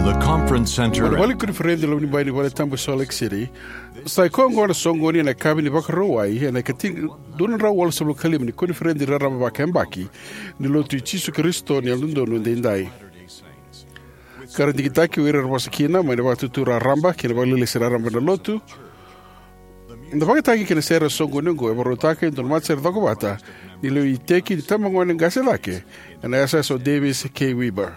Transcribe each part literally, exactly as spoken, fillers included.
The conference center. Mai na vale ni koniferedi loma ni bai ni valetabu e Salt Lake City, sa i koya oqo na soqoni ena yakavi ni Vakarauwai ena ikatinikadua na drau walusagavulu ka lima ni koniferedi raraba vakayabaki ni Lotu i Jisu Karisito ni Yalododonu Edaidai. Ka ra digitaki o ira era vosa kina mai na Vakatutu Raraba kei na Vakalesi Raraba na Lotu. Na vakayagataki kei na sere ena soqoni oqo e vakarautaka e dua na matasere cokovata ni lewe iteki ni tabagone qase cake ena yasayasa o Davis K. Weber.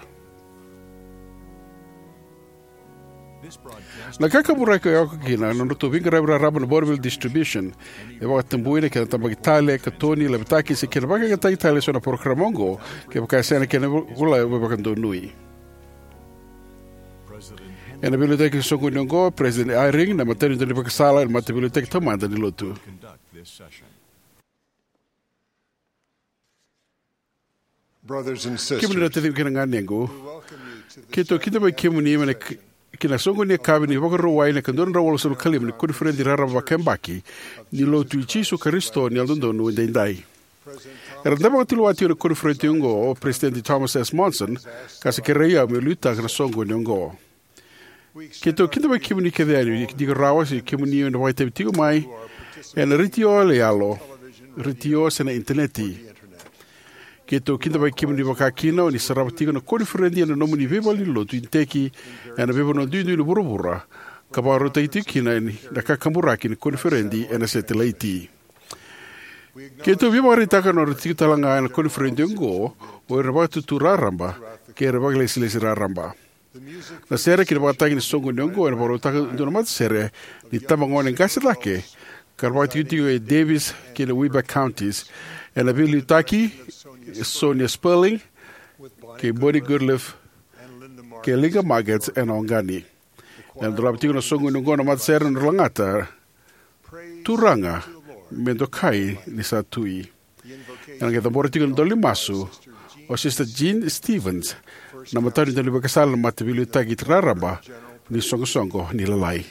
Na kakaburaki e oka kina na nodratou veiqaravi raraba na Bonneville Distribution. E vakatabui na kena tabaki tale, katoni, lavetaki se kena vakayagataki tale eso na parokaramu oqo kevaka e sega na kena vola vakadonui. Ena veiliutaki ena soqoni oqo, President Eyring, na matanitu ni vakasala ena Mataveiliutaki Taumada ni Lotu. Brothers and sisters, kemuni na taciqu kei na ganequ, keitou kidavaki kemuni mai na k-, ki na soqoni ni yakavi ni Vakarauwai ena ikadua na drau walusagavulu ka lima ni koniferedi raraba vakayabaki ni Lotu i Jisu Karisito ni Yalododonu Edaidai. Era dau vakatulewa tiko ena koniferedi oqo o President Thomas S. Monson, ka sa kerei au meu liutaka na soqoni oqo. Keitou kidavaki kemuni kece yani, dina rawa se kemuni o ni vakaitavi tiko mai ena retio yaloyalo, retio se na initaneti. Keitou kidavaki kemuni vakakina o ni sarava tiko na koniferedi ena nomuni veivalenilotu iteki ena veivanua duidui ni vuravura, ka vakarautaki tiko kina na kakaburaki ni koniferedi ena setilaiti. Keitou veivakaraitaka na nodra tiko tale ga ena koniferedi oqo o ira na Vakatutu Raraba kei ira na vakailesilesi raraba. Na sere kei na vakatagi ni soqoni oqo ena vakarautaka e dua na matasere ni tabagone qase cake ka ra vakatikotiko e Davis kei na Weber Counties, ena veiliutaki e Sonia Sperling kei Bonnie Goodliff kei Linda Margetts ena Wageni. Ena dolava tiko na soqoni oqo na matasere ena nodra lagata: Turaga, me dokai ni sa tui. Ena qai cabora tiko na idola ni masu o Sister Jean Stevens, na matanitu ni vakasala ena Mataveiliutaki Raraba ni Soqosoqo ni Lalai.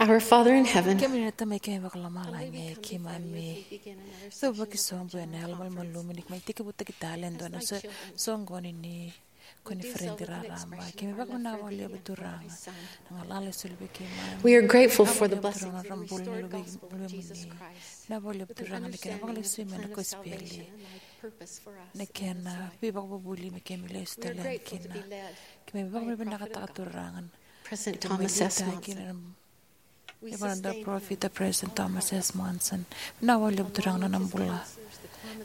Our Father in heaven, kemuni na Tamai keimami vakalomalagi, keimami cuva vakasobu ena yalomalumalumu ni keimami tekivutaki tale e dua na so-, soqoni ni koniferedi raraba. Keimami vakavinavinaka vakalevu Turaga na galala e soli vei keimami. We are grateful for the blessings that we restored gospel through Jesus Christ. Vinaka vakalevu Turaga na kena vakalesui mai na kosipeli, na kena veivakavuvuli me keimami lesu tale yani kina. Keimami vakavinavinakataka Turaga. President Thomas S. Monson. E vaka na Parofita President Thomas S. Monson. Vinaka vakalevu Turaga na nona bula.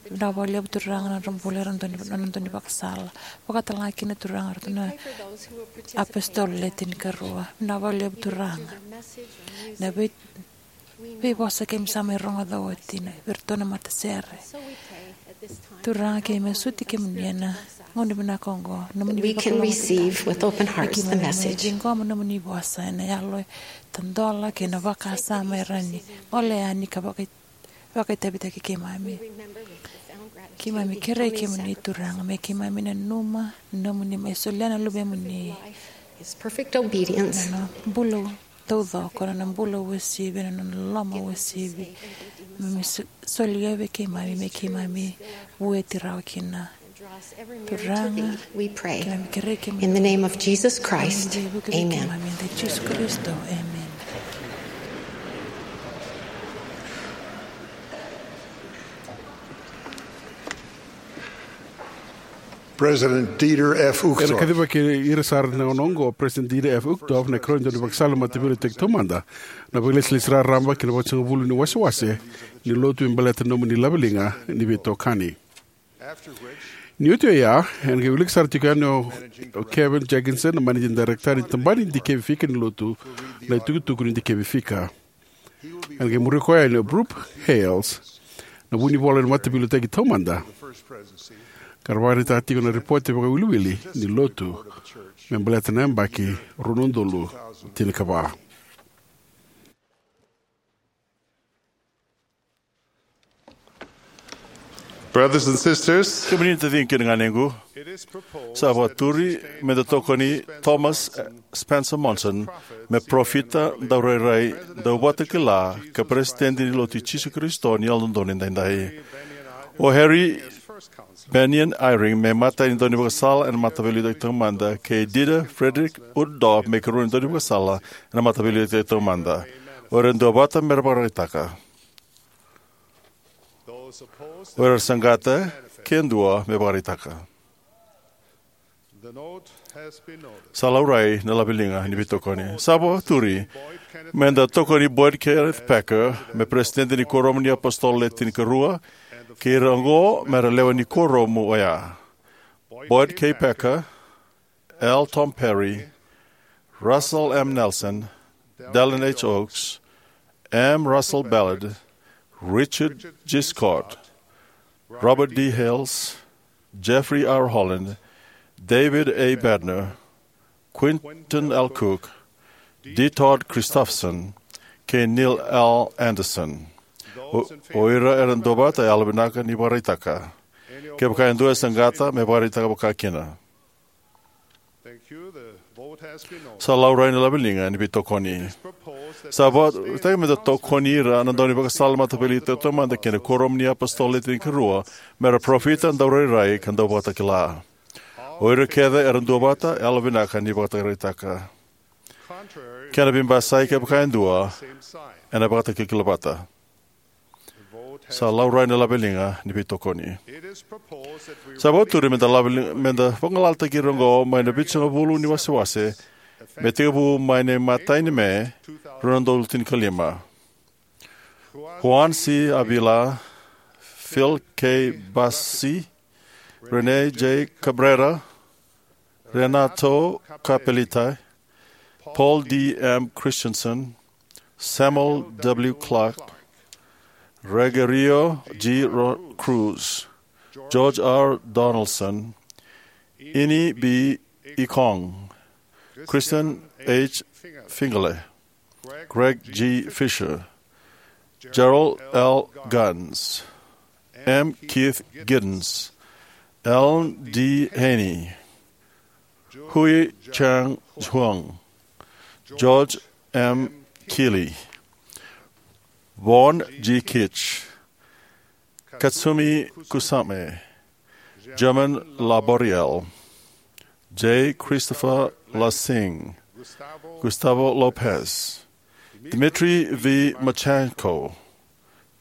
Vinaka vakalevu Turaga na nodra bula era dau ni, na nodra dau ni vakasala. Vakatalega kina Turaga ratou na apositolo le tinikarua. Vinaka vakalevu Turaga na vei, veivosa keimami sa mai rogoca oti na vei iratou na matasere. Turaga keimami suti kemuni ena gauna vinaka oqo. Nomuni we can receive with open hearts the message. Ciqoma nomuni vosa ena yalo e tadola kei na vakasama e rawa ni gole yani ka vaka, vakaitavitaki keimami. Keimami kerei kemuni Turaga me keimami nanuma nomuni mai solia na luvemuni. His perfect obedience. Na nona bula taucoko, na nona bula uasivi, na nona loloma uasivi. Me, me so-, solia vei keimami, me keimami vueti rawa kina. Turaga, we pray. Keimami kerei kemuni. In the name of Jesus Christ, amen. Keimami vuki vei keimami ena yaca i Jisu Karisito, amen. President Dieter F. Uchtdorf. Ena kacivaki ira sara ena gauna oqo o President Dieter F. Uchtdorf, na ikarua ni daunivakasala ni Mataveiliutaki Taumada, na vakailesilesi raraba kei na vakasagavulu ni wasewase ni lotu me baleta na nomuni laveliga ni veitokani. Ni oti oya, ena qai wilika sara tiko yani o, o Kevin Jenkinson, na managing director ni tabana ni dikevi fika ni lotu, na itukutuku ni dikevi fika. Ena qai muri koya yani o Brooke Hales, na vunivola ni Mataveiliutaki Taumada, ka ra vakaraitaka tiko na ripote vakawiliwili ni lotu me baleta na yabaki rua na udolu tinikava. Brothers and sisters, kemuni na taciqu kei na ganequ, sa vakaturi me da tokoni Thomas Spencer Monson me parofita, daurairai, dauvakatakila, ka peresitedi ni Lotu i Jisu Karisito ni Yalododonu Edaidai. O Harry Bennion Eyring me imatai ni daunivakasala ena Mataveiliutaki Taumada, kei Dieter Friedrich Uchtdorf me ikarua ni daunivakasala ena Mataveiliutaki Taumada. O ira duavata me ra vakaraitaka. O ira saqata, ke dua me vakaraitaka. Sa laurai na laveliga ni veitokoni. Sa vakaturi me da tokoni Boyd Kenneth Packer me peresitedi ni Kuoramu ni iApositolo Le Tinikarua, kei ira oqo me ra lewe ni kuoramu oya: Boyd K. Packer, L. Tom Perry, Russell M. Nelson, Dallin H. Oaks, M. Russell Ballard, Richard G. Scott, Robert D. Hales, Jeffrey R. Holland, David A. Bednar, Quentin L. Cook, D. Todd Christofferson, kei Neil L. Andersen. O, o ira era duavata, yalovinaka ni vakaraitaka. Kevaka e dua e saqata, me vakaraitaka vakakina. Sa laurai na laveliga ni veitokoni. Sa vakaraitaki me da tokoni ira na daunivakasala Mataveiliutaki Taumada kei na Kuoramu ni iApositolo Le Tinikarua me ra parofita, daurairai, ka dauvakatakila. O ira kece era duavata, yalovinaka ni vakaraitaka. Kena veibasai, kevaka e dua, ena vakatakilakila vata. Sa laurai na laveliga ni veitokoni. Sa vakaturi me da laveli-, me da vagalalataki ira oqo mai na vitusagavulu ni wasewase, me tekivu mai na imatai ni Me, rua na udolu tinikalima. Juan C. Avila, Phil K. Bassi, Rene J. Cabrera, Renato Capelita, Paul D. M. Christensen, Samuel W. Clark, Rogerio G. Ro-, Cruz, George R. Donaldson, Ini B. Ikong, Kristen H. Fingale, Greg G. Fisher, Gerald L. Guns, M. Keith Giddens, Alan D. Haney, Hui Chang Huang, George M. Keeley, Vaughn G. Kitch, Katsumi Kusama, German Laboriel, J. Christopher Lassing, Gustavo Lopez, Dmitry V. Machenko,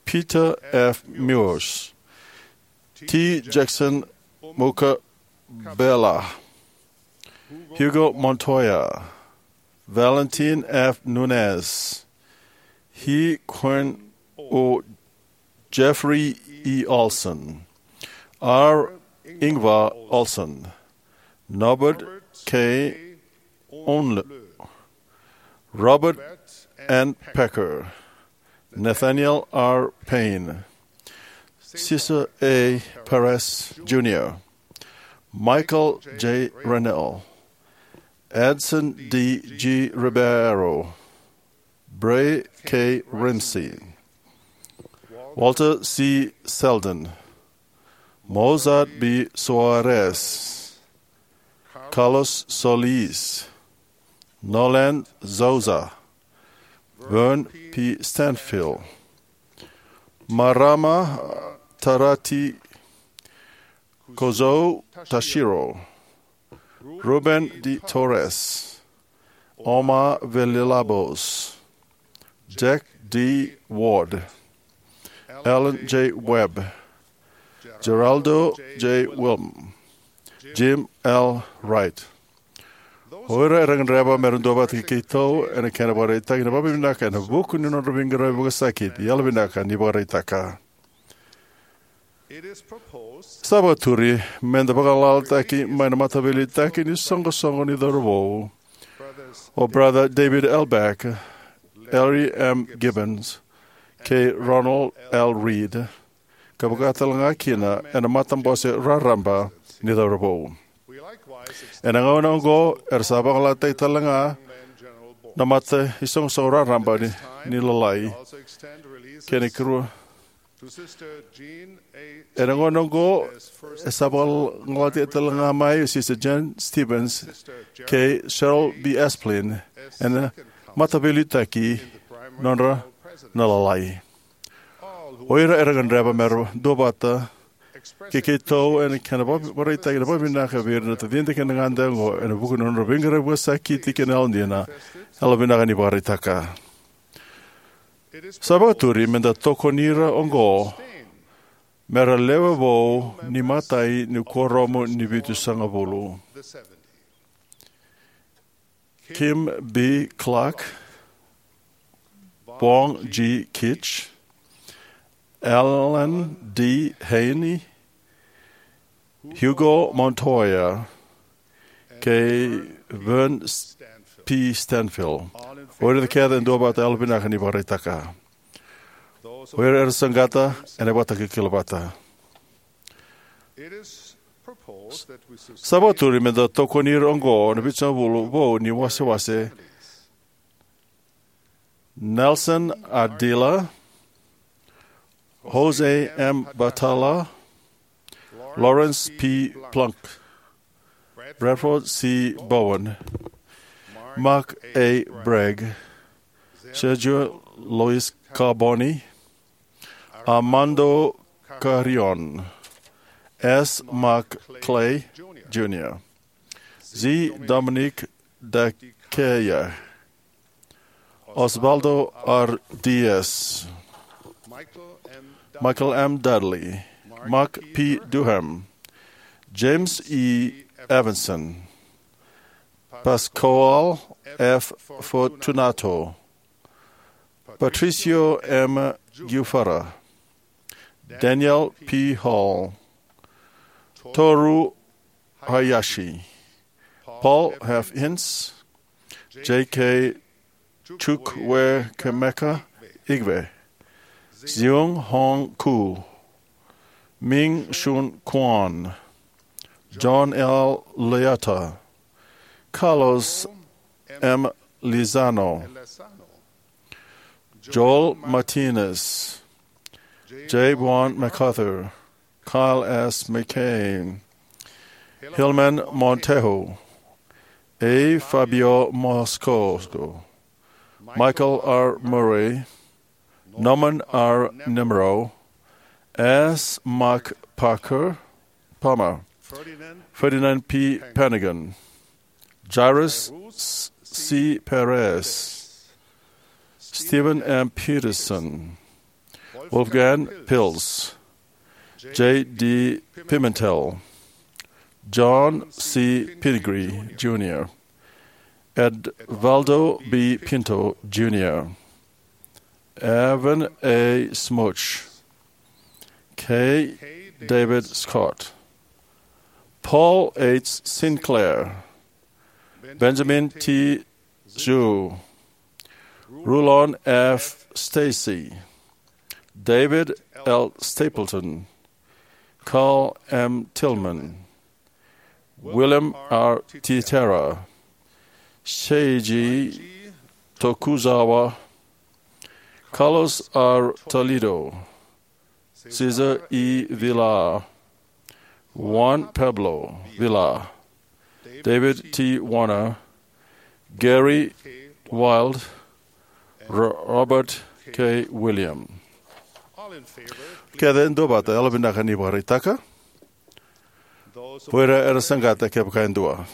Peter F. Murs, T. Jackson Mukabela, Hugo Montoya, Valentin F. Nunez, He Kuen O. Jeffrey E. Olsen, R. Ingvar Olsen, Norbert K. Onlu, Robert N. Pecker, Nathaniel R. Payne, Cesar A. Perez Junior, Michael J. Rennell, Edson D. G. Ribeiro, Bray K. Ramsey, Walter C. Selden, Mozart B. Soares, Carlos Solis, Nolan Souza, Vern P. Stanfill, Marama Tarati, Kozo Tashiro, Ruben de Torres, Omar Villalobos, Jack D. Ward, Alan J. Webb, Geraldo J. Wilm, Jim L. Wright. O ira era gadreva me ra duavata kei keitou ena kena vakaraitaki na vakavinavinaka ena vuku ni nodra veiqaravi vakasakiti, yalovinaka ni vakaraitaka. Sa vakaturi me da vagalalataki mai na mataveiliutaki ni soqosoqo ni cauravou o Brother David L. Beck, Larry M. Gibbons, kei Ronald L. Reed, ka vaka talega kina ena matabose raraba ni cauravou. Ena gauna oqo era sa vagalalataki talega na mata isoqosoqo raraba ni, ni Lalai kei na kuru. Ena gauna oqo e sa vagalalataki talega mai o Sister Jane Stevens kei Cheryl B. Esplin ena mataveiliutaki nodra na Lalai. O ira era gadreva me ra duavata kei keitou ena kena vakaraitaki na vakavinavinaka vei ira na tacida kei na gade oqo ena vuku ni nodra veiqaravi vakasakiti kei na yalodina, yalovinaka ni vakaraitaka. Sa vakaturi me da tokoni ira oqo me ra lewe vou ni matai ni kuoramu ni vitusagavulu: Kim B. Clark, Vaughn G. Kitch, Alan D. Haney, Hugo Montoya, kei Vern P. Stanfill. O ira kece e duavata, yalovinaka ni vakaraitaka. O ira era saqata ena ivakatakilakila vata. Sa vakaturi me da tokoni ira oqo na vitusagavulu vou ni wasewase: Nelson Adila, Jose M. Batalla, Lawrence P. Plunk, Bradford C. Bowen, Mark A. Bragg, Sergio Luis Carboni, Armando Carrion, S. Mark Clay Junior, Z. Dominic Daqueya, Osvaldo R. Diaz, Michael M. Dudley, Mark P. Duhem, James E. Evanson, Pascoal F. Fortunato, Patricio M. Giuffara, Daniel P. Hall, Toru Hayashi, Paul F. Ince, J K Chukwuemeka Igwe, Xiong Hong Ku, Ming Shun Kwan, John L. Leata, Carlos M. Lizano, Joel Martinez, J. Vaughn MacArthur, Kyle S. McCain, Hilman Montejo, A. Fabio Moscoso, Michael R. Murray, Norman R. Nemerow, S. Mark Parker, Palmer, Ferdinand P. Pennigan, Jairus C. Perez, Stephen M. Peterson, Wolfgang Pils, J. D. Pimentel, John C. Pingree Junior, Edvaldo B. Pinto Junior, Evan A. Smouch, K. David Scott, Paul H. Sinclair, Benjamin T. Zhu, Rulon F. Stacy, David L. Stapleton, Carl M. Tillman, William R. Titera, Seiji Tokuzawa, Carlos R. Toledo, Cesar E. Villar, Juan Pablo Villar, David T. Warner, Gary Wilde, Ro- Robert K. William. Kece e dua vata, yalovinaka ni vakaraitaka. O ira era saqata, kevaka e dua.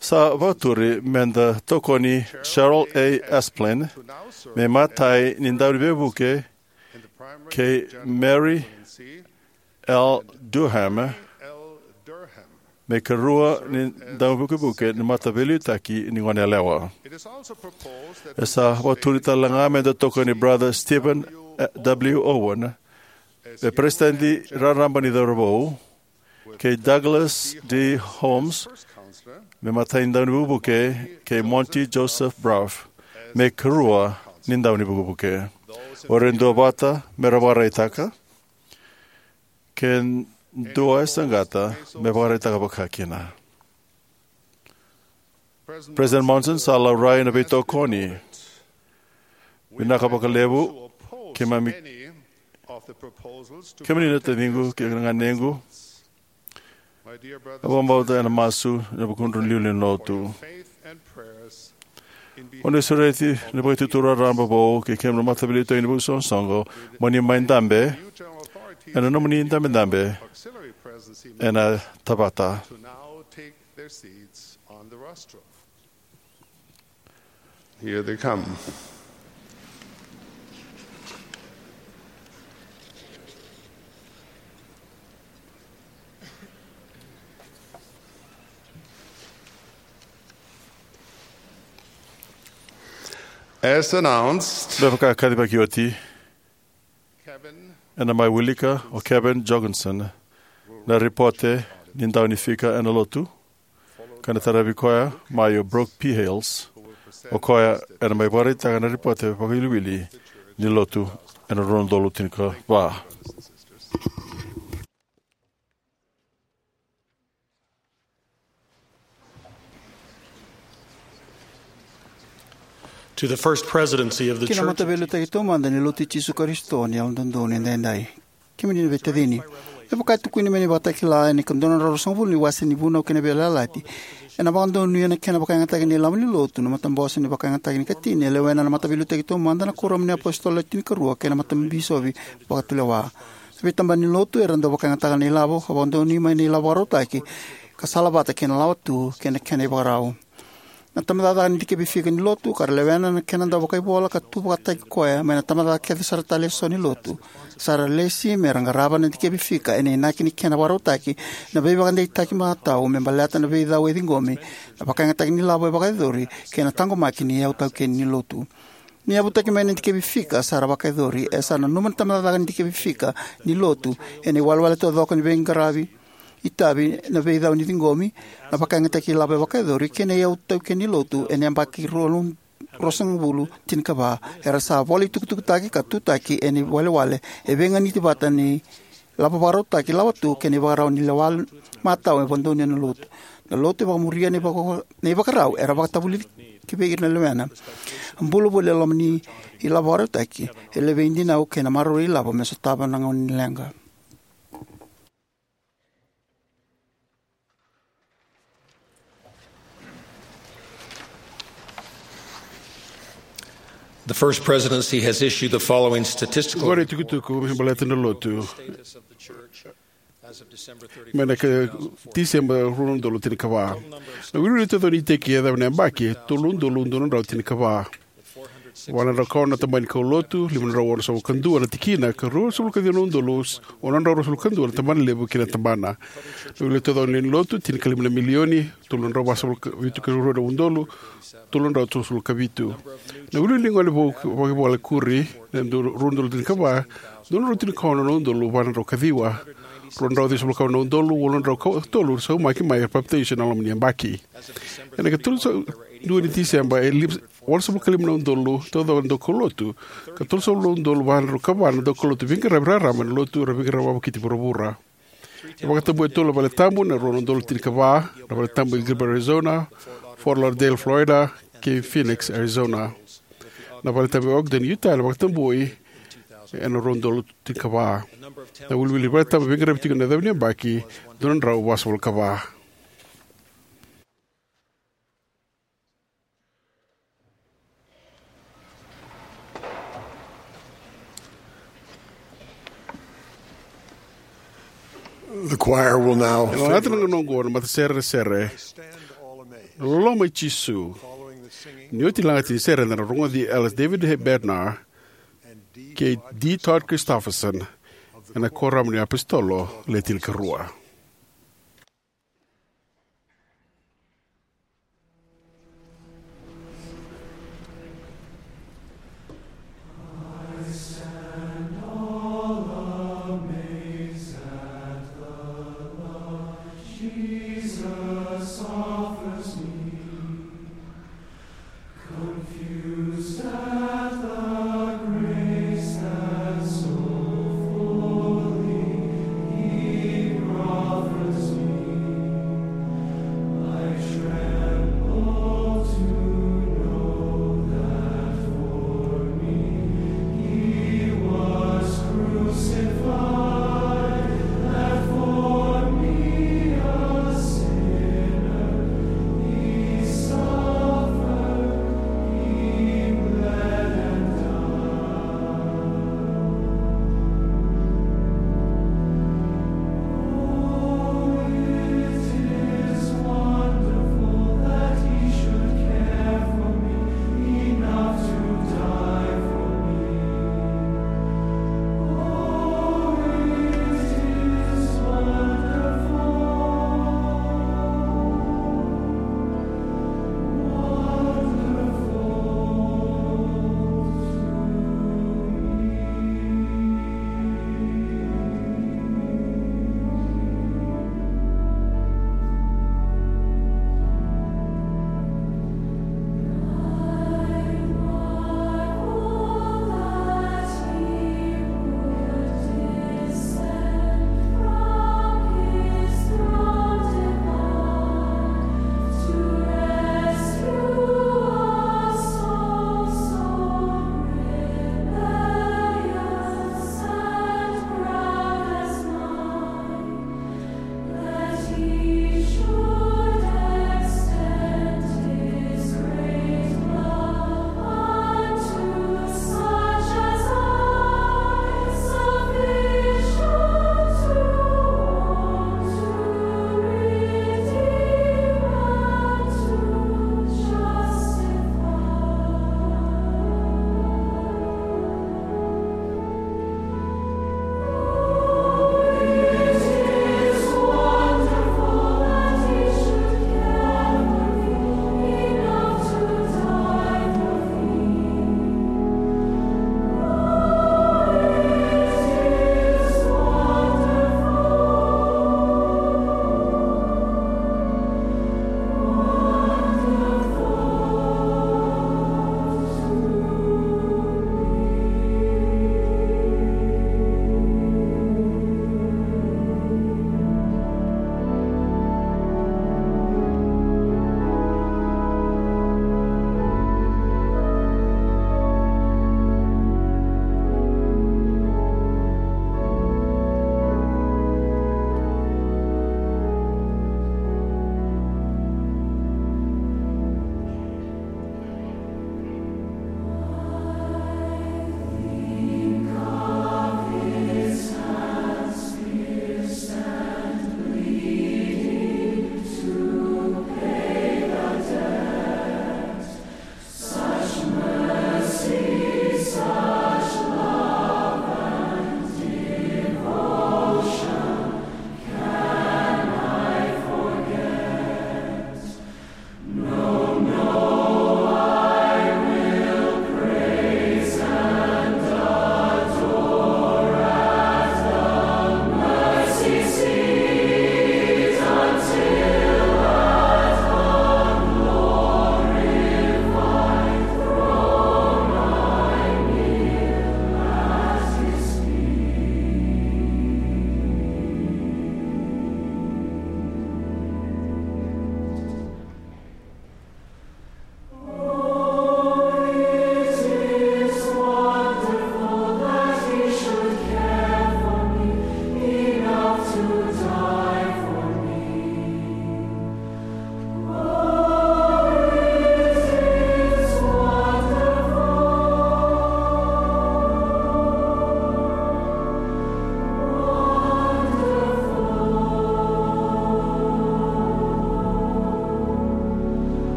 Sa vakaturi me da tokoni Cheryl A. Esplin me matai ni dauniveivuke, kei Mary L. Durham me karua ni daunivukevuke ni mataveiliutaki ni goneyalewa. E sa vakaturi tale ga me da tokoni Brother Stephen W. Owen me peresitedi raraba ni cauravou, kei Douglas D. Holmes me matai ni daunivukevuke, kei Monty Joseph Brough me karua ni daunivukevuke. O ira e dua vata me ra vakaraitaka, ke dua e saqata me vakaraitaka vakakina. President Monson sa laurai na veitokoni. Vinaka vakalevu keimami, kemuni na taciqu kei na ganequ. Au vakabauta ena masu ena vukudra na iliuliu ni lotu. O ni sureti na vakaitutu raraba vou kei kemuni na mataveiliutaki ni veisoqosoqo mo ni mai dabe ena nomuni dabedabe ena tavata. Here they come. As announced, me vaka kacivaki oti, ena mai wilika o Kevin Jorgensen na ripote ni daunifika ena lotu, ka na taravi koya mai o Brooke P. Hales, o koya ena mai vakaraitaka na ripote vakaiwiliwili ni lotu ena rua na udolu tinikava. To the First Presidency of the Ki na Church of Mataveiliutaki Taumada ni Lotu i Jisu Karisito ni Yalododonu Edaidai. Kemuni na veitacini, me vaka e tukuni mai na ivakatakila ena ikadua na drau ruasagavulu ni wase ni Vunau kei na Veiyalayalati, ena vakadonuya na kena vakayagataki na ilavo ni lotu na matabose ni vakayagataki ni ikatini e lewena na Mataveiliutaki Taumada, na Kuoramu ni iApositolo Le Tinikarua kei na Matabisopi Vakatulewa. Na veitabana ni lotu era dau vakayagataka na ilavo ka vakadonui mai na ilavo vakarautaki ka salavata kei na lawa tu kei na kena ivakarau. Na tabacakacaka ni dikevi fika ni lotu ka ra lewena na kena dau vakaivola ka tu vakataki koya mai na tabacakacaka kece sara tale eso ni lotu, sa ra lesi me ra qarava na dikevi fika ena inaki ni kena vakarautaki na veivakadeitaki matau me baleta na veicau e ciqomi, na vakayagataki ni lavo e vakayacori, kei na taqomaki ni iyau taukeni ni lotu. Ni yavutaki mai na dikevi fika sa ra vakayacori, e sa nanuma na tabacakacaka ni dikevi fika ni lotu ena iwalewale taucoko ni veiqaravi, itavi, na veicau ni ciqomi, na vakayagataki ilavo e vakayacori kei na iyau taukeni ni lotu ena yabaki rua na udolu ruasagavulu tinikava. Era sa vola itukutukutaki ka tutaki ena iwalewale e veiganiti vata ni lavo vakarautaki, lawa tu kei na ivakarau ni lewa matau e vakadonui ena lotu. Na lotu e vakamuria na ivaka- na ivakarau era vakatavulici vei ira na lewena. A bula voli e loma ni ilavo vakarautaki e levei dinau kei na maroroi ilavo me sotava na gauna ni leqa. The First Presidency has issued the following statistical Oqori e tukutuku me baleta na lotu. Status of the Church as of December thirty-first, mai na ka, Tiseba rua na udolu tinikava. Na wiliwili taucoko ni iteki e yacova na yabaki, tolu na udolu dua na drau tinikava. Va na drau ka ono na tabana ni kaulotu, lima na drau onosagavulu ka dua na tikina, ka ruasagavulu ka ciwa na udolu ono na drau ruasagavulu ka dua na tabana levu kei na tabana. Na wiliwili taucoko ni lotu, tinikalima na milioni, tolu na drau vasagavulu ka vitu ka rua na udolu, tolu na drau tolusagavulu ka vitu. Na wiliwili ni gone vou, vakaivale kuri, na dua, rua na udolu tinikava, dua na drau tinikaono na udolu va na drau ka ciwa, rua na drau ciwasagavulu ka va na udolu walu na drau ka tolu saumaki mai era papitaiso ena loma ni yabaki. Ena ikatolu sa dua ni Tiseba, e lima, walusagavulu ka lima na udolu taucoko na daukaulotu, ka tolusagavulu na udolu va na drau ka va na daukaulotu veiqaravi raraba ena lotu era veiqaravi vakiti vuravura. E vakatabui e tolu na valetabu, na rua na udolu tinikava, na valetabu e Gilbert, Arizona, Fort Lauderdale, Florida, kei Phoenix, Arizona. Na valetabu e Ogden, Utah, ena vakatabui ena rua na udolu tinikava. Na wiliwili valetabu veiqaravi tiko ena yacova ni yabaki, dua na drau vasagavulu ka va. The choir will now Ena lagata na gauna oqo na matasere sere, Na Loloma i Jisu. Ni oti na lagata ni sere, eda na rogoci Ellis David Bednar kei D Todd Christofferson ena Kuoramu ni iApositolo Le Tinikarua.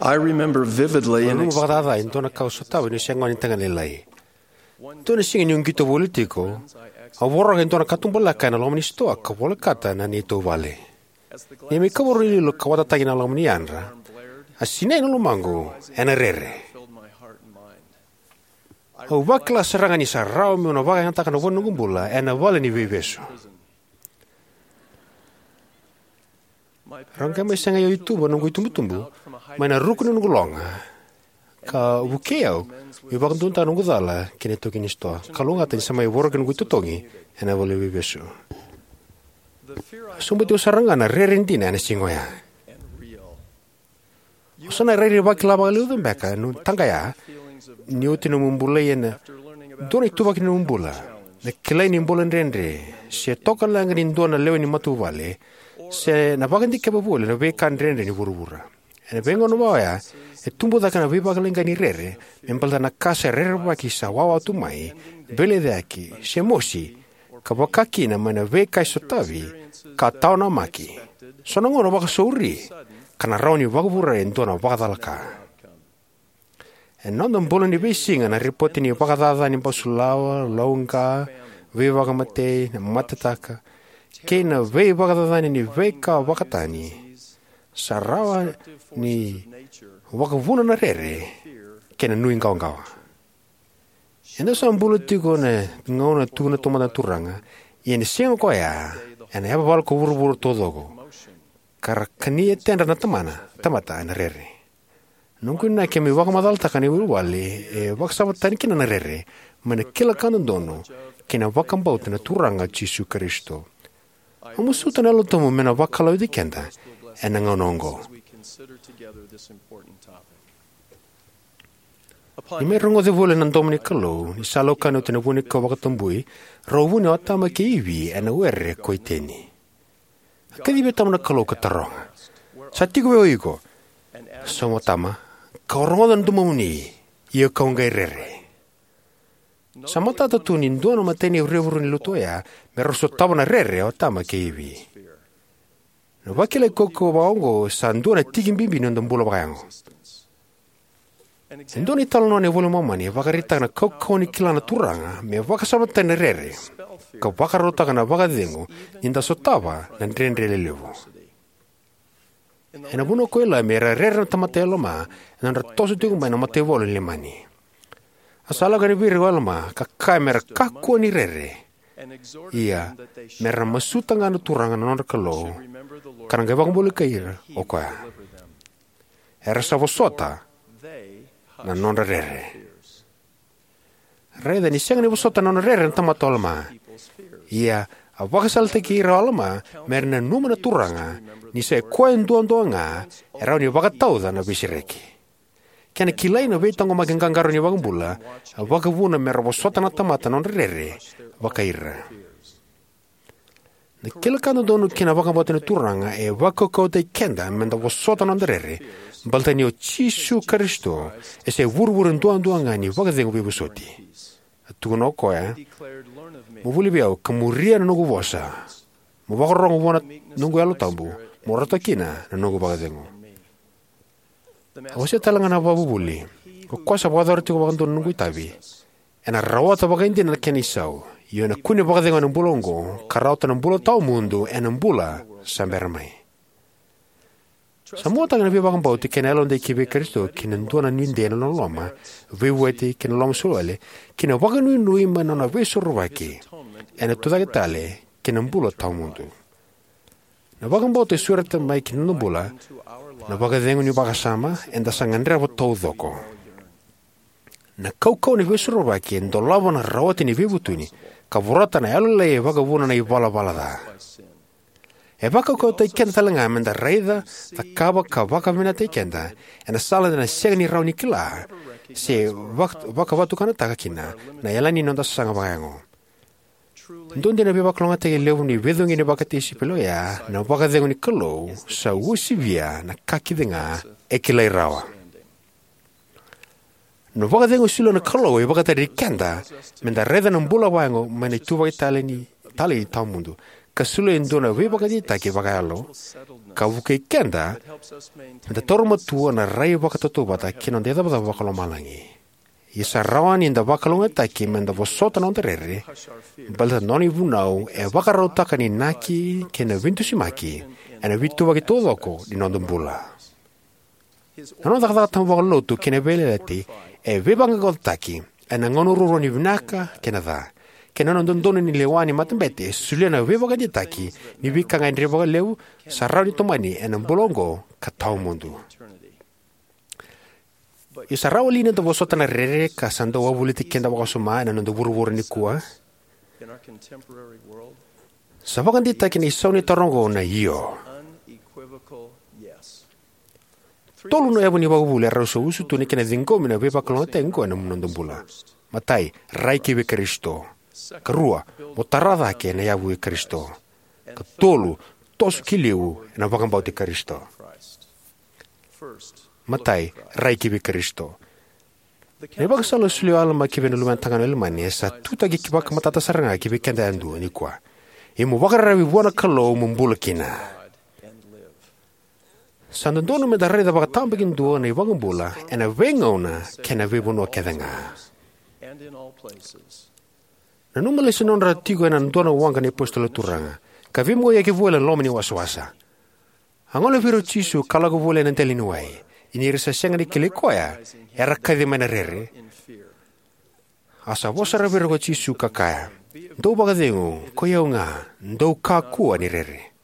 I remember vividly Au an nanuma ex- vakacaca e dua na ka au sotava niu se gone ni tagane lailai. Dua na siga niu qito voli tiko, au voroka e dua na katubaleka ena loma ni sitoa ka volekata na neitou vale. Ni mai kavoro ni lilo ka watataki na loma ni yadra, a sinai na lomaqu ena rere. Au vakila sara ga ni sa rawa meu na vakayagataka na vo ni noqu bula ena vale ni veivesu. Rau qai mai sagai au i tuba noqu itubutubu mai na ruku ni noqu loga, ka vukei au meu vakaduataka noqu cala kei na itaukei ni sitoa. Kalougata ni sa mai voroki noqu itotogi ena vale ni veivesu. A sobuti au sara ga na rere dina ena siga oya. O sa na rairai vakila vakalevu beka na taqaya ni oti nomu bulai ena dua na ituvaki ni nomu bula, na kilai ni bula dredre, se toka leqa ni dua na lewe ni matavuvale, se na vakadikeva voli na veika dredre ni vuravura. Ena veigauna vakaoya, e tubu cake na veivakaleqai ni rere me baleta na ka sa rerevaki sa wawa tu mai, veilecayaki, se mosi, ka vaka kina mai na veika e sotavi ka tawa namaki, so na gauna vakasauri, ka na rawa ni vakavure e dua na vakacalaka. Ena noda bula ni veisiga, na ripoti ni vakacaca ni basulawa, lauqa, veivakamatei, na matataka, kei na veivakacacani ni veika vakatani sa rawa ni vakavuna na rere kei na nuiqawaqawa. Eda sa bula tiko ena gauna e tukuna taumada na Turaga, ia ena siga koya ena yavavala ko vuravura taucoko, ka ra kania e tedra na tamana, tamata ena rere. Noqu inaki me vakamacalataka na ivuvale e vakasama tani kina na rere, mai na kila ka dodonu kei na vakabauta na Turaga o Jisu Karisito. Au masuta na Yalo Tabu me na vakalougatataki keda ena gauna oqo. Ni mai rogoci voli na domo ni Kalou ni sa laukani oti na vuanikau vakatabui, rau vuni o Atama kei Ivi ena were ko Iteni. A kacivi Atama na Kalou ka taroga, "Sa tiko vei o iko?" "Sauma, Atama, kau rogoca na domomuni, ia kau qai rere." Sa matata tu ni dua na imatai ni vuravura ni lotu oya me rau sotava na rere o Atama kei Ivi. Na vakilai kaukauwa vakaoqo sa dua na tiki bibi ni noda bula vakayago. E dua na italanoa ena iVola i Momani e vakaraitaka na kaukauwa ni kila na Turaga me vakasama tani na rere, ka vakarautaka na vakacegu ni da sotava na dredre lelevu. Ena vanua ko Ilami era rere na tamata i Alama ena nodra toso tiko mai na mataivalu ni Leimani. A sa lako yani vei ira ko Alama ka kaya me ra kakua ni rere, ia me ra masuta ga na Turaga na nodra Kalou, ka na qai vakabulai ira o koya. Era sa vosota na nodra rere. Raica ni sega ni vosota na nona rere na tamata o Alama. Ia, a vakasalataki ira o Alama me ra nanuma na Turaga ni sa i koya duadua ga e rawa ni vakatauca na veisereki. Kena kilai na veitaqomaki qaqarauni ni iVakabula, a vakavuna me ra vosota na tamata na nodra rere vakai ira. Na kila ka dodonu kei na vakabauta na Turaga e vakaukauwataki keda me da vosota na noda rere, baleta ni o Jisu Karisito e sa ivurevure duadua ga ni vakacegu veivosoti. A tukuna o koya, "Mo vuli vei au ka muria na noqu vosa. Mo vakarorogo vua na noqu Yalo Tabu, mo rauta kina na noqu vakacegu." A wasea tale ga na iVakavuvuli, "Ko koya sa vakayacora tiko vakadua na noqu itavi, ena rawata vakaidina na kena isau, io ena kune vakacegu ena bula oqo, ka rawata na bula tawamudu ena bula sa bera mai." Sa muataka na veivakabauti kei na yalodei kivei Karisito ki na dua na nuidei ena loloma, veivueti kei na loloma soli wale, kei na vakanuinui mai na nona veisorovaki, ena tucake tale kei na bula tawamudu. Na vakabauta e sureta mai ki na noda bula na vakacegu ni vakasama eda sa gadreva taucoko. Na kaukauwa ni veisorovaki e dolava na rawati ni veivutuni, ka vorata na yalolailai e vakavuna na ivalavala ca. E vakaukauwataki keda tale ga me da raica, cakava ka vakavinakataki keda ena sala eda na sega ni rawa ni kila se vak-, vakavatukanataka kina na yalani ni noda sasaga vakayago. Dua dina na veivakalougatataki levu ni veicugeni vakatisaipeli oya na vakacegu ni Kalou sa uasivia na ka kece ga e kilai rawa. Na vakacegu e solia na Kalou e vakatarai keda me da raica na bula vakayago mai na ituvaki talei ni, talei tawamudu, ka solia e dua na veivakadeitaki vakayalo ka vukei keda me da taura matua na rai vakatautauvata ki na noda icavacava vakalomalagi. Ia sa rawa ni da vakalougatataki me da vosota na noda rere, baleta na nona ivunau e vakarautaka na inaki kei na veidusimaki ena veituvaki taucoko ni noda bula. Na nona cakacaka tabu vakalotu kei na veiyalayalati e veivaqaqacotaki ena gauna ruarua ni vinaka kei na ca, kei na nona dodonu ni lewa ni matabete e solia na veivakadeitaki ni veika ga e dre vakalevu sa rawa ni tomani ena bula oqo ka tawamudu. Ia sa rawa li ni da vosota na rere ka sa dau wavoliti keda vakawasoma ena noda vuravura nikua? Sa vakadeitaki na isau ni taro oqo na io. Tolu na yavu ni vakavuvuli erau sa usutu na kena ciqomi na veivakalougatataki oqo ena noda bula. Matai, rai kivei Karisito. Karua, mo tara cake na yavu i Karisito. Katolu, toso ki liu ena vakabauti Karisito. Matai, rai kivei Karisito. Na ivakasala a solia o Alama kivei na luvena tagane o Ilamani e sa tutaki vakamatata sara ga kivei keda yadua nikua. Ia mo vakararavi vua na Kalou mo bula kina. Sa dodonu me da raica vakatabakidua na iVakabula ena veigauna kei na veivanua kece ga. Nanuma lesu na nodra tiko ena dua na waqa na iApositolo Turaga, ka veimauaiyaki voli ena loma ni wasawasa. A gole vei ira o Jisu ka lako voli ena dela ni wai, ia ni ra sa sega ni kilai koya, era kaci mai na rere. A sa vosa sara vei ira ko Jisu ka kaya, "Dou vakacegu, koi au ga, dou kakua ni rere."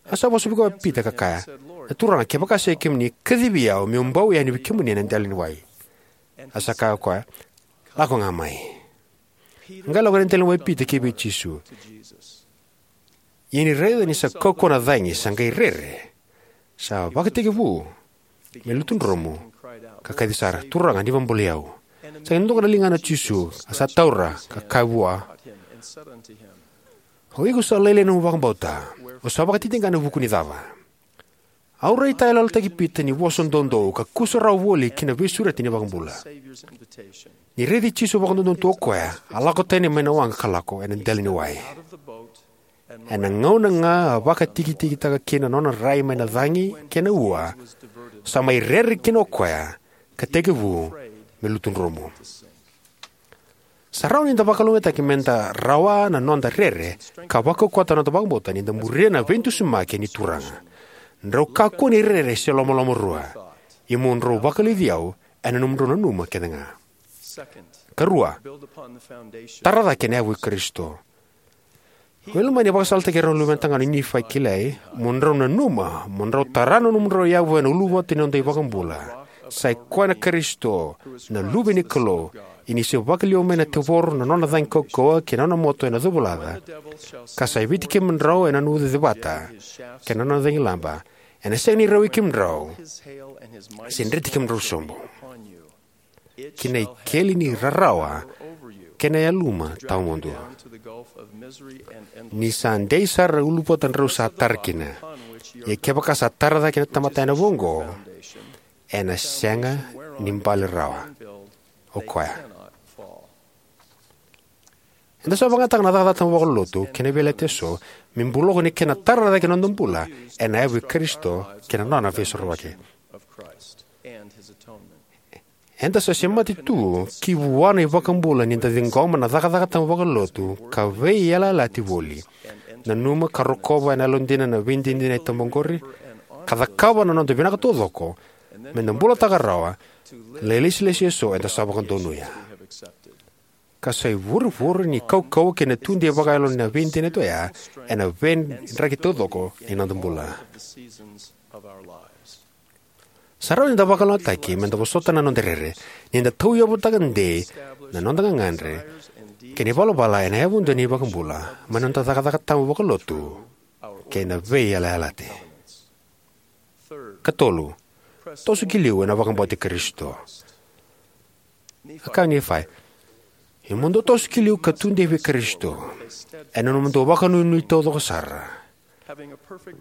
A sa vosa vei koya o Pita ka kaya, "Na Turaga, kevaka sa i kemuni, kacivi au meu bau yani vei kemuni ena dela ni wai." A sa kaya o koya, "Lako ga mai." A qai lako ena dela ni wai o Pita kivei Jisu. Ia ni raica ni sa kaukauwa na cagi, sa qai rere, sa vakatekivu me lutu dromu, ka kaci sara, "Turaga, ni vakabolei au." Sa qai doka na ligana o Jisu, a sa taura, ka kaya vua, "O iko sa lailai na nomu vakabauta, o sa vakatitiqa ena vuku ni cava?" Au raitayaloyalotaki Pita ni vosa doudou ka kusarawa voli ki na veisureti ni iVakabula. Ni raici Jisu vakadodonu tu o koya, a lako tani mai na waqa ka lako ena dela ni wai. Ena gauna ga a vakatikitikitaka kina na nona rai mai na cagi kei na ua, sa mai rere kina o koya ka tekivu me lutu dromu. Sa rawa ni da vakalougatataki me da rawa na noda rere ka vakaukauwataka na noda vakabauta ni da muria na veidusimaki ni Turaga. Drau kakua ni rere se lomalomarua, ia mo drau vakaliuci au ena nomudrau nanuma kece ga. Karua, tara cake na yavu i Karisito. O Ilamani e vakasalataki ira na luvena tagane o Nifai kilai, "Mo drau nanuma, mo drau tara na nomudrau yavu ena uluvatu ni noda iVakabula. Sa i koya na Karisito, na Luve ni Kalou, ia ni sa vakaliwa mai na tevoro na nona cagi kaukauwa kei na nona moto ena covulaca, ka sa iviti kemudrau ena nona uciuci vata kei na nona cagilaba, ena sega ni rawai kemudrau, se dreti kemudrau sobu ki na ikeli ni rarawa kei na yaluma tawamudu. Ni sa dei sara na uluvatu drau sa tara kina. Ia kevaka sa tara cake na tamata ena vuku oqo, ena sega ni bale rawa o koya." Eda sa vakayagataka na cakacaka tabu vakalotu kei na veiyalayalati eso me buloko ni kena tara cake na noda bula ena yavu i Karisito kei na nona veisorovaki. Eda sa semati tu ki vua na iVakabula ni da ciqoma na cakacaka tabu vakalotu ka veiyalayalati voli. Nanuma ka rokova ena yalodina na veidinadina tabu oqori, ka cakava na noda vinaka taucoko me da bulataka rawa na ilesilesi eso eda sa vakadonuya, ka sa ivurevure ni kaukauwa kei na tudei vakayalo na veidinadina oya ena veidraki taucoko ni noda bula. Sa rawa ni da vakalougatataki me da vosota na noda rere ni da tauyavutaka dei na noda gagadre kei na ivalavala ena yavudua ni iVakabula mai na noda cakacaka tabu vakalotu kei na veiyalayalati. Katolu, toso ki liu ena vakabauti Karisito. A kaya o Nifai, "Ia mo dou toso ki liu ka tudei vei Karisito ena nomudou vakanuinui taucoko sara,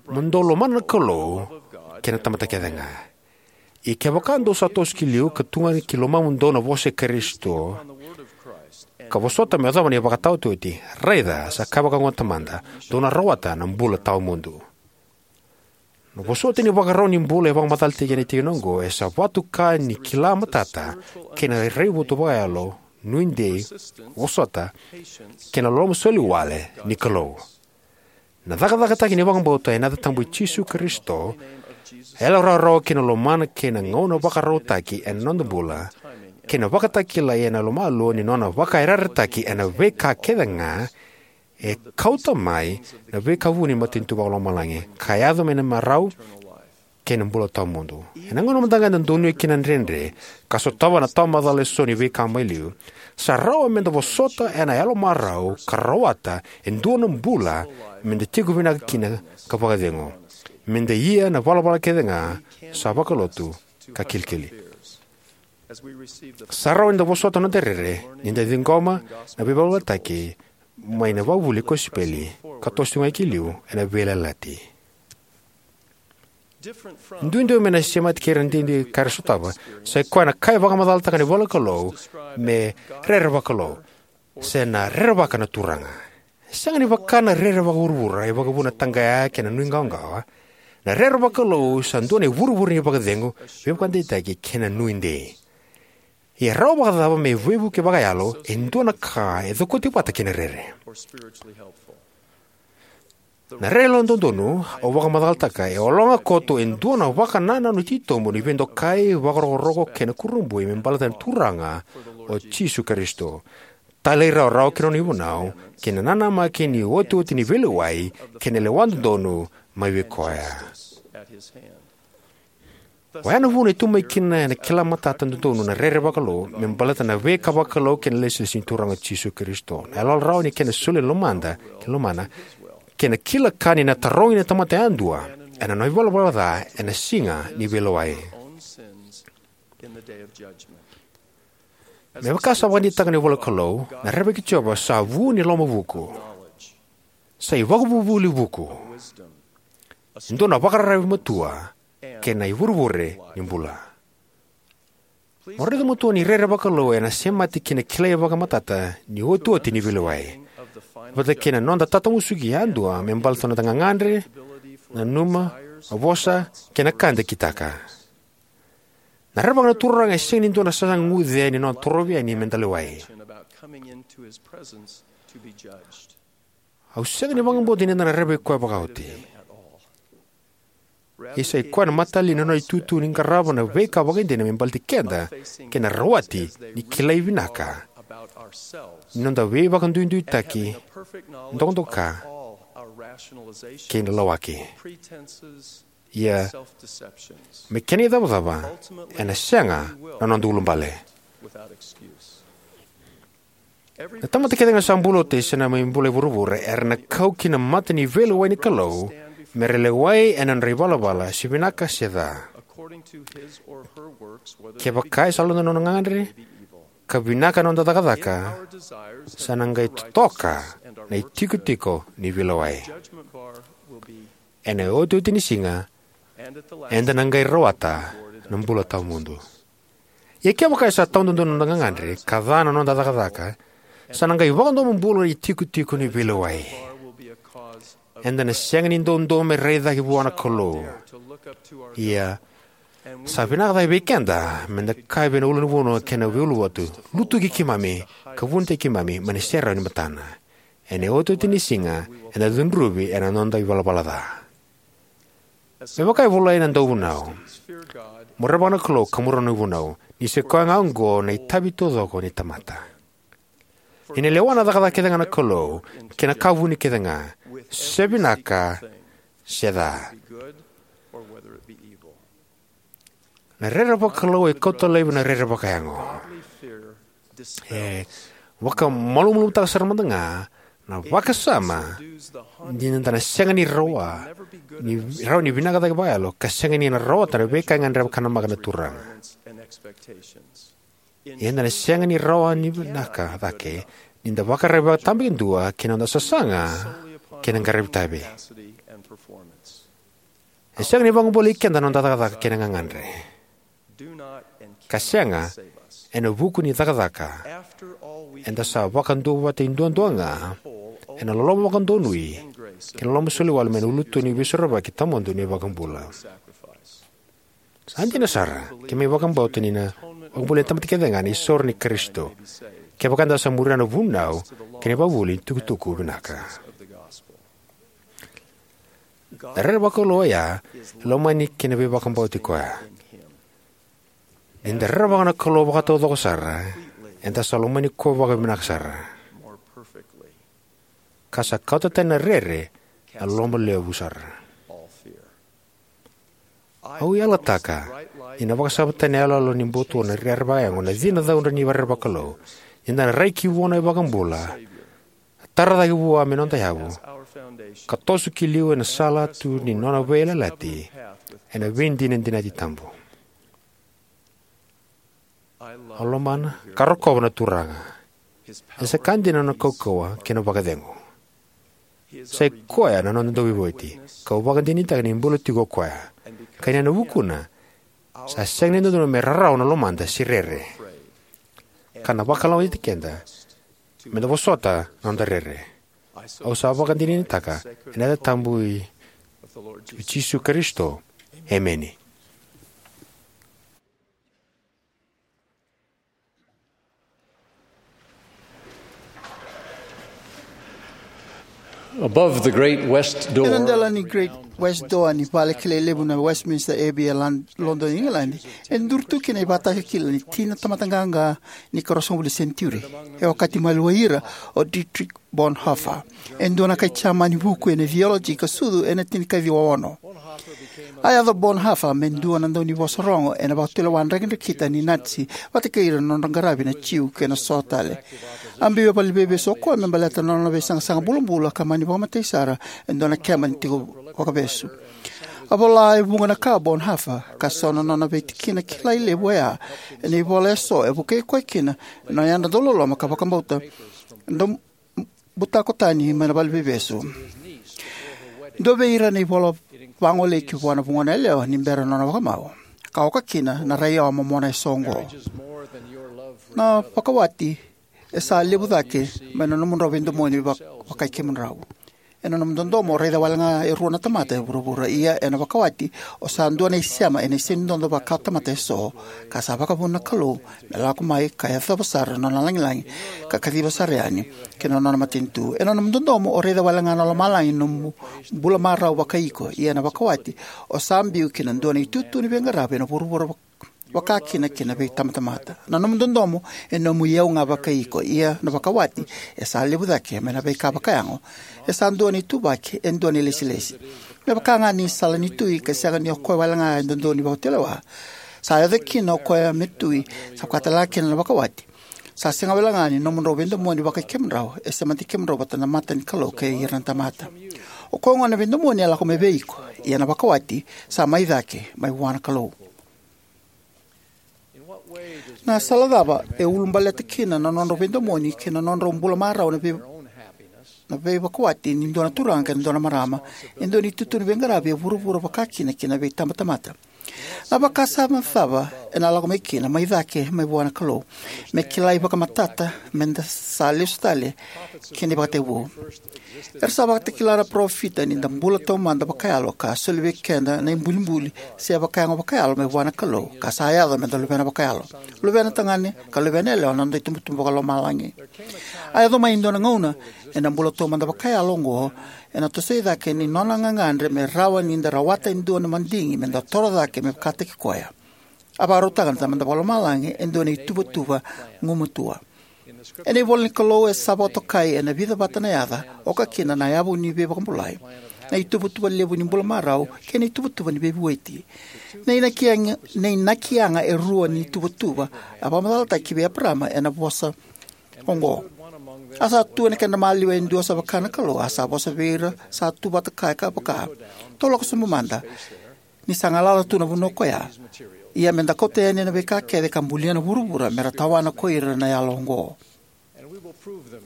mo dou lomana na Kalou kei na tamata kece ga." Ia kevaka dou sa toso ki liu ka tugani ki lomamudou na vosa i Karisito, ka vosota me yacova na ivakataotioti. Raica, sa kaya vakaoqo na Tamada, dou na rawata na bula tawamudu. Na vosoti ni ivakarau ni bula e vakamacalataki ena tikina oqo e sa vatuka ni kila matata kei na raivotu vakayalo, nuidei, vosota, kei na loloma soli wale ni Kalou. Na cakacakataki ni vakabauta ena yaca tabu i Jisu Karisito, yalo rawarawa kei na lomana kei na gauna vakarautaki ena noda bula, kei na vakatakilai ena yalomalua ni nona vakayarayarataki ena veika kece ga, e kauta mai na veika vuni ni matanitu vakalomalagi ka yaco mai na marau kei na bula tawamudu. Ena gauna mada ga eda donuya kina na dredre ka sotava na tawamacala eso ni veika mai liu, sa rawa meda vosota ena yalomarau ka rawata e dua na bula meda tiko vinaka kina ka vakacegu, meda ia na ivalavala kece ga sa vakalotu ka kilikili. Sa rawa nida vosota na noda rere nida ciqoma na veivalavala tale mai na ivakavuvuli ni kosipeli ka toso tiko ga ki liu ena veiyalayalati. Duidui mai na semati kei ira na duidui ka ra sotava, sa i koya na ka e vakamacalataka na ivolanikalou me rere vakalou, se na rerevaka na Turaga. E sega ni vaka na rere vakavuravura e vakavuna na taqaya kei na nuiqawaqawa. Na rere vakalou sa dua na ivurevure ni vakacegu, veivakadeitaki kei na nuidei. Ia e rawa vakacava me veivuke vakayalo e dua na ka e cokoti vata kei na rere? Na rere yalododonu au vakamacalataka e ologa koto e dua na vakanananu titobu ni veidokai, vakarokoroko kei na kurabui me baleta na Turaga o Jisu Karisito, talairawarawa ki na nona ivunau, kei na nanamaki ni iotioti ni veilewai kei na lewa dodonu mai vei koya. Oya na vuna e tu mai kina ena kila matata dodonu na rere vakalou me baleta na veika vakalou kei na ilesilesi ni Turaga o Jisu Karisito, na yaloyalo rawa ni kena soli na lomada kei na lomana, kei na kila ka ni na tarogi na tamata yadua ena nona ivalavala ca ena siga ni veilewai. Me vaka sa vakadeitaka na ivolanikalou, na rerevaki Jiova sa vu ni lomavuku, sa ivakavuvuli vuku, e dua na vakararavi matua, kei na ivurevure ni bula. Mo raica matua ni rere vakalou ena semati ki na kilai vakamatata ni iotioti ni veilewai, vata kei na noda tatamusuki yadua me baleta na noda gagadre, nanuma, vosa, kei na ka eda kitaka. Na rerevaka na Turaga e sega ni dua na sasaga guce ni nona torovi yani meda lewai. Au sega ni vakabauta ni da na rerevaki koya vakaoti. Ia sa i koya na mataqali ni nona itutu ni qarava na veika vakaidina me baleti keda kei na rawati ni kilai vinaka ni noda veivakaduiduitaki, dokadoka, kei na lawaki. Ia, me kena icavacava, ena sega na noda ulubale. Na tamata kece ga sa bula oti se na mai bula e vuravura era na kau ki na mata ni veilewai ni Kalou me ra lewai ena nodra ivalavala se vinaka se ca. Kevaka e sa lomada na nona gagadre ka vinaka na noda cakacaka, sa na qai totoka na itikotiko ni veilewai. Ena iotioti ni siga, eda na qai rawata na bula tawamudu. Ia kevaka e sa tawadodonu na noda gagadre ka ca na noda cakacaka, sa na qai vakadomobula na itikotiko ni veilewai. Eda na sega ni doudou me rai cake vua na Kalou. Ia, sa vinaka cake vei keda meda kaya vei na ulunivanua kei na veiuluvatu, lutuki keimami ka vunitaki keimami mai na serau ni matana. Ena iotioti ni siga, eda cudruvi ena noda ivalavala ca. Me vaka e volai na dauvunau, mo rerevaka na Kalou ka mo rau na ivunau, ni sa i koya ga oqo na itavi taucoko ni tamata. Ena lewa na cakacaka kece ga na Kalou kei na ka vuni kece ga, se vinaka se ca. Na rere vakalou e kauta laivi na rere vakayago. E vakamalumalumutaka sara mada ga na vakasama ni da na sega ni rawa ni, rawa ni vinaka cake vakayalo ka sega ni na rawata na veika e gadreva ka namaka na Turaga. Ia eda na sega ni rawa ni vinaka cake ni da vakararavi vakatabakidua ki na noda sasaga kei na qaravi tavi. E sega ni vakabolei keda na noda cakacaka kei na gagadre. Ka sega Ena vuku ni cakacaka, eda sa vakaduavatataki duadua ga ena loloma vakadonui kei na loloma soliwale mai na ulutu ni Veisorovaki tawamudu ni iVakabula. Sa dina sara, keimami vakabauta ni na vakabulai na tamata kecega ena isoro i Karisito, kevaka eda sa muria na vunau kei na ivakavuvuli ni itukutuku vinaka. Na rere vakalou oya e lomani kei na veivakabauti Koya. Ni da rerevaka na Kalou vakataucoko sara, eda sa lomani Koya vakavinaka sara, ka sa kauta tani na rere na loloma levu sara. Au yalataka ni na vakasava tani na iyaloyalo ni buto na rere vakayago na cina caudre ni rere vakalou, ni da na rai ki vua na iVakabula, tara cake vua me noda yavu, ka toso ki liu ena sala tu ni nona veiyalayalati ena veidinadinati tabu. Au lomana ka rokova na Turaga. E sa ka dina na nona kaukauwa kei na vakacegu. Sa i Koya na noda Dauveivueti, kau vakadinadinataka ni bula tiko o Koya. Ka ni ena vukuna, sa sega ni dodonu me rarawa na lomada se rere, ka na vakalougatataki keda me da vosota na noda rere. Au sa vakadinadinataka ena yaca tabu i Jisu Karisito. Emeni. Above the great west door, ena dela ni Great West Door ni vale kilai levu na Westminster Abbey e Lon-, Lodoni, Igiladi, e duri tu kina na ivakatakila ni tina tamata qaqa ni karua sagavulu ni senitiuri. E okati maliwai ira o Dietrich Bonhoeffer, e dua na kai Jamani vuku ena theology ka sucu ena tinikaciwa ono. A yaco o Bonhoeffer me dua na daunivosa rogo ena vakatulewa drakidrakita ni Nazi vata kei ira na nodra qaravi na Jiu kei na so tale. A biu e valeniveivesu o koya me baleta na nona veisaqasaqa bulabula ka mani vakamatei sara e dua na keba ni tiko vakavesu. A vola e vuqa na ka o Bonhoeffer, ka so na nona veitikina kilai levu oya ena ivola eso e vukei koya kina na yadra dauloloma ka vakabauta, dau butako tani mai na valeniveivesu. Dua vei ira na ivola vagolei ki vua na vugona yalewa ni bera na nona vakamau, ka oka kina na raiyawa momona eso oqo. Na vakawati e sa levu cake mai na nomudrau veidomoni vak-, vakai kemudrau. Ena nomu dodomo o raica wale ga e rua na tamata e vuravura, ia ena vakawati o sa dua na isema ena isenidodo vakatamata eso, ka sa vakavuna na Kalou me lako mai ka yacova sara na nona lagilagi ka kaciva sara yani ki na nona matanitu. Ena nomu dodomo o raica wale ga na lomalagi na nomu bula marau vakai iko, ia ena vakawati o sa biu ki na dua na itutu ni veiqaravi ena vuravura vak-, vaka kina ki na veitabatamata. Na nomu dodomo e nomu iyau ga vakai iko, ia na vakawati e sa levu cake mai na veika vakayago. E sa dua na ituvaki, e dua na ilesilesi. Me vaka ga ni sala ni tui ka sega ni o koya wale ga e dodonu ni vakatulewa, sa yaco kina o koya me tui, sa koya tale ga kina na vakawati. Sa sega wale ga ni nomudrau veidomoni vakai kemudrau, e semati kemudrau vata na mata ni Kalou kei ira na tamata. O koya gona na veidomoni e lako mai vei iko, ia na vakawati sa mai cake mai vua na Kalou. Na sala cava e ulubaleta kina na nodrau veidomoni kei na nodrau bula marau na vei-, na veivakawati ni dua na turaga kei na dua na marama e dua na itutu ni veiqaravi e vuravura vaka kina ki na veitabatamata? Na vakasama cava ena lako mai kina mai cake mai vua na Kalou me kilai vakamatata me da sa lesu tale ki na ivakatekivu? Era sa vakatakila na parofita ni da bula taumada vakayalo ka soli vei keda na ibulibuli se vakayago vakayalo mai vua na Kalou, ka sa yaco me da luvena vakayalo, luvena tagane ka luvena yalewa na noda itubutubu vakalomalagi. A yaco mai e dua na gauna ena bula taumada vakayalo oqo, ena tosoi cake ni nona gagadre me rawa ni da rawata e dua na madigi me da toro cake me vakataki koya. A vakarautaka na Tamada Vakalomalagi e dua na ituvatuva gumatua. Ena ivola ni Kalou e sa vakatokai ena vica vata na yaca, oka kina na yavu ni veivakabulai, na ituvatuva levu ni bula marau, kei na ituvatuva ni veivueti. Na inaki yaga, na inaki yaga e rua ni ituvatuva a vakamacalataki vei Eparama ena vosa oqo: A sa tu ena kedra maliwa e dua sa vaka na Kalou, a sa vosa vei ira sa tu vata kaya ka vaka: Tou lako sobu mada, ni sa galala tu na vanua koya. Ia me da kauta yani na veika kece ka bulia na vuravura me ra tawana ko ira na yalo oqo.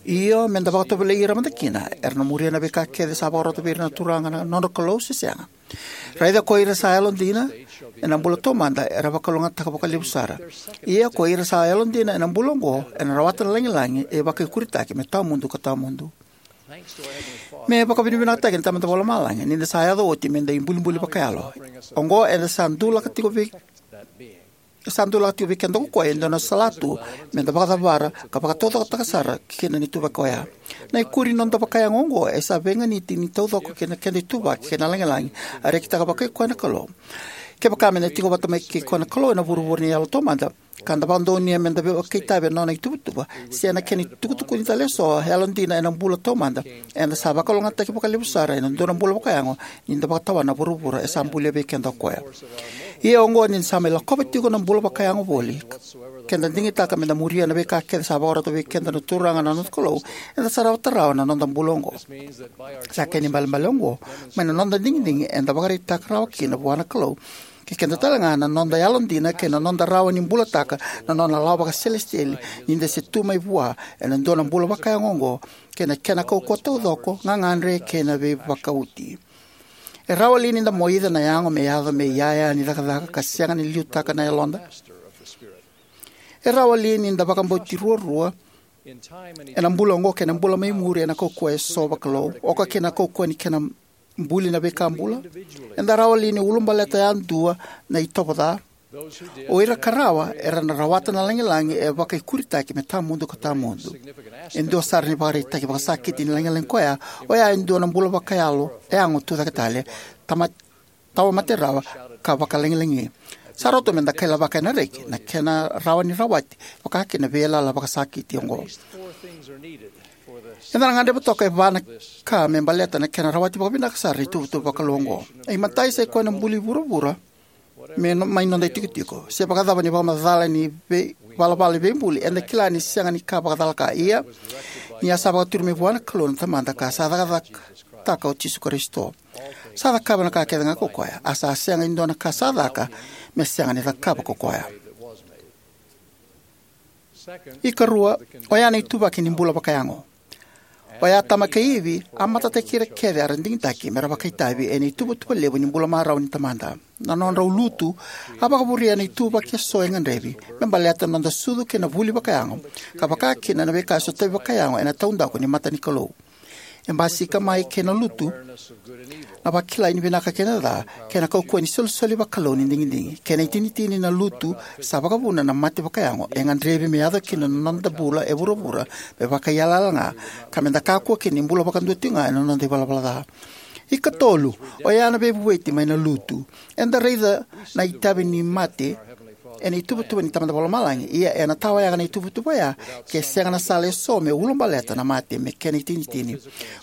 Io, me da vakatovolei ira mada kina, era na muria na veika kece sa vakarota vei ira na Turaga na nodra Kalou se sega. Raica ko ira sa yalodina ena bula taumada era vakalougatataka vakalevu sara. Ia ko ira sa yalodina ena bula oqo ena rawata na lagilagi e vakaikuritaki me tawamudu ka tawamudu. Me vakavinavinakataki na Tamada Vakalomalagi ni da sa yaco oti me da ibulibuli vakayalo. Oqo eda sa dulaka tiko vei sa dulaka tiko vei keda ko koya e dua na salatu me da vakacavara ka vakataucokotaka sara kina na ituvaki oya. Na ikuri ni noda vakayago oqo e sa veiganiti ni taucoko kei na keda ituvaki kei na lagilagi a rekitaka vakai koya na Kalou. Kevaka me da tiko vata mai kei koya na Kalou ena vuravura ni yalo taumada ka da vakadonuya me da vakaitavi ena nona ituvatuva se na kena itukutukuni tale eso yalodina ena bula taumada, eda sa vakalougatataki vakalevu sara ena dua na bula vakayago ni da vakatawana na vuravura e sa bulia vei keda o koya. Ia oqo ni da sa mai lakova tiko na bula vakayago voli, ke da digitaka me da muria na veika kece sa vakarota vei keda na Turaga na noda Kalou, eda sa rawata rawa na noda bula oqo. Sa kena ibalebale oqo mai na noda digidigi eda vakaraitaka rawa kina vua na Kalou kei keda talega na noda yalodina kei na noda rawa ni bulataka na nona lawa vakaselesitieli ni da se tu mai vua ena dua na bula vakayago oqo kei na kena kaukauwa taucoko, gagadre kei na veivakauti. E rawa li ni da moica na yago me yaco me iyaya ni cakacaka ka sega ni liutaka na yaloda? E rawa li ni da vakabauti ruarua ena bula oqo kei na bula mai muri ena kaukauwa eso vakalou, oka kina na kaukauwa ni kena buli na veika bula? Eda rawa li ni ulubaleta yadua na itovo ca? O ira ka rawa era na rawata na lagilagi e vakaikuritaki me tawamudu ka tawamudu. E dua sara na ivakaraitaki vakasakiti ni lagilagi koya, oya e dua na bula vakayalo, yago tucake tale, tama- tawamate rawa ka vakalagilagi. Sa rawa tu me da kailavaka ena reki na kena rawa ni rawati vaka kina na veiyalayala vakasakiti oqo. Eda na gadreva toka e va na ka me baleta na kena rawati vakavinaka sara na ituvatuva vakalou oqo. E imatai sa i koya na buli vuravura me no- mai noda itikotiko. Se vakacava ni vakamacala ni vei- valavala ni veibuli, eda kila ni sega ni ka vakacalaka. Ia ni a sa vakaturi mai vua na Kalou na Tamada ka sa cakacakataka o Jisu Karisito, sa cakava na ka kece ga ko koya, a sa sega e dua na ka sa caka me sega ni cakava ko koya. Ikarua, oya na ituvaki ni bula vakayago. Oya Atama kei Ivi a matataki ira kece era digitaki me ra vakaitavi ena ituvatuva levu ni bula marau ni Tamada. Na nodrau lutu a vakavurea na ituvaki eso e gadrevi me baleta na noda sucu kei na vuli vakayago, ka vaka kina na veika e sotavi vakayago ena taudaku ni mata ni Kalou. E basika mai kei na lutu na vakilai ni vinaka kei na ca, kei na kaukauwa ni solisoli vakalou ni digidigi. Kena itinitini, na lutu sa vakavuna na mate vakayago e gadrevi me yaco kina na noda bula e vuravura me vakaiyalayala ga, ka me da kakua kina ni bula vakadua tiko ga ena noda ivalavala ca. Ikatolu, oya na veivueti mai na lutu. Eda raica na itavi ni mate ena ituvatuva ni Tamada Vakalomalagi, ia ena tawayaga na ituvatuva oya ke sega na sala eso me ulabaleta na mate me kena itinitini,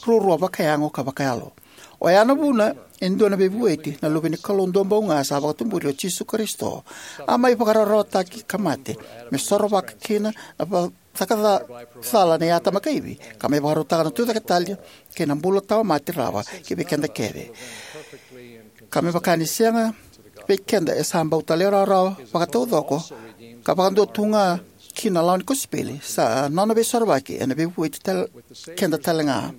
ruarua vakayago ka vakayalo. Oya na vuna e dua na veivueti, na Luve ni Kalou duabau ga sa vakatuburi, o Jisu Karisito, a mai vakararawataki ka mate me sorovaka kina na va- caka ca- cala nei Atama kei Ivi, ka mai vakarautaka na tucake tale kei na bula tawamate rawa ki vei keda kece, ka me vaka ni sega vei keda e sa bau talairawarawa vakataucoko ka vakadua tu ga ki na lawa ni kosipeli, sa nona veisorovaki ena veivueti tale keda talega.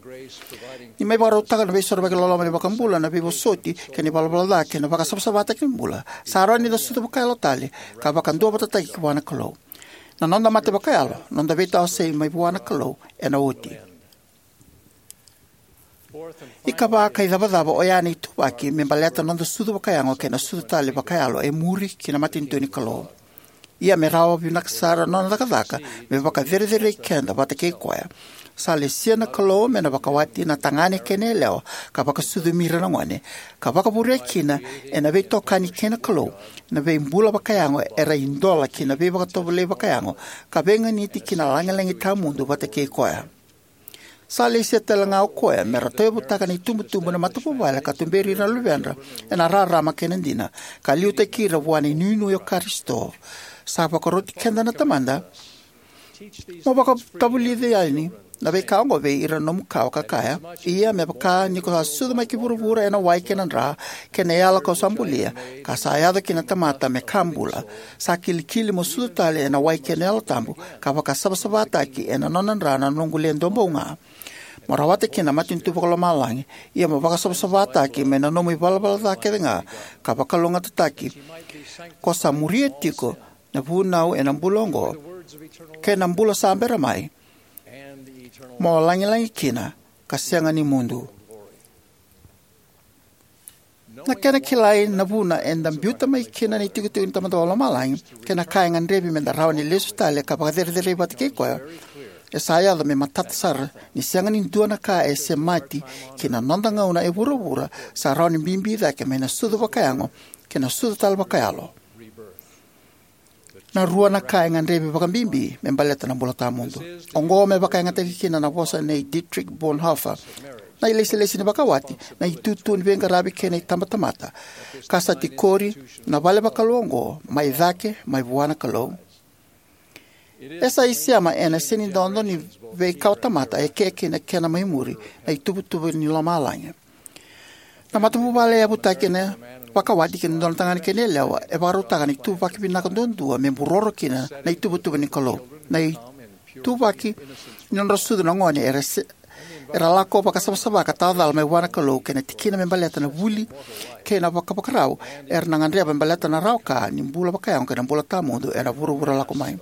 Ni mai vakarautaka na veisorovaki loloma ni iVakabula, na veivosoti kei na ivalavala ca kei na vakasavasavataki ni bula, sa rawa ni da sucu vakayalo tale ka vakaduavatataki vua na Kalou. Na noda mate vakayalo, noda veitawasei mai vua na Kalou, ena oti. Ikava ka icavacava, oya na ituvaki me baleta na noda sucu vakayago kei na sucu tale vakayalo e muri ki na matanitu ni Kalou. Ia me rawa vinaka sara na nona cakacaka me vakacerecerei keda vata kei koya, sa lesia na Kalou me na vakawati na tagane kei na yalewa ka vakasucumi ira na gone, ka vakavurea kina ena veitokani kei na Kalou na veibula vakayago era idola ki na veivakatovolei vakayago ka veiganiti ki na lagilagi tawamudu vata kei koya. Sa lesia talega o koya me ra tauyavutaka na itubutubu na matavuvale ka tuberi ira na luvedra ena rarama kei na dina, ka liutaki ira vua na inuinui o Karisito. Sa vakaroti keda na Tamada: Mo vakatavulici yani na veika oqo vei ira na nomu kawa, ka kaya: Ia me vaka ni ko sa sucu mai ki vuravura ena wai kei na dra, kei na yala kau sa bulia, ka sa yaco ki na tamata me ka bula, sa kilikili mo sucu tale ena wai kei na Yalo Tabu, ka vakasavasavataki ena nona dra na noqu le duabau ga. Mo rawata kina na matanitu vakalomalagi, ia mo vakasavasavataki mai na nomu ivalavala ca kecega, ka vakalougatataki ko sa muria tiko na vunau ena bula oqo kei na bula sa bera mai, mo lagilagi kina ka sega ni mudu. Na kena kilai na vuna eda biuta mai kina na itikotiko ni Tamada Vakalomalagi kei na ka e gadrevi meda rawa ni lesu tale ka vakacerecerei vata kei Koya, e sa yaco me matata sara ni sega ni dua na ka e semati ki na noda gauna e vuravura sa rawa ni bibi cake mai na sucu vakayago kei na sucu tale vakayalo. Na rua na ka e gadrevi vakabibi me baleta na bula tawamudu. Oqo me vakayagataki kina na vosa nei Dietrich Bonhoeffer: na ilesilesi ni vakawati, na itutu ni veiqaravi kei na itabatamata, ka sa tikori na vale vakalou oqo mai cake mai vua na Kalou. E sa isema ena senidodo ni veikawatamata eke kina kena mai muri, na ituvatuva ni lomalagi. Na matavuvale e yavutaki ena vakawati kei na dua na tagane kei na yalewa e vakarautaka na ituvaki vinaka duadua me buroro kina na ituvatuva ni Kalou. Na ituvaki ni nodra sucu na gone era se-, era lako vakasavasava ka tawacala mai vua na Kalou, kei na tikina me baleta na vuli kei na vakavakarau era na gadreva me baleta na rawa ka ni bula vakayago kei na bula tawamudu ena vuravura lako mai.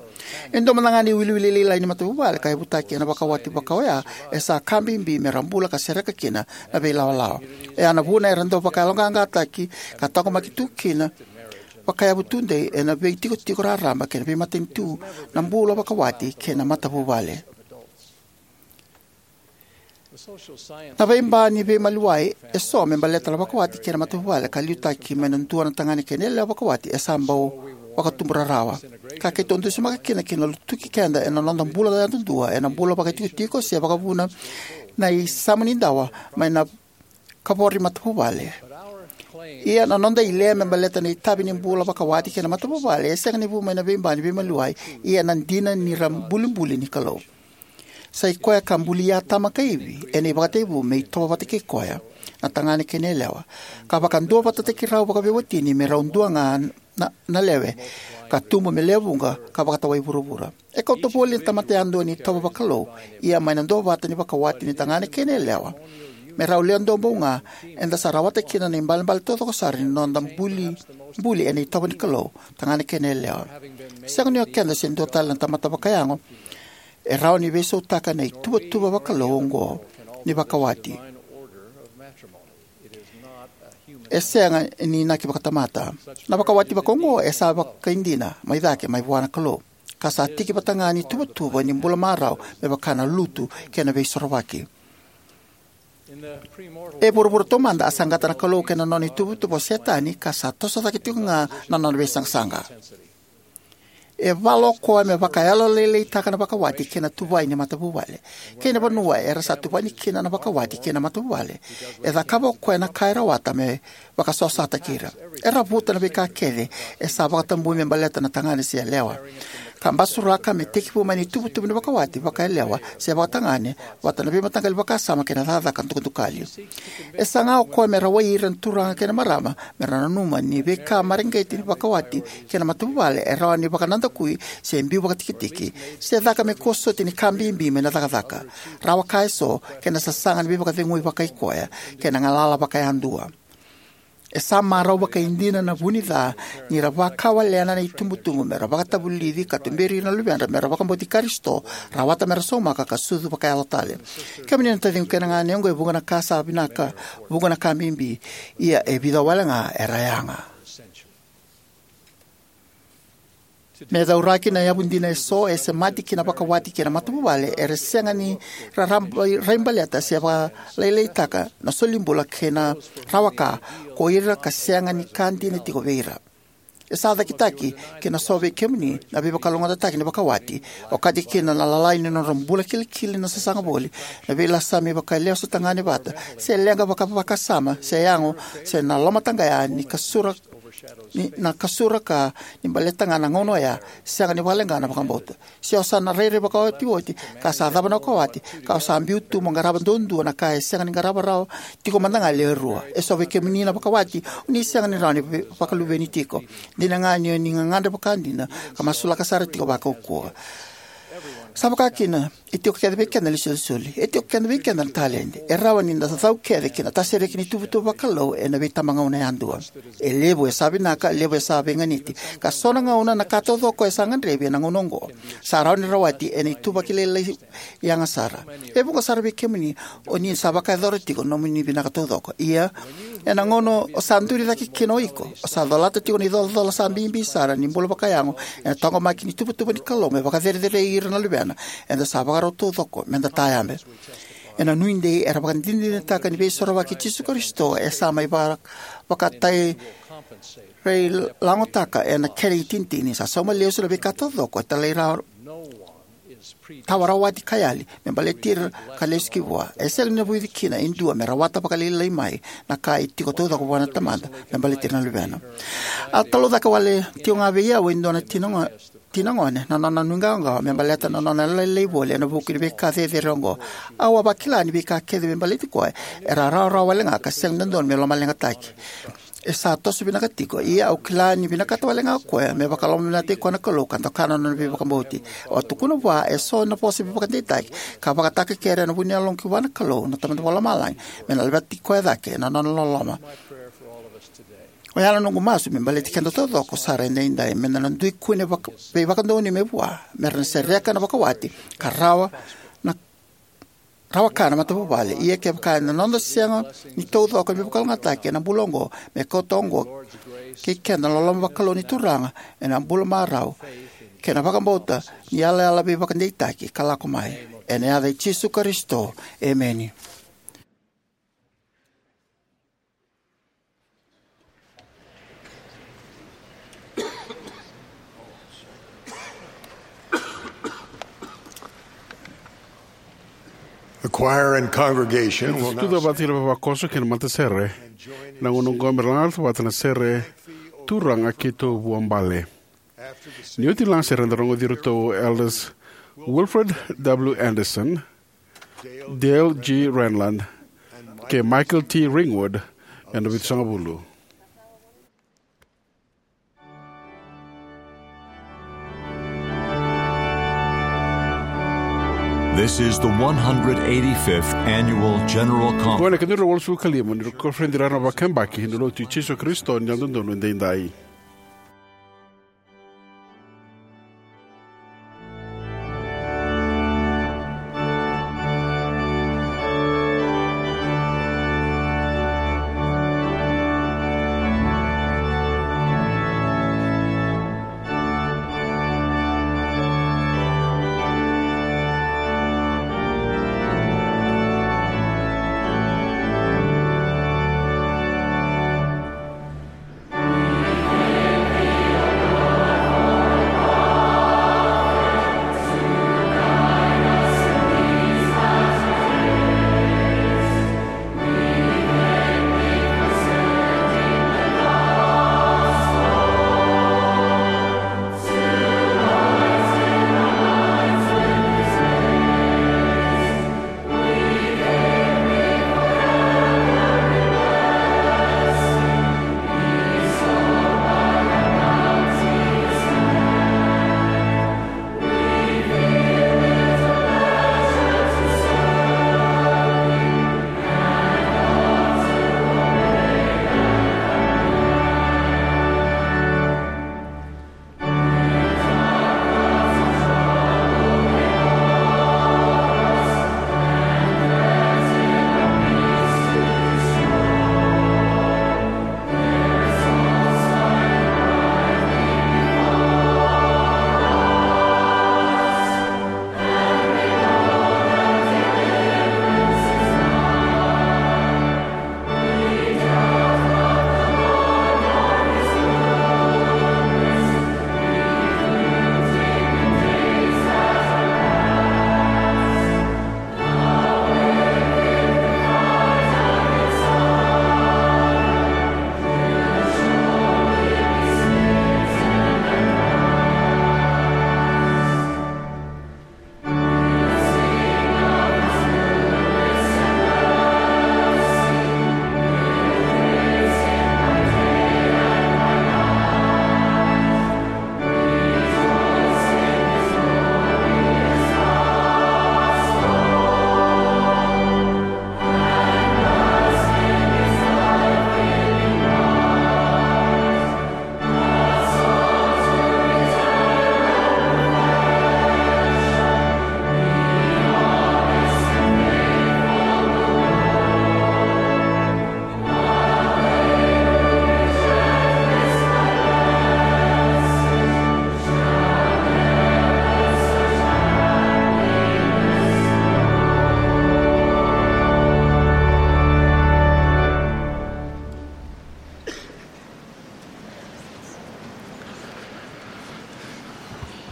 E dua mada ga na iwiliwili lailai ni matavuvale ka yavutaki ena vakawati vaka oya, e sa ka bibi mera bula ka sereka kina na veilawalawa. Oya na vuna era dau vakayaloqaqataki ka taqomaki tu kina vakayavu tudei ena veitikotiko raraba kei na veimatanitu na bula vakawati kei na matavuvale. Na veiba ni veimaliwai eso me baleta na vakawati kei na matavuvale ka liutaki mai na dua na tagane kei na yalewa vakawati e sa bau vakatubu rarawa. Ka keitou dusimaka kina ki na lutuki keda ena noda bula yadudua, ena bula vakaitikotiko se vakavuna, na isama ni dawa mai na kavoro ni matavuvale. Ia na noda ilea me baleta na itavi ni bula vakawati kei na matavuvale e sega ni vu mai na veiba ni veimaliwai, ia na dina ni ra bulibuli ni Kalou. Sa i koya ka bulia Atama kei Ivi ena ivakatekivu me itovo vata kei koya, na tagane kei na yalewa, ka vakaduavatataki rau vakaveiwatini me rau dua ga na, na lewe, ka tubu me lewe vuqa ka vakatawai vuravura. E kauta voli na tamata yadua ni itovo vakalou, ia mai na duavata ni vakawati ni tagane kei na yalewa, me rau lewe duabau ga, eda sa rawata kina na ibalebale taucoko sara ni noda buli, buli ena itovo ni Kalou, tagane kei na yalewa. Sega ni o keda se dua tale na tamata vakayago e rawa ni veisautaka na ituvatuva vakalou oqo ni vakawati. E sega ni inaki vakatamata. Na vakawati vakaoqo e sa vakaidina mai cake mai vua na Kalou, ka sa tiki vata ga ni tuvatuva ni bula marau me vaka na lutu kei na veisorovaki. E vuravura taumada a saqata na Kalou kei na nona ituvatuva o Setani, ka sa toso cake tiko ga na nona veisaqasaqa. E vala o koya me vakayalolailaitaka na vakawati kei na tuvai ni matavuvale. Kei na vanua era sa tuvani kina na vakawati kei na matavuvale, e cakava o koya na ka e rawata me vakasosataki ira. E ravuta na veika kece e sa vakatabui me baleta na tagane se yalewa, ka basuraka me tekivu mai na ituvatuva ni vakawati vakayalewa se vakatagane, vata na veimataqali vakasama kei na cakacaka dukadukali. E saga o koya me rawai ira na turaga kei na marama mera nanuma ni veika mareqeti ni vakawati kei na matavuvale e rawa ni vakanadakui se biu vakatikitiki, se caka me kua soti ni ka bibi mai na cakacaka, rawa ka eso, kei na sasaga ni veivakacegui vakaikoya kei na galala vakayadua. E sa marau vakaidina na vu ni ca ni ra vakawalena na itubutubu mera vakatavulici ka tuberi ira na luvedra mera vakabauti Karisito, rawata mera saumaka ka sucu vakayalo tale. Kemuni na taciqu kei na ganequ, e vuqa na ka sa vinaka, vuqa na ka bibi, ia e vica wale ga era yaga. Me cauraki, na yavu dina eso e semati ki na vakawati kei na matavuvale era sega ni raraba, raibaleta se vakalailaitaka na solibula kei na rawaka ko ira ka sega ni ka dina tiko vei ira. E sa cakitaki kina so vei kemuni na veivakalougatataki ni vakawati, okati kina na lalai ni nodra bula kilikili, na sasaga voli, na veilasami vakalesu tagane vata, se leqa vakavakasama, se yago, se na lomataqaya ni kasura ni, na kasura ka ni baleta ga na gauna oya, sega ni vakaleqa na vakabauta. Se o sa na rairai vakaotioti, ka sa cava na vakawati, ka o sa biu tu mo qarava duadua na ka e sega ni qarava rawa tiko mada ga e lewe rua. Eso vei kemuni na vakawati, o ni sega ni rawa ni ve-, vakaluveni tiko. Dina ga ni o ni gagadre vakadina ka masulaka sara tiko vakaukauwa. Sa vaka kina, e tiko kece vei keda na isolisoli. E tiko kece vei keda na taledi. E rawa ni da cau kece ki na tasereki ni tuvatuva vakalou ena veitabagauna yadua. E levu e sa vinaka, levu e sa veiganiti, ka so na gauna na ka taucoko e sa gadrevi ena gauna oqo sa rawa ni rawati ena ituvaki lailai yaga sara. E vuqa sara vei kemuni o ni sa vakayacora tiko na nomuni vinaka taucoko. Ia, ena gauna o sa duri cake kina o iko, o sa colata tiko na icolacola sa bibi sara ni bula vakayago ena taqomaki ni tuvatuva ni Kalou me vakacerecerei ira na luvena eda sa vakarau taucoko me da tayabe. Ena nuidei era vakadinadinataka ni Veisorovaki i Jisu Karisito e sa mai vaka, vakatairai lagotaka ena kena itinitini. Sa sauma lesu na veika taucoko e talai ra tawa rawati ka yali me baleti ira ka lesu ki vua. E sega ni vuici kina e dua me rawata vakalailai mai na ka e tiko taucoko vua na Tamada me baleti ira na luvena. A talaucaka wale tiko ga vei au e dua na tina go-, tina gone na nona nuiqawaqawa me baleta na nona lailai voli ena vuku ni veika cecere oqo. Au a vakila ni veika kece me baleti koya era rawarawa wale ga ka sega ni dodonu me lomaleqataki. E sa toso vinaka tiko, ia au kila ni vinakata wale ga o koya me vakalomavinakataki koya na Kalou ka doka na nona veivakabauti. Au a tukuna vua eso na vosa veivakadeitaki ka vakatakekere ena vu ni yaloqu ki vua na Kalou na Tamada Vakalomalagi me na laveti koya cake na nona loloma. Oya na noqu masu me baleti keda taucoko sara edaidai, me da na dui kune vaka-, veivakadonui mai vua, me ra na sereka na vakawati ka rawa na rawa ka na matavuvale. Ia kevaka ena noda sega ni taucoko me vakalougatataki ena bula oqo, me kauta oqo kei keda na loloma vakalou ni Turaga ena bula marau kei na vakabauta ni yalayala veivakadeitaki ka lako mai. Ena yaca i Jisu Karisito, emeni. The choir and congregation will now tucake vata kei na vavakoso kei na matasere. Na gauna oqo me ra laga vata na sere Turaga Keitou Vuabale. Ni oti na lagasere eda rogoci iratou o Elders Wilfred W Andersen, Dale G Renlund, kei Michael T Ringwood ena vitusagavulu. This is the one hundred eighty-fifth Annual General Conference. Qo na ikadua na drau walusagavulu ka lima ni Konferedi Raraba Vakayabaki ni Lotu i Jisu Karisito ni Yalododonu Edaidai.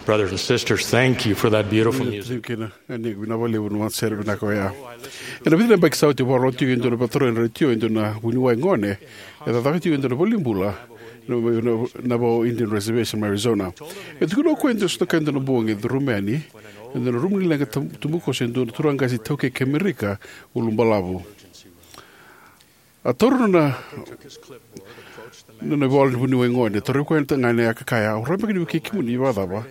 Brothers and sisters, thank you for that beautiful music. Thank you, na, na, vinaka vakalevu na sere vinaka oya. Ena vica na yabaki sa oti, au vakarorogo tiko e dua na vakatarogi ena retio, e dua na vuniwai gone e cakacaka tiko e dua na valenibula na, na, na Navajo Indian Reservation mai Arizona. E tukuna o koya e dua, sotakaya e dua na bogi e curuma yani e dua na rumu ni leqa tab-, tubukoso e dua na turaga qase iTaukei kei Amerika ulubalavu. A taura na, na, na ivola ni vuniwai gone, torovi koya na tagane, a kaya, "Au rawa beka ni vukei kemuni vakacava?"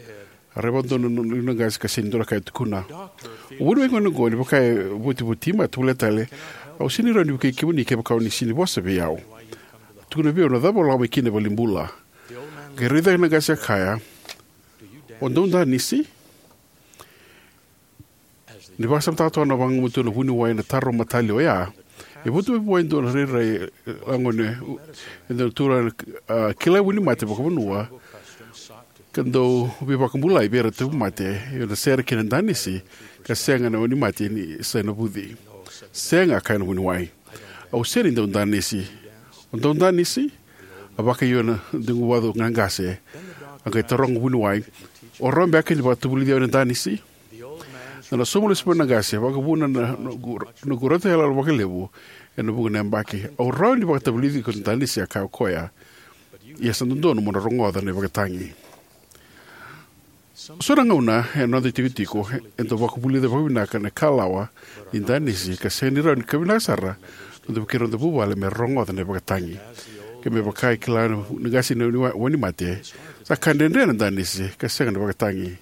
A raica vakadua na, na, na qase ka sega ni dua na ka e tukuna. O vuniwai gone oqo, ni vaka e votivoti, a tovolea tale, "Au sega ni rawa ni vukei kemuni kevaka o ni sega ni vosa vei au." Tukuna vei au na cava o lako mai kina e valenibula. Qai rai cake na qase, a kaya, "O dau danisi?" Ni vakasamataka toka na vagumatua na vuniwai ena taro matalia oya, e votu mai vua e dua na rairai, e, lagone, e dua na turaga, a, kilai wainimate vakavanua ka dau veivakabulai vei ira na tauvimate ena sere kei na danisi, ka sega na wainimate ni sa navuci. "Sega," a kaya na vuniwai. "Au sega ni dau danisi." "O dau danisi?" A vakaio na deguvacu na qase. A qai taroga na vuniwai, "O rawa beka ni vakatavulici au ena danisi?" Ena sauma lesu mai na qase, vakavuna na, na qu-, na qurata yaloyalo vakalevu ena vuqa na yabaki. "Au rawa ni vakatavulici iko ena danisi," a kaya o koya. "Ia sa dodonu mo na rogoca na ivakatagi." So na gauna ena noda itikotiko, eda dau vakavulica vakavinaka na ikalawa ni danisi, ka sega ni rawa ni ka vinaka sara na noda vukei ira na noda vuvale me rogoca na ivakatagi. Ke me vaka e kila na qase na wani-, wainimate, sa ka dredre na danisi ka sega na vakatagi.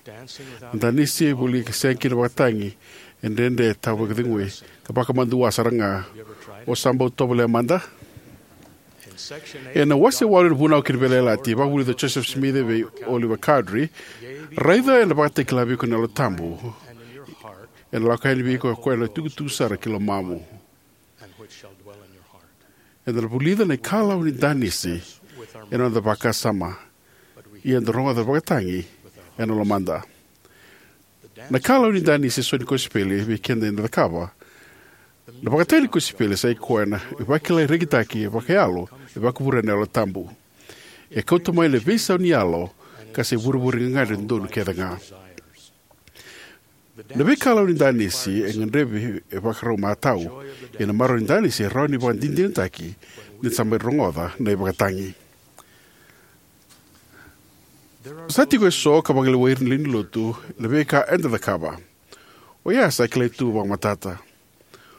Na danisi e voli ka sega kina vakatagi e dredre, tawa vakacegui, ka vakamadua sara ga. O sa bau tovolea mada? Ena wase walu ni Vunau kei na Veiyalayalati, vakavulica o Joseph Smith vei Oliver Cowdery, "Raica ena vakatakila vei iko na Yalo Tabu, ena lako yani vei iko o koya na itukutuku sara ki lomamu." Eda na vulica na ikalawa ni danisi ena noda vakasama, ia eda rogoca na vakatagi ena lomada. Na ikalawa ni danisi eso ni kosipeli vei keda eda cakava. Na vakatagi ni kosipeli sa i koya na ivakilai rekitaki vakayalo e vakavure ena Yalo Tabu. E kauta mai na veisau ni yalo, ka sa ivurevure gagadre dodonu kece ga. Na veikalawa ni danisi e gadrevi e vakarau matau, ia na marau ni danisi e rawa ni vakadinadinataki ni da sa mai rogoca na ivakatagi. Sa tiko eso ka vakalewai ira na lewe ni lotu na veika eda cakava. Oya sa kilai tu vakamatata.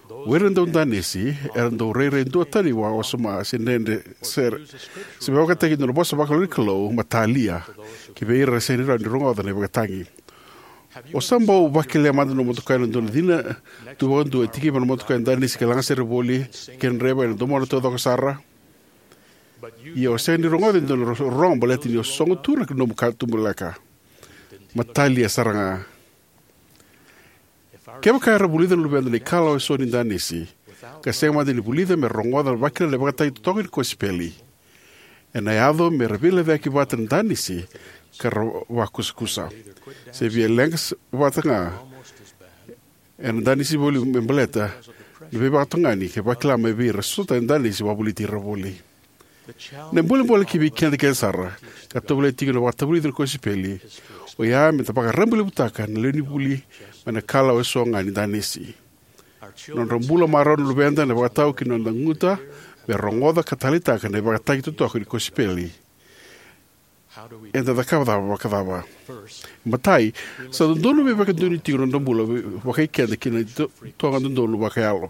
O ira na dau danisi era dau rairai duatani vakawasoma se dredre sara, se me vakataki e dua na vosa vakalou ni Kalou matalia ki vei ira era sega ni rawa ni rogoca na ivakatagi. O sa bau vakelea mada na nomu motoka ena dua na cina tu vakadua e tikiva na motoka e danisi ka lagasere voli, ke draiva ena domona taucoko sara? Ia o sega ni rogoca e dua na ro-, rorogo baleta ni o sogo tu na nomu katubaleka. Matalia sara ga. Kevaka era vulica na luveda na ikalawa eso ni danisi, ka sega mada ni vulica me ra rogoca na vakila na ivakatagi totoka ni kosipeli, ena yaco me ra veilecayaki vata na danisi ka ra vakusakusa. Se via leqa s-, vata ga ena danisi voli me baleta na veivakatogani ka vakila mai vei ira eso na danisi vakavoliti ira voli. Na bolebole ki vei keda kece sara ka tovolea tiko na vakatavulici ni kosipeli, oya me da vakarabailevutaka na lewe ni vuli mai na ikalawa eso ga ni danisi. Na nodra bula marau na luveda ena vakatau ki na noda guta me ra rogoca ka taleitaka na ivakatagi totoka ni kosipeli. Eda cakava cava vakacava? Matai, sa dodonu me vakadonui tiko na noda bula vei, vakai keda ki na ito-, itoqa dodonu vakayalo.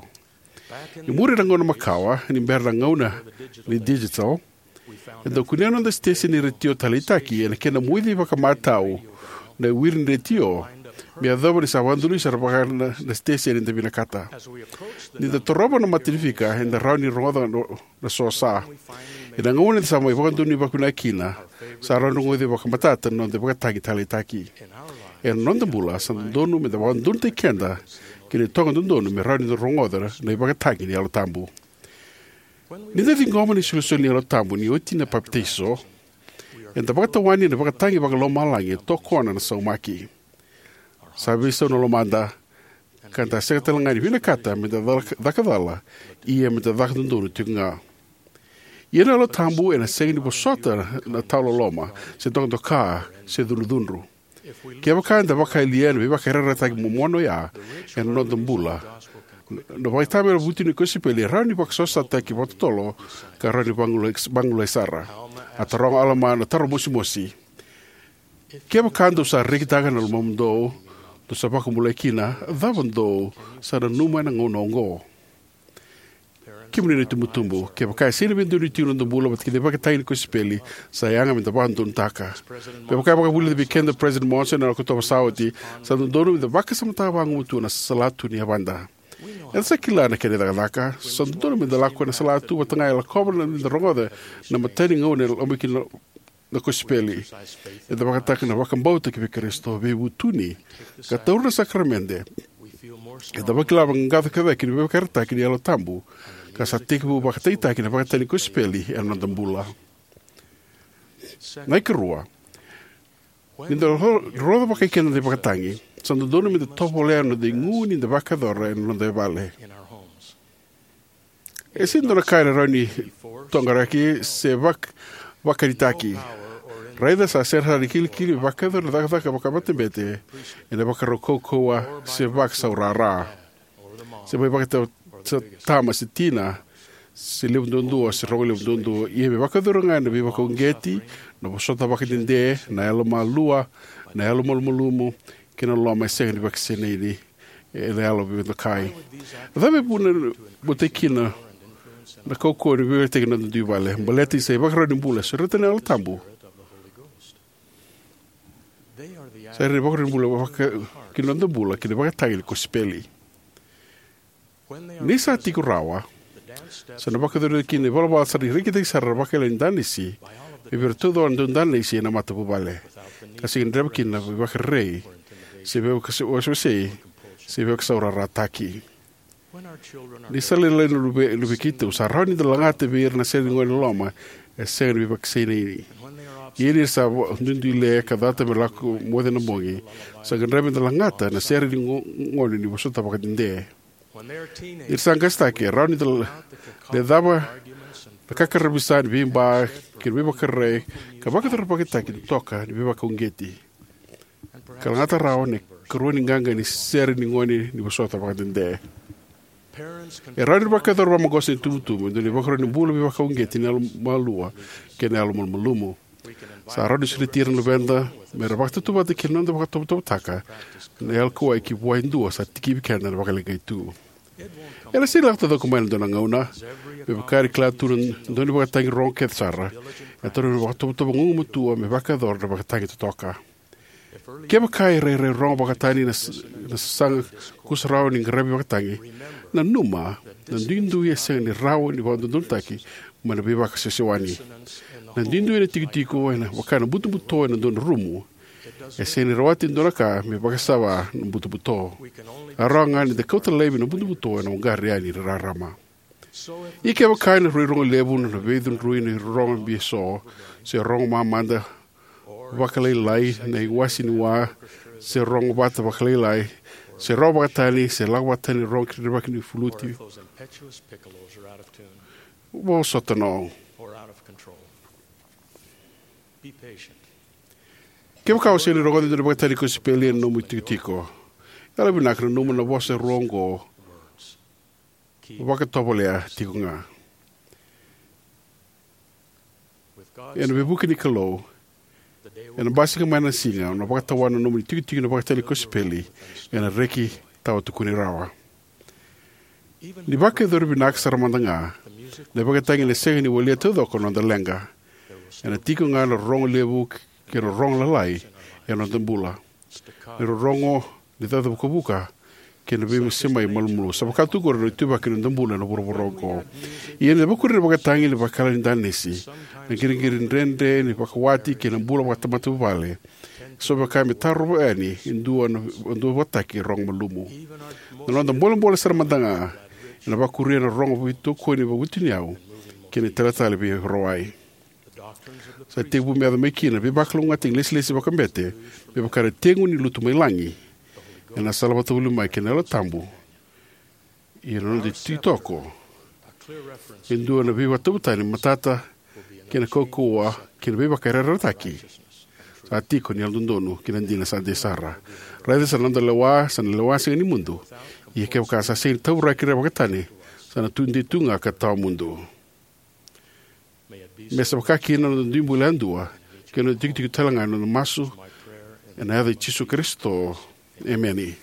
E muri na gauna makawa, ni bera na gauna ni digital, eda kunea na noda siteseni ni retio taleitaki ena kena moici vakamatau na wiri ni retio, me yacova ni sa vakadonui sara vaka na, na siteseni eda vinakata. Ni da torova na mata ni fika, eda rawa ni rogoca na, na sosa. Ena gauna eda sa mai vakadonui vakavinaka kina, sa rawa ni rogoci vakamatata na noda ivakatagi taleitaki. Ena noda bula, sa dodonu me da vakadodonutaki keda ki na itoqa dodonu me rawa ni da rogoca na ivakatagi ni Yalo Tabu. Ni da ciqoma na isolisoli ni Yalo Tabu ni oti na papitaiso, eda vakatawani ena ivakatagi vakalomalagi e tokona na saumaki. Sa veisau na lomada, ka da sega tale ga ni vinakata me da caka, caka cala, ia me da caka dodonu tiko ga. Ia na Yalo Tabu ena sega ni vosota na tawaloloma, se dokadoka, se cudrucudru. Kevaka eda vakayalia na veivakayarayarataki momona oya ena noda bula, na vakaitavi ena vutu ni kosipeli e rawa ni vakasausataki vakatotolo ka rawa ni vagolei, vagolei sara. A taroga o Alama na taro mosimosi: Kevaka dou sa rekitaka na lomamudou, dou sa vakabulai kina, cava dou sa nanuma ena gauna oqo? Kemuni na itubutubu, kevaka e sega ni veidonui tiko na noda bula vata kei na ivakatagi ni kosipeli, sa yaga meda vakadodonutaka. Me vaka e vakavulica vei keda o President Monson ena Okotova sa oti, sa dodonu meda vakasamataka vagumatua na salatu ni yavada. Eda sa kila na kena icakacaka. Sa dodonu meda lako ena salatu vata ga e lakova na, meda rogoca na imatai ni gauna e lomai kina na kosipeli. Eda vakataka na vakabauta kivei Karisito, veivutuni, ka taura na sakaramede. Eda vakila vaqaqaco ka cake ni veivakayarayarataki ni Yalo Tabu, ka sa tekivu vakatagitaki na ivakatagi ni kosipeli ena noda bula. Na ikarua, ni da ro-, rogoca vakaikeda na ivakatagi, sa dodonu meda tovolea na noda igu ni da vakayacora ena noda vale. E sega ni dua na ka ena rawa ni toqaraki se vak-, vakanitaki. Raica sa sega sara ni kilikili me vakayacora na cakacaka vakamatabete ena ivakarau kaukauwa se vakasaurara. Se mai vakatama se tina, se levu duadua se rogo levu duadua, ia me vakayacora ga ena veivakauqeti, na vosota vakadede, na yalomalua, na yalomalumalumu, kei na loloma e sega ni vakasinaiti ena yalo veidokai. A cava e vuna e botaki kina na kaukauwa ni veivakatagi ena noda dui vale? Baleta ni sa ivakarau ni bula e sureta na Yalo Tabu. Sa ira na ivakarau ni bula vaka-, ki na noda bula kei na ivakatagi ni kosipeli. Ni sa tiko rawa, sa na vakayacori kina na ivalavala sa rekitaki sara na vakayala ni danisi me vei ira taucoko na daudanisi ena matavuvale, ka sega ni dreva kina na veivakarerei, se veivakawasewasei, se veivakasaurarataki. Ni sa lailai na luve-, luvei keitou, sa rawa ni da lagata vei ira na sere ni gone loloma e sega ni veivakasinaiti. Ia ni ra sa va-, duidui le ka cata me lako moce na bogi, sa gadrevi meda lagata na sere ni go-, gone ni vosota vakadede. Ni ra sa qasetaki, e rawa ni da le-, lecava na kakaravusa ni veiba kei na veivakarerei, ka vakayacora na ivakatagi totoka ni veivakauqeti, ka lagata rawa na ikarua ni qaqa ni sere ni gone ni vosota vakadede. E rawa ni vakayacora vakamaqosa na itubutubu e dua na ivakarau ni bula veivakauqeti ni yalomalua kei na yalomalumalumu. Sa rawa ni sureti ira na luveda me ra vakatautauvata kei na noda vakatovotovotaka na yalo kauwai ki vua e dua sa tikivi keda ena vakaleqai tu. Ena sega ni lako taucoko mai ena dua na gauna. Me vaka era kila tu na daunivakatagi rogo kece sara, e tarogi na vakatovotovo gugumatua me vakayacora na ivakatagi totoka. Kevaka e rairai rogo vakatani na s-, na sasaga kusarawa ni qaravi vakatagi, nanuma, na duidui e sega ni rawa ni vakadodonutaki mai na veivakasewasewani. Na duidui ena itikotiko ena vaka na butobuto ena dua na rumu. E sega ni rawati e dua na ka me vakasava na butobuto. E rawa ga ni da kauta laivi na butobuto ena uqari yani na rarama. Ia kevaka ena rui rogo levu na veicudrui ni rorogo bibi eso, se rogo mamada vakalailai na iwase ni wa, se rogo vata vakalailai, se rogo vakatani, se lako vakatani rogo ki rerevaki ni fuluti, vosota no. Kevaka o sega ni rogoca e dua na ivakatagi ni kosipeli ena nomu itikotiko, yalovinaka nanuma na vosa rua oqo. Vakatovolea tiko ga. Ena veivuke ni Kalou, ena basika mai na siga o na vakatawana na nomuni tikotiko na ivakatagi ni kosipeli ena reki tawa tukuni rawa. Ni vakayacori vinaka sara mada ga na ivakatagi ena sega ni walia taucoko na noda leqa. Ena tiko ga na rorogo levu kei na rorogo lalai ena noda bula. Na rorogo ni caca vukavuka kei na veisemai malumalumu. Sa vaka tu qori na ituvaki ni noda bula ena vuravura oqo. Ia ni da vakuri na ivakatagi ni vakayala ni danisi, na qiriqiri dredre ni vakawati kei na bula vakamatavuvale, sa vaka me tarova yani e dua na, e dua vakataki rogo malumu. Na noda bolebole sara mada ga ena vakuria na rogo veitokoni vakavutuniyavu kei na italetale veirawai. Sa tekivu me yaco mai kina na veivakalougatataki lesilesi vakabete me vaka na tegu ni lutu mai lagi ena sala vata voli mai kei na Yalo Tabu. Ia na noda ititoko e dua na veivakatavutani matata kei na kaukauwa kei na veivakayarayarataki. sa tiko ni yalododonu kei na dina sa dei sara. Raica sa na noda lewa, sa na lewa sega ni mudu. Ia kevaka sa sega ni tauraki ira vakatani, sa na tudei tu ga ka tawamudu. Me sa vaka kina na noda dui bula yadua, kei na noda tikotiko tale ga na noda masu, ena yaca i Jisu Karisito. Emeni.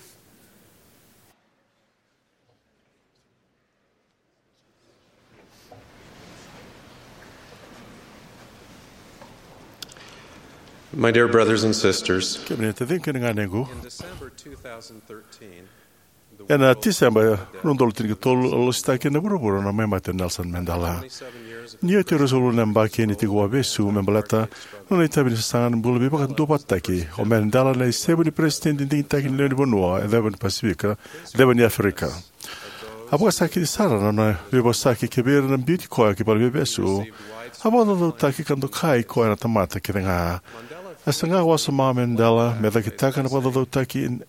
My dear brothers and sisters, kemuni na taciqu kei na ganequ, in December two thousand thirteen, ena Tiseba rua na udolu tinikatolu, a lositaki ena vuravura na mai mate o Nelson Mandela. Ni oti e ruasagavulu na yabaki ni tiko vakavesu me baleta na nona itavi ni sasaga ni bula veivakaduavatataki, o Mandela na isevu ni peresitedi digitaki ni lewenivanua e ceva ni Pasifika, e ceva ni Aferika. A vakasakiti sara na nona veivosaki kivei ira na biuti koya ki valeniveivesu. A vakacaucautaki ka dokai koya na tamata kece ga. E saga wasoma o Mandela me cakitaka na vakacaucautaki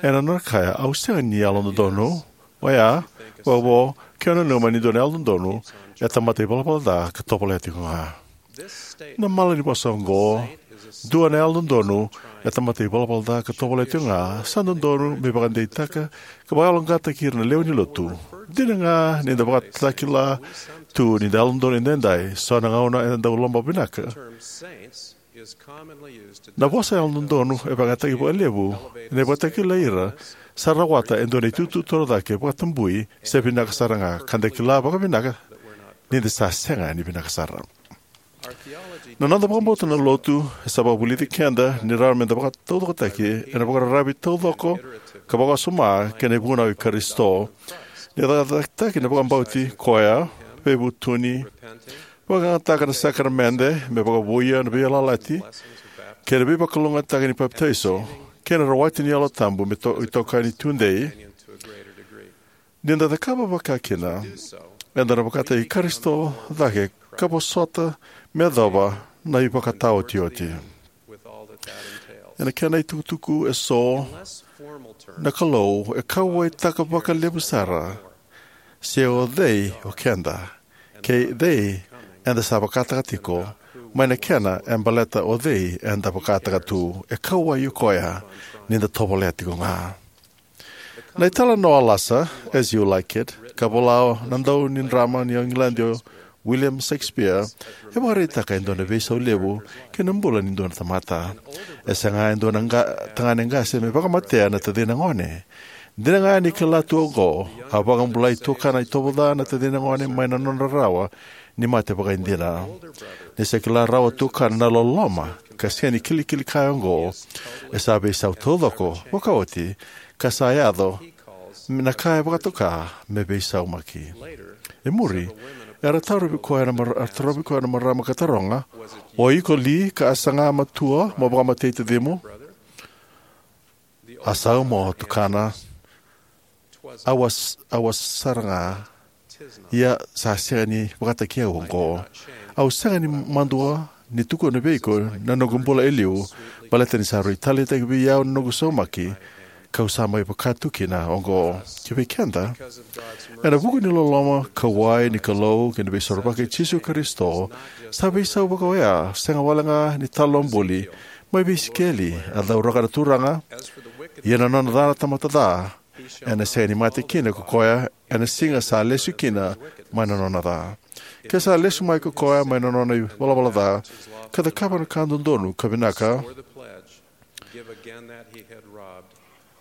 ena nona kaya, "Au sega ni yalododonu." Oya, vakavo, ke o nanuma ni dua na yalododonu e tamata ivalavala ca ka tovolea tiko ga. Na malanivosa oqo, "Dua na yalododonu e tamata ivalavala ca ka tovolea tiko ga," sa dodonu me vakadeitaka ka vakayaloqaqataki ira na lewe ni lotu. Dina ga ni da vakatakila tu ni da yalododonu edaidai, so na gauna eda dau lomavinaka. Na vosa yalododonu e vakayagataki vakalevu ena ivakatakila ira sa rawata e dua na itutu torocake, vakatabui, se vinaka sara ga, ka da kila vakavinaka ni da sa sega ni vinaka sara. Na noda vakabauta na lotu e sa vakavulici keda ni rawa me da vakataucokotaki ena vakararavi taucoko ka vakawasoma kei na ivunau i Karisito. Ni cakacakataki na vakabauti koya, veivutuni, vakayagataka na sakaramede me vakavouya na veiyalayalati kei na veivakalougatataki ni papitaiso, kei na rawati ni Yalo Tabu me to-, itokani tudei. Ni da cakava vaka kina, eda na vakataki Karisito cake ka vosota me yacova na ivakataotioti. Ena kena itukutuku eso, na Kalou e kauwaitaka vakalevu sara se o cei o keda, kei cei eda sa vakataka tiko, mai na kena e baleta o cei eda vakataka tu. E kauwai o koya ni da tovolea tiko ga. Na italanoa lasa, As You Like It, ka vola na dau ni drama ni Igiladi o William Shakespeare, e vakaraitaka e dua na veisau levu ki na bula ni dua na tamata. E saga e dua na qa-, tagane qase me vakamatea na tacina gone. Dina ga ni kila tu oqo, a vakabulai tukana itovo ca na tacina gone mai na nona rarawa ni mate vakaidina. Ni sa kila rawa tukana na loloma ka sega ni kilikili kaya oqo, e sa veisau taucoko vakaoti, ka sa yaco na ka e vakatoka me veisaumaki. E muri, era tarovi koya na mar-, era tarovi koya na marama ka taroga, "O iko li ka a saga matua mo vakamatei tacimu?" A sauma, tukana, "Au a s-, au a sara ga, ia sa sega ni vakataki au oqo. Au sega ni madua ni tukuna vei iko na noqu bula e liu, baleta ni sa rui taleitaki vei au na noqu saumaki, kau sa mai vaka tu kina oqo." Ki vei keda, ena vuku ni loloma kauwai ni Kalou kei na Veisorovaki i Jisu Karisito, sa veisau vakaoya, sega wale ga ni talanoa buli, mai vei Isikeli, a cauraka na Turaga, "Ia na nona ca na tamata ca, ena sega ni mate kina ko koya ena siga sa lesu kina mai na nona ca. Ke sa lesu mai ko koya mai na nona ivalavala ca, ka cakava na ka dodonu ka vinaka,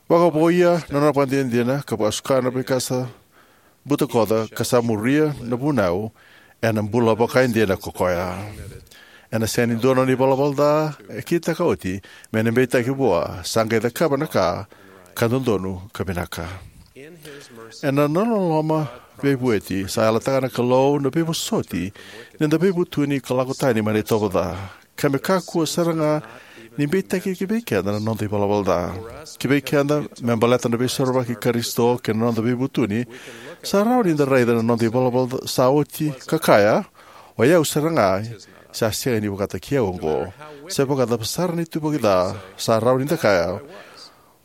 vakavouya na nona vakadinadina, ka vakasuka na veika sa butakoca, ka sa muria na vunau, ena bula vakaidina ko koya. Ena sega ni dua na nona ivalavala ca e kitaka oti me na beitaki vua, sa qai cakava na ka ka dodonu ka vinaka." Ena nona loloma veivueti, sa yalataka na Kalou na veivosoti ni da veivutuni ka lako tani mai na itovo ca. Ka me kakua sara ga ni beitaki ki vei keda na noda ivalavala ca. Ki vei keda, me baleta na Veisorovaki i Karisito kei na noda veivutuni, sa rawa ni da raica na noda ivalavala ca sa oti ka kaya, "O yau sara ga, sa sega ni vakataki au oqo." Se vakacava sara na ituvaki ca, sa rawa ni da kaya,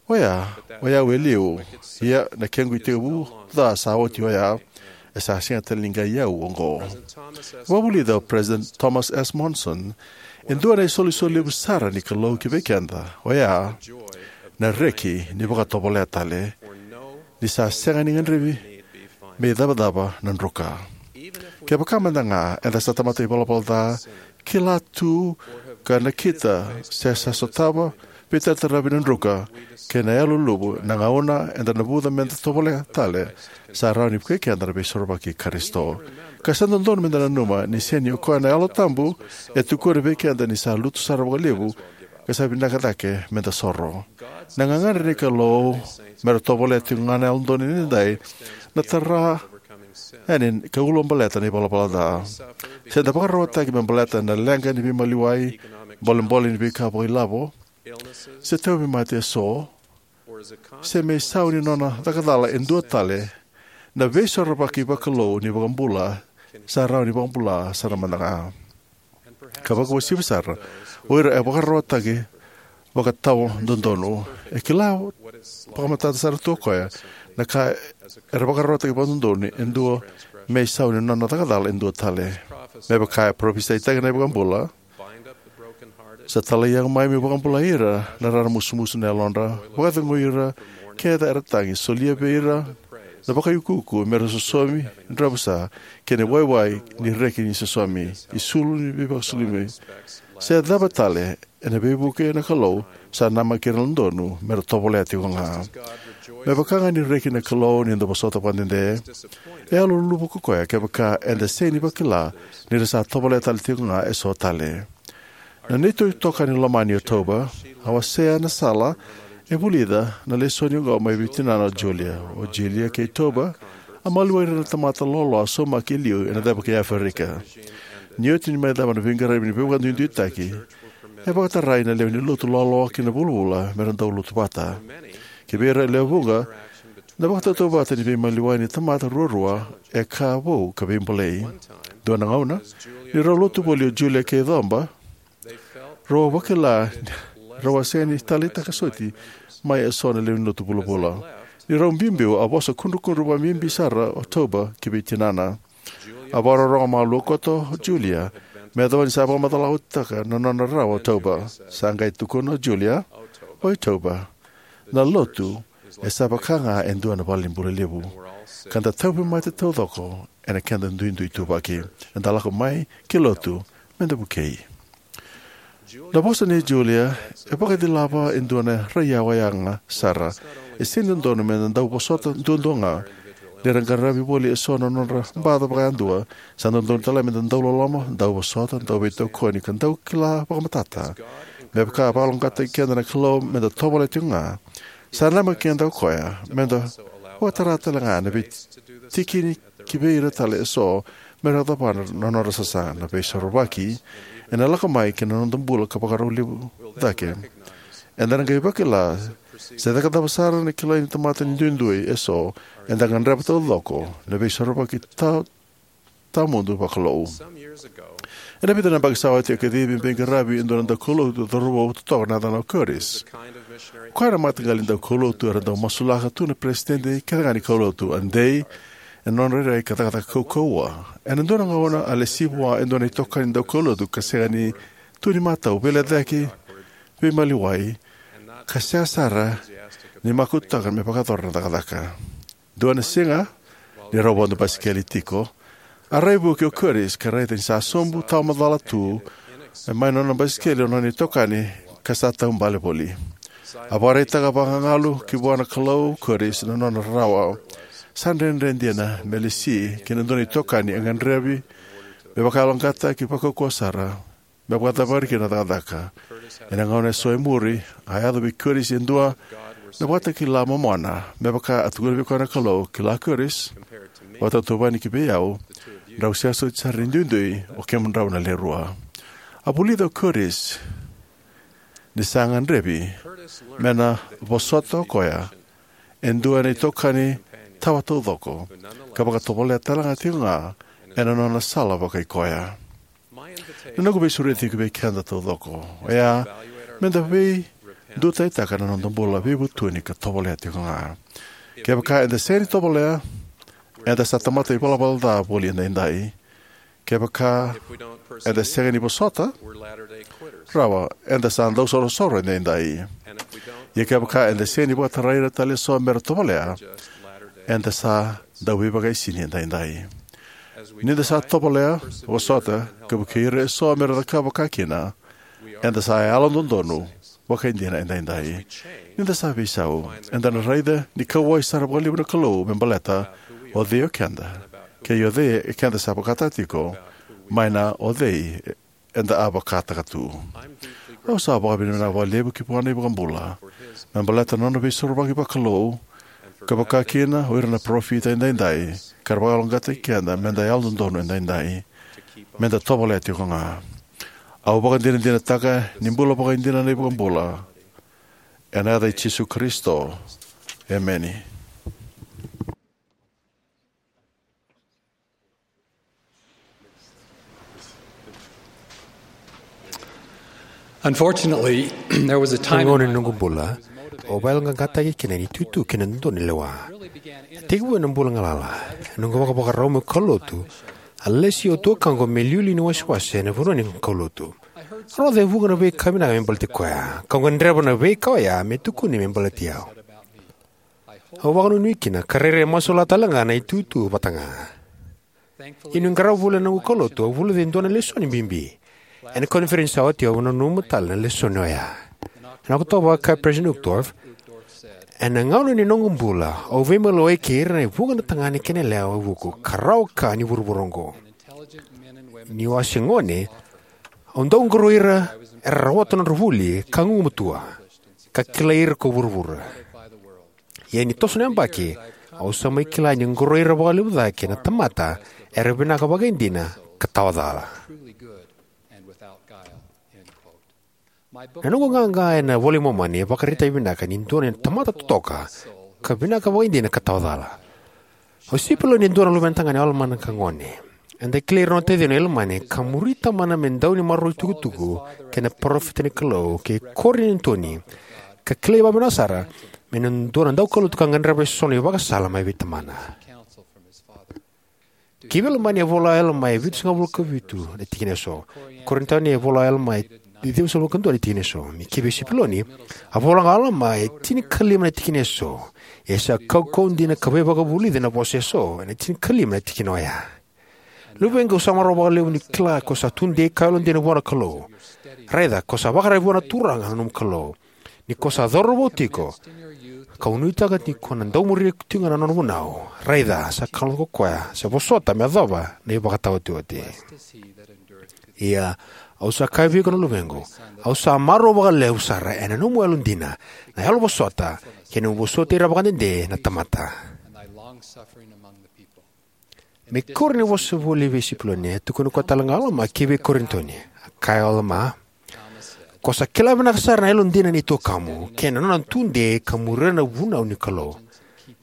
"Oya, o yau e liu, ia na kequ itekivu ca sa oti oya." E sa sega tale ni qai au oqo. Vakavulica o President Thomas S. Monson, e dua na isolisoli levu sara ni Kalou ki vei keda, oya na reki ni vakatovolea tale, ni sa sega ni gadrevi me icavacava na druka. Kevaka mada ga eda sa tamata ivalavala ca, kila tu ka nakita se sa sotava veitarataravi na druka kei na yaloluluvu, na gauna eda navuca meda tovolea tale, sa rawa ni vukei keda na Veisorovaki i Karisito. Ka sa dodonu meda nanuma ni sega ni o koya na Yalo Tabu e tukuna vei keda ni sa lutu sara vakalevu ka sa vinaka cake meda soro. Na gagadre ni Kalou mera tovolea tiko ga na Yalododonu Edaidai na tara yani ka ulabaleta na ivalavala ca. Se da vakararawataki me baleta na leqa ni veimaliwai, bolebole ni veika vakailavo, se tauvimate eso, se me isau ni nona cakacala e dua tale, na Veisorovaki vakalou ni iVakabula sa rawa ni vakabula sara mada ga, ka vakauasivi sara o ira e vakararawataki vakatawa dodonu. E kila vakamatata sara tu o koya na ka era vakararawataki vakadodonu e dua me isau ni nona cakacala e dua tale. Me vaka e parofisaitaki na iVakabula, sa talai au mai meu vakabulai ira na raramusumusu na yalodra, vakacegui ira kece era tagi, solia vei ira na vakaiukuuku mera sosomi dravusa, kei na waiwai ni reki ni sosomi, isulu ni veivakasulumi, se cava tale ena veivuke na Kalou sa namaki ira na dodonu mera tovolea tiko ga. Me vaka ga ni reki na Kalou ni da vosota vakadede, e yaloluluvu ko koya kevaka eda sega ni vakila ni ra sa tovolea tale tiko ga eso tale. Na neitou itokani lomani o Toba a wasea na sala e vulica na lesoni oqo mai vei tinana o Julia. O Julia kei Toba a maliwai ira na tamata loaloa saumaki e liu ena ceva kei Aferika. Ni oti ni mai cava na veiqaravi ni veivakaduiduitaki, e vakatarai na lewe ni lotu loaloa ki na vulavula mera dau lotu vata. Ki vei ira e lewe vuqa, na vakatautauvata ni veimaliwai ni tamata ruarua e ka vou ka veibolei. Dua na gauna, ni rau lotu voli o Julia kei Coba, rau a vakila ni rau a sega ni taleitaka soti mai eso na lewe ni lotu vulavula. Ni rau biubiu, a vosa kudrukudru vakabibi sara o Toba ki vei tinana. A vakarorogo malua koto o Julia me yacova ni sa vakamacalataka na nona rarawa o Toba. Sa qai tukuna o Julia, "Oi Toba, na lotu e sa vaka ga e dua na valenibula levu, ka da tauvimate taucoko ena keda duidui ituvaki. Eda lako mai ki lotu meda vukei." Na vosa nei Julia e vakacilava e dua na raiyawa yaga sara. E sega ni dodonu meda dau vosota duadua ga ni ra qaravi voli eso na nodra baca vakayadua. Sa dodonu tale meda dau loloma, dau vosota, dau veitokoni, ka dau kila vakamatata. Me vaka e vakaloqaqataki keda na Kalou meda tovolea tiko ga, sa namaki keda o koya meda vakatara tale ga na veitikini ki vei ira tale eso mera cava na nodra sasaga. Na Veisorovaki ena lako mai ki na noda bula ka vakarau levu cake. Eda na qai vakila se caka cava sara na kilai ni tamata ni duidui eso, eda gadreva taucoko na Veisorovaki ta tawamudu vakalou. Ena vica na yabaki sa oti, au kacivi meu veiqaravi e dua na daukaulotu cauravou totoka na yacana o Curtis. O koya na mataqali daukaulotu era dau masulaka tu na peresitedi kece ga ni kaulotu, a dei ena nona rairai ka cakacaka kaukauwa. Ena dua na gauna a lesi vua e dua na itokani daukaulotu ka sega ni tu ni matau, veilecayaki, veimaliwai, ka sega sara ni makututaka me vakayacora na cakacaka. Dua na siga, ni rau vodo basikeli tiko, a raivuki o Curtis ka raica ni sa sobu tawamacala tu mai na nona basikeli o nona itokani ka sa taubale voli. A vakaraitaka vagagalu ki vua na Kalou o Curtis na nona rarawa. Sa dredre dina me lesi ki na dua na itokani e gadrevi me vakayaloqaqataki vakaukauwa sara me vakacavari kina na cakacaka. Ena gauna eso e muri, a yaco vei Curtis e dua na vakatakila momona, me vaka a tukuna vei koya na Kalou, "Kila Curtis, vakatautauvani ki vei au, drau sega soti sara ni duidui o kemudrau na lewe rua." A vulica o Curtis ni sa gadrevi me na vosota o koya e dua na itokani tawa taucoko, ka vakatovolea tale ga tiko ga ena nona sala vakaikoya. Na noqu veisureti ki vei keda taucoko oya meda veidutaitaka na noda bula, veivutuni ka tovolea tiko ga. Kevaka eda sega ni tovolea, Eda sa tamata ivalavala ca voli edaidai. Kevaka eda sega ni vosota rawa, eda sa dausorosoro edaidai. Ia kevaka eda sega ni vakatarai ira tale eso mera tovolea, eda sa dauveivakaisini edaidai. Ni da sa tovolea, vosota, ka vukei ira eso mera cakava vakakina, eda sa yalododonu vakaidina edaidai. Ni da sa veisau, eda na raica ni kauwai sara vakalevu na Kalou me baleta o cei o keda, kei o cei eda sa vakataka tiko, mai na o cei eda a vakataka tu. Au sa vakavinavinaka vakalevu ki vua na iVakabula me baleta na nona veisorovaki vakalou, ka vakakina o ira na parofita edaidai, ka ra vakayaloqaqataki keda meda yalododonu edaidai, meda tovolea tiko ga. Au vakadinadinataka ni bula vakaidina na iVakabula. Ena yaca i Jisu Karisito, emeni. Unfortunately, there was a time in my life when I was motivated. Gauna ni noqu bula, au vakayaloqaqataki kina na itutu kei na dodonu ni lewa. Tekivu ena bula galala, noqu vakavakarau meu kaulotu, a lesi au tuakaqu me liuliu ni wasewase ena vanua ni kaulotu. Au rogoca e vuqa na veika vinaka me baleti koya, kau gadreva na veika oya me tukuni me baleti au. Au vakanuinui kina, ka rairai masulaka tale ga na itutu vata ga. Ia niu qarava voli ena noqu kaulotu, au vulica e dua na lesoni bibi. Ena koniferedi sa oti au nanuma tale na lesoni oya. Ena Okotova, a kaya o President Uchtdorf, ena gauna ni noqu bula, au veimalawai kei ira na vuqa na tagane kei na yalewa e vuku, ka rawa ka ni vuravura oqo. Niu a se gone, au dau qoroi ira era rawata nodra vuli ka gugumatua, ka kilai ira ko vuravura. Ia ni toso na yabaki, au sa mai kila ni qoroi ira vakalevu cake na tamata era vinaka vakaidina ka tawa cala. Na noqu qaqa ena iVola i Momani e vakaraitaka vinaka ni dua na tamata totoka ka vinaka vakaidina ka tawa cala. O Sipiloni e dua na luvena tagane o Alama na ka gone. Eda kilai ira na nona taciqu o Ilamani ka muri tamana me dau ni maroroi itukutuku kei na parofita ni Kalou, kei Korinitoni, ka kilai vakavinaka sara me dua na daukaulotu ka gadreva eso na ivakasala mai vei tamana. Kivei Ilamani e vola o Alama e vitusagavulu ka vitu na tikina eso. Korinitoni e vola o Alama e ciwasagavulu ka dua na tikina eso. Me kivei Sipiloni, a vola ga o Alama e tinikalima na tikina eso. E sa kaukauwa dina ka veivakavulici na vosa eso ena tinikalima na tikina oya. Luvequ, au sa marau vakalevu ni kila ko sa tudei ka yalodina vua na Kalou. Raica, ko sa vakararavi vua na Turaga na nomu Kalou. Ni ko sa cauravou tiko, kau nuitaka ni ko na dau muria tiko ga na nona vunau. Raica, sa kalougata ko koya sa vosota me yacova na ivakataotioti. Ia, au sa kaya vei iko na luvequ, au sa marau vakalevu sara ena nomu yalodina, na yalovosota, kei na nomu vosoti ira vakadede na tamata. Me kuri ni vosa voli vei Sipiloni, e tukuna koya tale ga o Alama kivei Korinitoni. A kaya o Alama, ko sa kila vinaka sara na yalodina ni tuakamu, kei na nona tudei ka muria na vunau ni Kalou.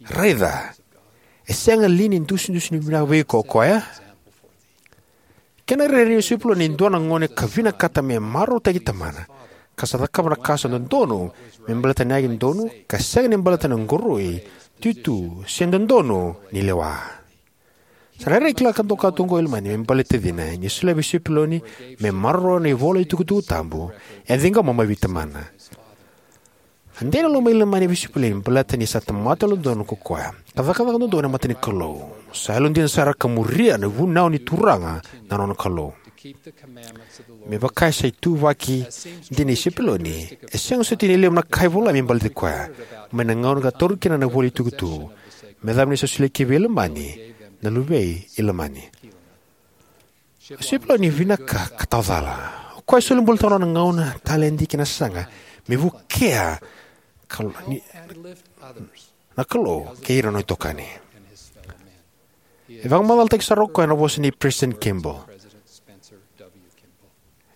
Raica, e sega li ni dusidusi ni vinaka vei iko o koya? Kena rairai, o Sipiloni e dua na gone ka vinakata me marautaki tamana, ka sa cakava na ka sa dodonu me baleta na yake donu, ka sega ni baleta na qoroi, tutu, se dodonu ni lewa. Sa rairai kila ka doka tu oqo o Ilamani me baleti tacina, ni solia vei Sipiloni me maroroya na ivola itukutuku tabu e ciqoma mai vei tamana. A dei na loma i Ilamani vei Sipiloni baleta ni sa tamata yalododonu ko koya, ka cakacaka dodonu ena mata ni Kalou. Sa yalodina sara ka muria na vunau ni Turaga na nona Kalou. Me vaka e sa ituvaki dina i Sipiloni, e sega soti ni levu na ka e volai me baleti koya mai na gauna ka tauri kina na ivola itukutuku, me yacova ni sa solia kivei Ilamani, na luvei Ilamani. O Sipiloni e vinaka ka tawa cala. O koya e soli bulataka na nona gauna, taledi kei na sasaga me vukea Kal-, ni, na Kalou kei ira na nona itokani. E vakamacalataki sara o koya ena vosa nei President Kimball.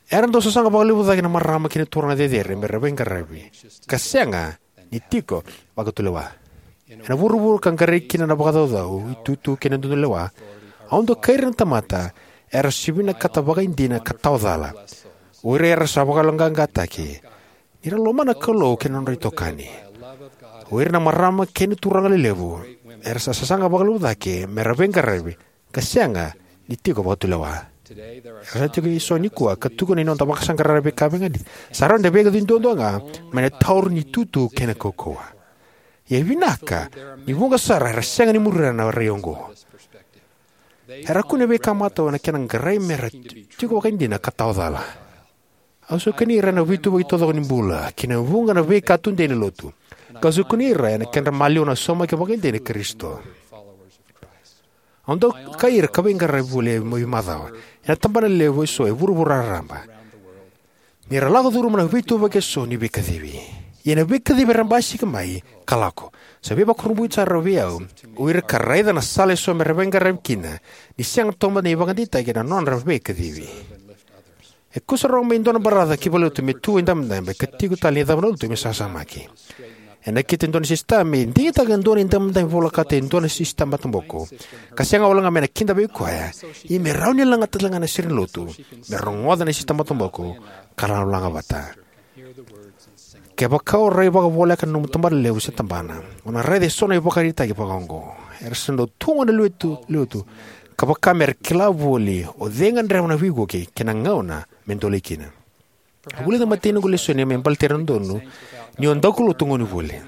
Era dau sasaga vakalevu cake na marama kei na turaga cecere me ra veiqaravi, ka sega ni tiko vakatulewa. Ena vuravura ka qarai kina na vakacaucau, itutu kei na dodonu ni lewa, au dokai ira na tamata era sa vinakata vakaidina ka tawa cala. O ira era sa vakayaloqaqataki ni ra lomana na Kalou kei na nodra itokani. O ira na marama kei na turaga lelevu Era sa sasaga vakalevu cake me ra veiqaravi ka sega ni tiko vakatulewa. Era sa tiko eso nikua ka tukuna ni noda vakasaqara na veika veiganiti sa rawa ni da veikacivi duadua ga mai na tauri ni itutu kei na kaukauwa. Ia e vinaka ni vuqa sara era sega ni muria na rai oqo. Era kune veikamata ena kena qarai me ra tiko vakaidina ka tawa cala. Au saukani ira ena veituvaki taucoko ni bula kei na vuqa na veika tudei ni lotu, kau saukani ira ena kedra maliwa na saumaki vakaidina i Karisito. Au dau kai ira ka veiqaravi voli e macawa ena tabana levu eso e vuravura raraba, ni ra lako curuma na veituvaki eso ni veikacivi. Ia na veikacivi era basika mai ka lako sa veivakurabuitaki sara vei au o ira ka raica na sala eso me ra veiqaravi kina, ni sega toka mada ni vakadeitaki ena nodra veikacivi. E kusarawa mai e dua na baraca ki valenilotu me tu e dabedabe ka tiko tale ni cava na lotu me sasamaki. E nakita e dua na sisita me digitaka e dua na idabedabe volekata e dua na sisita mataboko, ka sega walega me na kidavaki koya, ia me rawa ni lagata talega na sere ni lotu me rogoca na sisita mataboko ka ra lagalaga vata. Kevaka o rai vakavoleka na nomu tabanalevu se tabana, o na raica eso na ivakaraitaki vakaoqo. Era sa dau tu gona e lotu, ka vaka me ra kila voli o cei e gadreva na veivuke kei na gauna me dolei kina. Au vulica e matai noqu lesoni me baleti ira na dodonu ni o daukaulotu gone voli.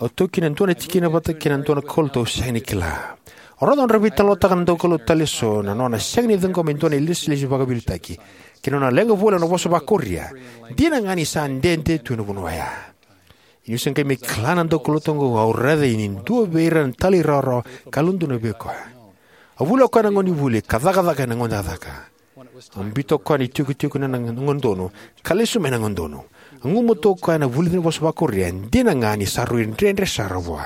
Au taukena e dua na tikina vata kei na dua na kaulotu au sega ni kila. Au raica ni ra veitalanoataka na daukaulotu tale eso na nona sega ni ciqoma e dua na ilesilesi vakaveiliutaki kei na nona leqa voli ena vosa vakaKoria, dina ga ni sa dede tu ena vanua oya. Niu se qai mai kila na daukaulotu oqo, au raica ni dua vei ira na talairawarawa ka yalododonu vei koya. A vuli o koya na gone voli ka cakacaka ena gone cakacaka. A biuta o koya na itikotiko ni nona gauna donu ka lesu mai na gauna donu. A gumatua o koya ena vulici ni vosa vakaKoria, dina ga ni sa rui dredre sara vua.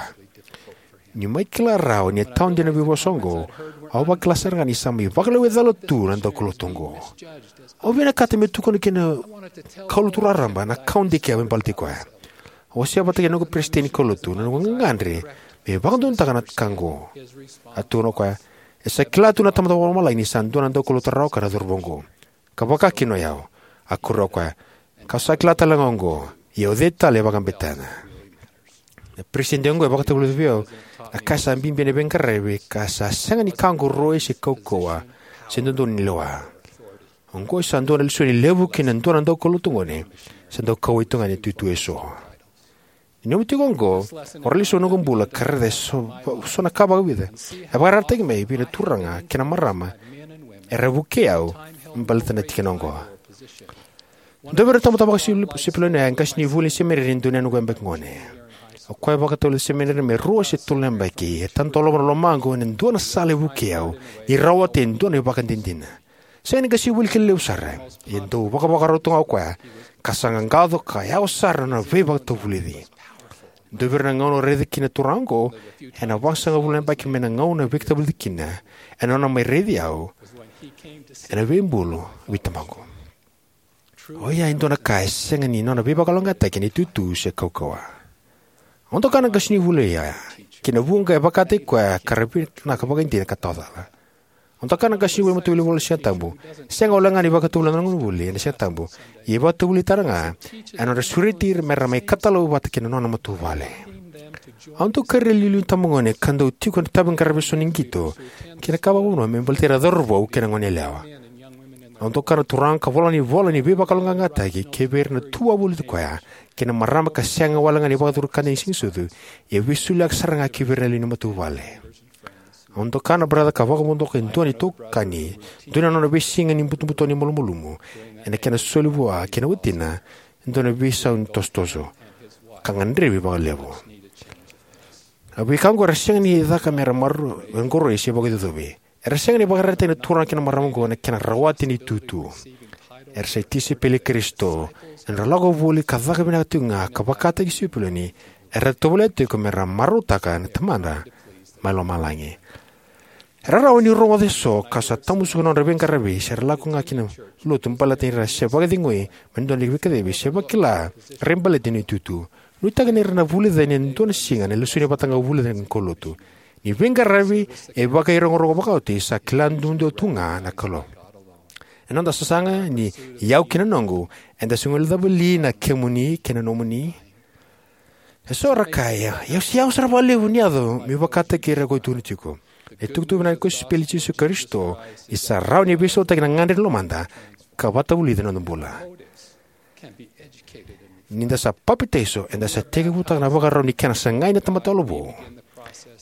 Niu mai kila rawa ni a tawa dina na veivosa oqo, au vakila sara ga ni sa mai vakalewai cala tu na daukaulotu oqo. Au vinakata meu tukuna ki na kaulotu raraba na ka au dikeva me baleti koya. Au wasea vata kei na noqu peresitedi ni kaulotu na noqu gagadre me vakadodonutaka na ka oqo. A tukuna o koya, e sa kila tu na Tamada Vakalomalagi ni sa dua na daukaulotu rawa ka na cauravou oqo, ka vaka kina o yau. A kuria o koya, kau sa kila talega oqo, ia o cei tale e vakabetena? Na peresitedi oqo e vakatavulica vei au na ka sa bibi ena veiqaravi ka sa sega ni ka oqo roi se kaukauwa se dodonu ni lewa. Oqo e sa dua na lesoni levu ki na dua na daukaulotu gone sa dau kauwai tu ga ena itutu eso. Ni nomu tiko oqo, o rai lesu ena noqu bula ka raica eso, so na ka vakavica e vakaraitaki mai vei na turaga kei na marama era vukei au me baleta na tikina oqo. Dua vei ira na tamata vakasipiloni oya e qasenivuli ni semineri ni dua na yabaki gone. O koya e vakatavulica na semineri me rua se tolu na yabaki. E tadolava na lomaqu ena dua na sala e vukei au ni rawata e dua na ivakadinadina. Sega ni qasenivuli kina levu sara, e dau vakavakarau tu ga o koya ka sa qaqaco ka yawa sara na veivakatavulici. Dua vei ira na gauna au raica kina na turaga oqo ena vasagavulu na yabaki mai na gauna a veivakatavulici kina ena nona mai raici au ena veibulu vei tamaqu. Oya e dua na ka e sega ni nona veivakalougatataki ena itutu se kaukauwa. Au doka na qasenivuli oya ki na vuqa e vakataki koya ka ra vinaka vakaidina ka tawa cala. Au doka na qasenivuli matavuvale ena Sigatabu, sega walega ni vakatavulica na gonevuli ena Sigatabu, ia e vakatavulica tale ga ena nodra sureti ira me ra mai katalau vata kei na nona matavuvale. Au dau kari ira na iliuliu ni itabagone ka dau tiko ena itaviqaravi eso ni qito kei na ka vakavanua me baleti ira na cauravou kei na goneyalewa. Au doka na turaga ka vola na ivola ni veivakalougatataki ki vei ira na tu wavoliti koya kei na marama ka sega walega ni vakacuru kina na Siganisucu, ia e veisoliwaki sara ga ki vei ira na lewe ni matavuvale. Au doka na baraca ka vakavodoka e dua na itokani, dua na nona veisiga ni butobuto ni malumalumu ena kena soli vua kei na watina e dua na veisau ni tosotoso, ka gadrevi vakalevu. A veika oqo era sega ni caka me ra maroroi se vakaicocovi. Era sega ni vakaraitaki na turaga kei na marama oqo na kena rawati na itutu. Era sa tisaipeli i Karisito. Ena nodra lako voli ka caka vinaka tiko ga ka vakataki Sipiloni, era tovolea tiko me ra marautaka na Tamada mai lomalagi. Era rawa ni rogoca eso ka sa tamusuka na nodra veiqaravi se ra lako ga ki na lotu baleta ni ra se vakacegui mai na dua na veikacivi se vakila rai baleti na itutu. Nuitaki ni ra na vulica ena dua na siga na lesoni vata ga au vulica ena kaulotu. Ni veiqaravi e vakairogorogo vakaoti, sa kila duadua tu ga na Kalou. Ena noda sasaga ni iyau kei na noqu, eda sa guilecava li na kemuni kei na nomuni? E so era kaya, "Ia, au se yawa sara vakalevu ni yaco meu vakataki ira kau tukuna tiko." Na itukutuku vinaka ni kosipeli i Jisu Karisito ni sa rawa ni veisautaki na gagadre ni lomada ka vatavulici na noda bula. Ni da sa papitaiso, eda sa tekivutaka na vakarau ni kena sagai na tamata yalo vou.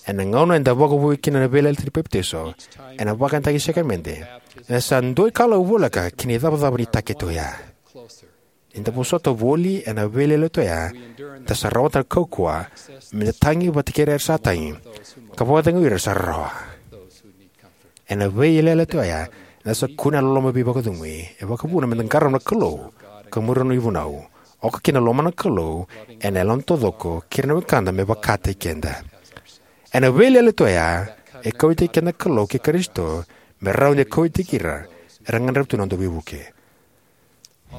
Ena gauna eda vakavoui kina na veiyalayalati ni papitaiso ena vakayagataki ni sakaramede, eda sa dua na ikalawa voleka ki na icavacava ni takete oya. Ni da vosota voli ena veiyalayalati oya, da sa rawata na kaukauwa me da tagi vata kei ira era sa tagi, ka vakacegui ira era sa rarawa. Ena veiyalayalati oya, eda sa kunea na loloma veivakacegui e vakavuna me da qarauna na Kalou ka muria na nona ivunau, oka kina na lomana na Kalou ena yaloda taucoko kei ira na wekada me vakataki keda. Ena veiyalayalati oya, e kauwaitaki keda na Kalou kei Karisito me rawa ni kauwaitaki ira era gadreva tu na noda veivuke.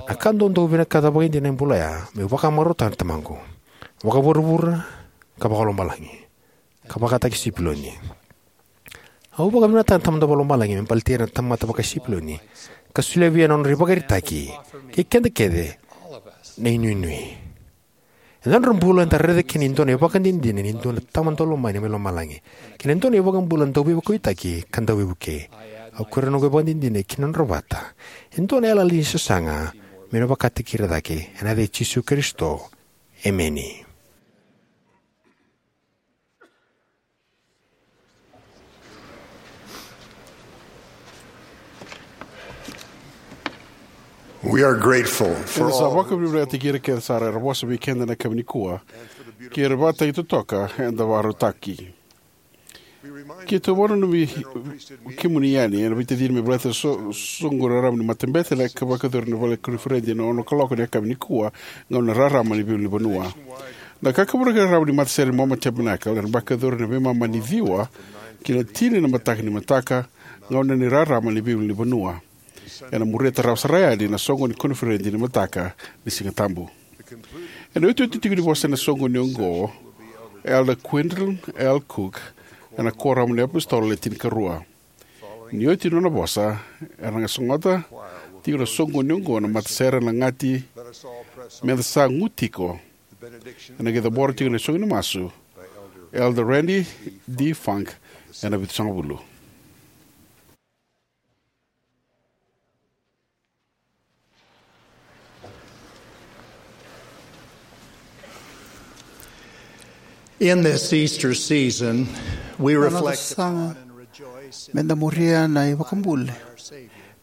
Na ka dau dau vinakata vakaidina ena bula oya meu vakamarautaka na tamaqu, vakavuravura ka vakalomalagi, ka vakataki Sipiloni. Au vakavinavinakataka na Tamada Vakalomalagi me baleti ira na tamata vaka-Sipiloni ka solia vei ira na nodra ivakaraitaki, kei keda kece na inuinui. Ena noda bula eda raica kina e dua na ivakadinadina ni dua na Tama daulomani mai lomalagi kei na dua na iVakabula dauveivakauwaitaki ka dauveivukei. Au kuria na noqu ivakadinadina ki na nodra vata e dua na yalayala ni sasaga meu na vakataki ira cake, ena yaca i Jisu Karisito. Emeni. We are grateful for Eda sa all vakavinavinakataki ira kece sara era vosa vei keda ena yakavi nikua, kei ira vakataki totoka eda vakarautaki. Keitou vakananumi kemuni yani ena veitacini me baleta na so-, soqo raraba ni matabete ena ka vakayacori na vale koniferedi ena ono kaloko ni yakavi nikua, gauna rarama ni veiulunivanua. Na kakaburaki raraba ni matasere ni Mormon Tabernacle ena vakayacori ena veimama ni ciwa ki na tini na mataka ni mataka, gauna ni rarama ni veiulunivanua. Ena muria tarava sara yani na soqo ni koniferedi ni mataka ni Siga Tabu. Ena iotioti tiko ni vosa ena soqoni oqo, Elder Quentin L. Cook, ena Kuoramu ni iApositolo Le Tinikarua. Ni oti na nona vosa, era na qai sogota tiko na soqoni oqo na matasere ena gati, meda sa gu tiko. Ena qai cabora tiko na isoqoni ni masu, Elder Randy D. Funk, ena vitusagavulu. In this Easter season, we Na noda reflect saga upon and rejoice in meda muria na iVakabula.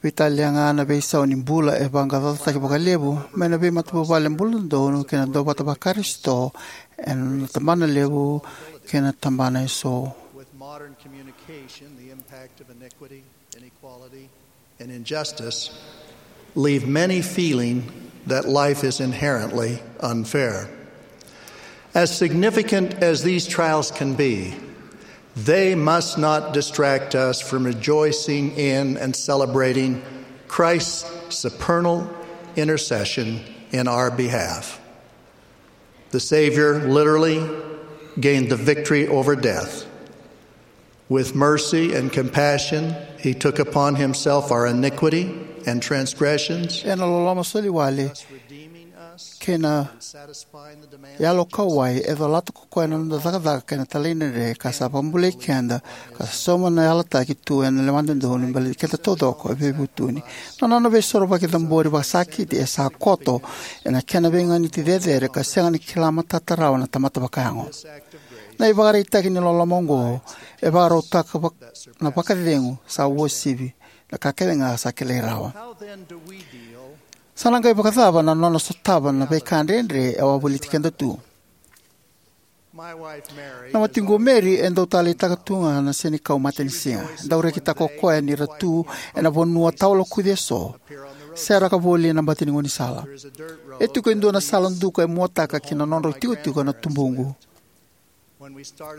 Veitalia ga na veisau ni bula e vaqaqacotaki vakalevu mai na veimatavuvale bula dodonu kei na duavata vaKarisito ena tabana levu kei na tabana eso. With modern communication, the impact of iniquity, inequality, and injustice leave many feeling that life is inherently unfair. As significant as these trials can be, they must not distract us from rejoicing in and celebrating Christ's supernal intercession in our behalf. The Savior literally gained the victory over death. With mercy and compassion, he took upon himself our iniquity and transgressions, Ena loloma soliwale kei na yalo kauwai, e colata ko koya na noda cakacaka kei na talaidredre, ka sa vakabulai keda, ka sa sauma na yalataki tu ena lewa dodonu me baleti keda taucoko e veivutuni. Na nona veisorovaki cabori vakasakiti e sa koto ena kena veiganiti cecere ka sega ni kila matata rawa na tamata vakayago. Na ivakaraitaki ni loloma oqo e vakarautaka vak-, na vakacegu sa uasivi na ka kece ga sa kilai rawa. Sa na qai vakacava na nona sotava na veika dredre e wavoliti keda tu? Na watiqu o Mary e dau taleitaka tu ga na senikau matanisiga. E dau rekitaka o koya ni ra tu ena vanua tawa lokuci eso, seraka voli ena bati ni gaunisala. E tiko e dua na sala duka e muataka ki na nodrau tikotiko na tubuqu.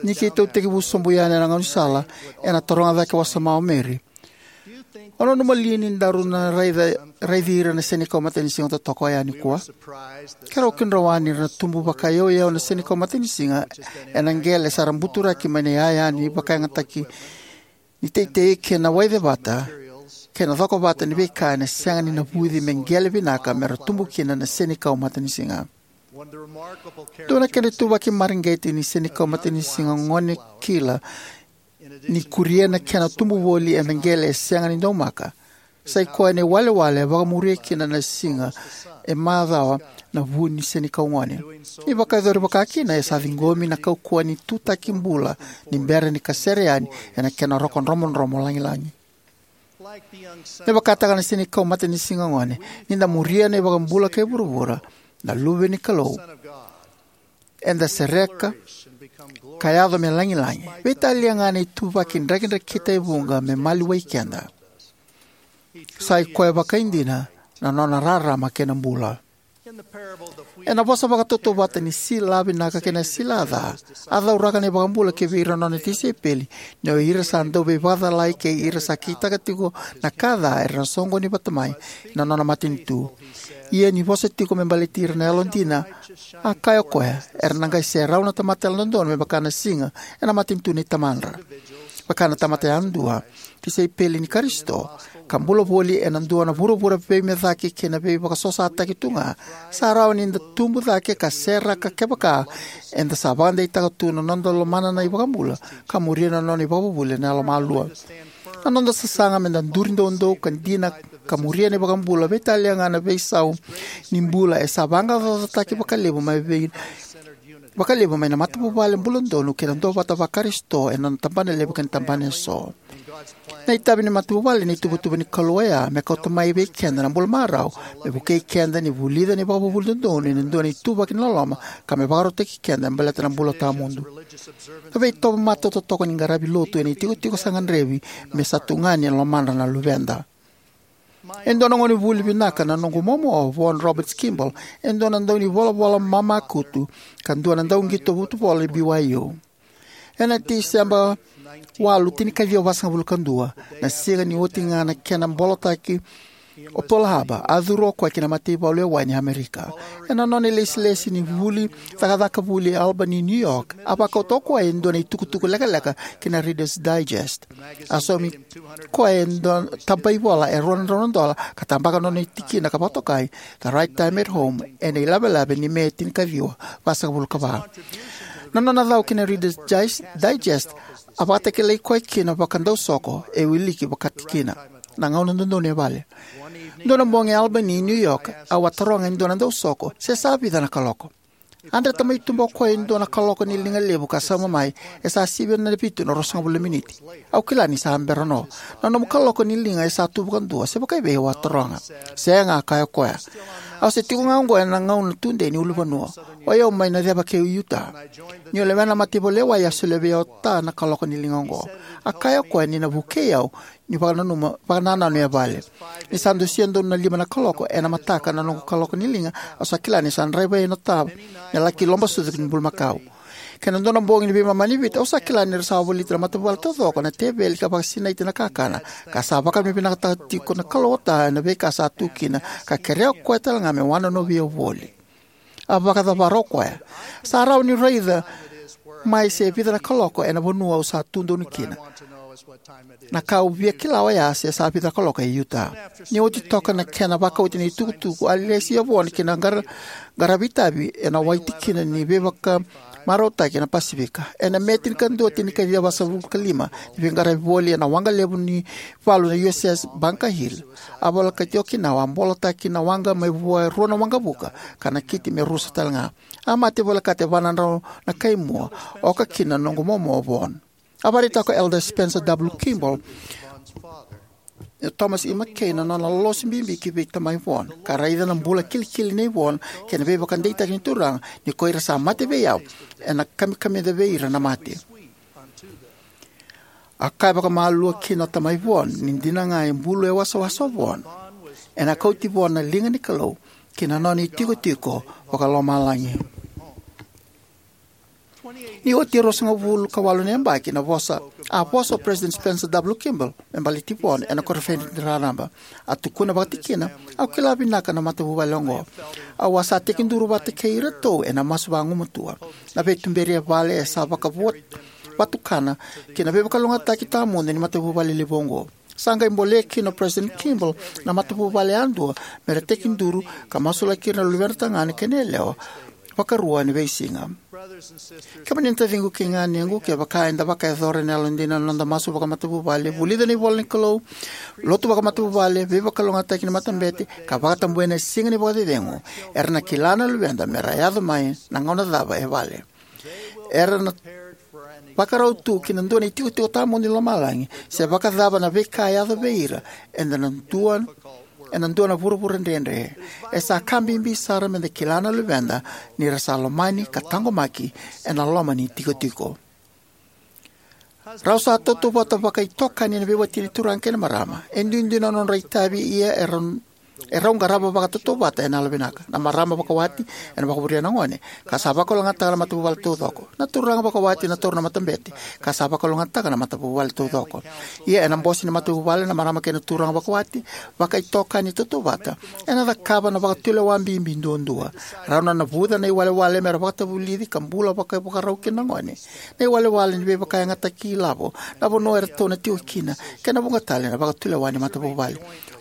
Ni keitou tekivu sobu yani ena gaunisala, ena taroga cake wasoma o Mary, "O nanuma li ni daru na raica, raici ira na senikau matanisiga totoka oya nikua?" Keirau kidrowa ni ra na tubu vakayauyau na senikau matanisiga ena qele sa ra buturaki mai na iyaya ni vakayagataki ni teitei kei na waicevata kei na cokovata ni veika ena sega ni navuci me qele vinaka me ra tubu kina na senikau matanisiga. Dua na kedra ituvaki mareqeti ni senikau matanisiga gone kila ni kuria na kena tubu voli ena qele e sega ni daumaka, sai koya na iwalewale e vakamuria kina na siga e macawa na vu ni senikau gone. Ni vakayacori vakakina, e sa ciqomi na kaukauwa ni tutaki bula ni bera ni kasere yani ena kena roko dromodromo lagilagi. Me vakataka na senikau matanisiga gone, ni da muria na iVakabula kei vuravura, na Luve ni Kalou, eda sereka ka yaco me lagilagi. Veitalia ga na ituvaki drakidrakita e vuqa me maliwai keda, sai koya vakaidina na nona rarama kei na bula. Ena vosa vakatautauvata ni sila vinaka kei na sila ca, a cauraka na iVakabula kivei ira na nona tisaipeli ni o ira sa dauveivakacalai kei ira sa kitaka tiko na ka ca era na soqoni vata mai ena nona matanitu. Ia ni vosa tiko me baleti ira na yalodina, a kaya o koya, era na qai serau na tamata yalododonu me vaka na siga ena matanitu nei tamadra. Vaka na tamata yadua, tisaipeli ni Karisito, ka bula voli ena dua na vuravura veimecaki kei na veivakasosataki tu ga, sa rawa ni da tubu cake ka seraka kevaka eda sa vakadeitaka tu na noda lomana na iVakabula ka muria na nona ivakavuvuli ena yalomalua. Na noda sasaga me da duri doudou ka dina ka muria na iVakabula, veitalia ga na veisau ni bula, e sa vaqaqacotaki vakalevu mai vei vakalevu mai na matavuvale buladodonu kei na duavata vaKarisito ena nona tabana levu kei na tabana eso. Na itavi ni matavuvale na ituvatuva ni Kalou oya me kauta mai vei keda na bula marau, me vukei keda ni vulica na ivakavuvuli dodonu ena dua na ituvaki ni loloma, ka me vakarautaki keda me baleta na bula tawamudu. Na veitovo matatotoka ni qaravi lotu ena itikotiko sa gadrevi me sa tugani ena lomadra na luveda. E dua na gonevuli vinaka na noqu momo o Vaughn Roberts Kimball, e dua na daunivolavola mamakutu ka dua na dauqito vutubula ni B Y U. Ena Tiseba walu, tinikaciwa vasagavulu ka dua, na siga ni oti ga na kena bolotaki o Pearl Harbor, a curu o koya ki na mataivalu e waini e Amerika. Ena nona ilesilesi ni vuli cakacaka vuli e Albany, New York, a vakauta o koya e dua na itukutuku lekaleka ki na Reader's Digest. A saumi koya e dua tabaivola e rua na drau na dola ka tabaka nona tikina ka vakatokai The Right Time at Home ena ilavelave ni Me tinikaciwa vasagavulu ka va. Na nona cau ki na Reader's Digest, Digest, a vakatakilai koya kina vakadausoko e wiliki vakatikina na gauna dodonu e vale. Dua na bogi e Albany, New York, au a taroga e dua na dausoko se sa vica na kaloko. A dreta mai tuba o koya e dua na kaloko ni liga levu ka sauma mai, e sa sivi ena vitu na ruasagavulu na miniti. Au kila ni sa bera no. Na nomu kaloko ni liga e sa tu vakadua, se vakaivei, au a taroga. Sega, a kaya o koya. Au se tiko ga oqo ena gauna tudei ni ulunivanua. O yau mai na ceva kei Utah. Niu lewena na mataivalu e wai, a solia vei au o Ta na kaloko ni liga oqo. A kaya o koya ni na vukei au ni vakananuma, vakanananu e vale. Ni sa dusia donu na lima na kaloko ena mataka na noqu kaloko ni liga, au sa kila ni sa draiva yani o Ta me laki lobasucu ki bulumakau. Kei na dua na bogi ni veimama ni Viti, au sa kila ni ra sa voliti na matavuvale taucoko na teveli ka vakasinaiti na kakana, ka sa vakavinavinakataka tiko na Kalou o Ta ena veika sa tu kina, ka kerea o koya tale ga me wanonovi au voli. A vakacavara o koya. Sa rawa niu raica mai se vica na kaloko ena vanua au sa tu donu kina. Na ka au via kila oya se sa vica na kaloko e Utah. Ni oti toka na kena vakauti na itukutuku, a lesi o Vaughn ki na qara-, qaravi itavi ena wai tikina ni veivakamarautaki ena Pasifika. Ena Me tinikadua, tinikaciwa vasagavulu ka lima, ni veiqaravi voli ena waqa levu ni valu na U S S Bunker Hill, a volekati Okinawa, a bolotaki na waqa mai vua e rua na waqavuka, ka nakiti me rusa tale ga. A mate volekata e va na drau na kaimua, oka kina na noqu momo o Vaughn. A vakaraitaka o Elder Spencer W. Kimball, Thomas E. McKay, na nona lolosi bibi ki vei tamai Vaughn, ka raica na bula kilikili nei Vaughn kei na veivakadeitaki ni Turaga, ni ko ira sa mate vei au, ena kamikamica vei ira na mate. A kaya vakamalua kina o tamai Vaughn ni dina ga e bulu e wasawasa o Vaughn, ena kauti Vaughn na liga ni Kalou ki na nona itikotiko vakalomalagi. Ni oti e ruasagavulu ka walu na yabaki na vosa, a vosa o President Spencer W. Kimball me baleti Vaughn ena koniferedi raraba. A tukuna vakatikina, au kila vinaka na matavuvale oqo. Au a sa tekiduru vata kei iratou ena masu vagumatua. Na veituberi e vale e sa vakavua vatukana ki na veivakalougatataki tawamudu ni matavuvale levu oqo. Sa qai bolea kina o President Kimball na matavuvale yadua me ra tekiduru ka masulaki ira na luvena tagane kei na yalewa Vakarua ni veisiga. Kemuni na taciqu kei na ganequ, kevaka eda vakayacora ena yalodina na noda masu vakamatavuvale, vulica na ivolanikalou, lotu vakamatavuvale, veivakalougatataki ni matabete, ka vakatabuya na siga ni vakacecegu, era na kila na luveda mera yaco mai na gauna cava e vale. Era na vakarau tu ki na dua na itikotiko tawamudu ni lomalagi, se vakacava na veika e yaco vei ira, eda na dua ena dua na vuravura dredre. E sa ka bibi sara meda kila na luveda ni ra sa lomani ka taqomaki ena loma ni tikotiko. Rau sa tautauvata vakaitokani na veiwatini turaga kei na marama. E duidui na nodra itavi, ia e rau, e rau qarava vakatautauvata ena yalovinaka. Na marama vakawati ena vakavuria na gone, ka sa vakalougatataka na matavuvale taucoko. Na turaga vakawati ena taura na matabete, ka sa vakalougatataka na matavuvale taucoko. Ia ena bose ni matavuvale, na marama kei na turaga vakawati, vakaitokani tautauvata, ena cakava na vakatulewa bibi duadua. Rau na navuca na iwalewale mera vakatavulici ka bula vakaivakarau kina na gone, na iwalewale ni veivakayagataki ilavo, na vanua eratou na tiko kina, kei na vuqa tale na vakatulewa ni matavuvale.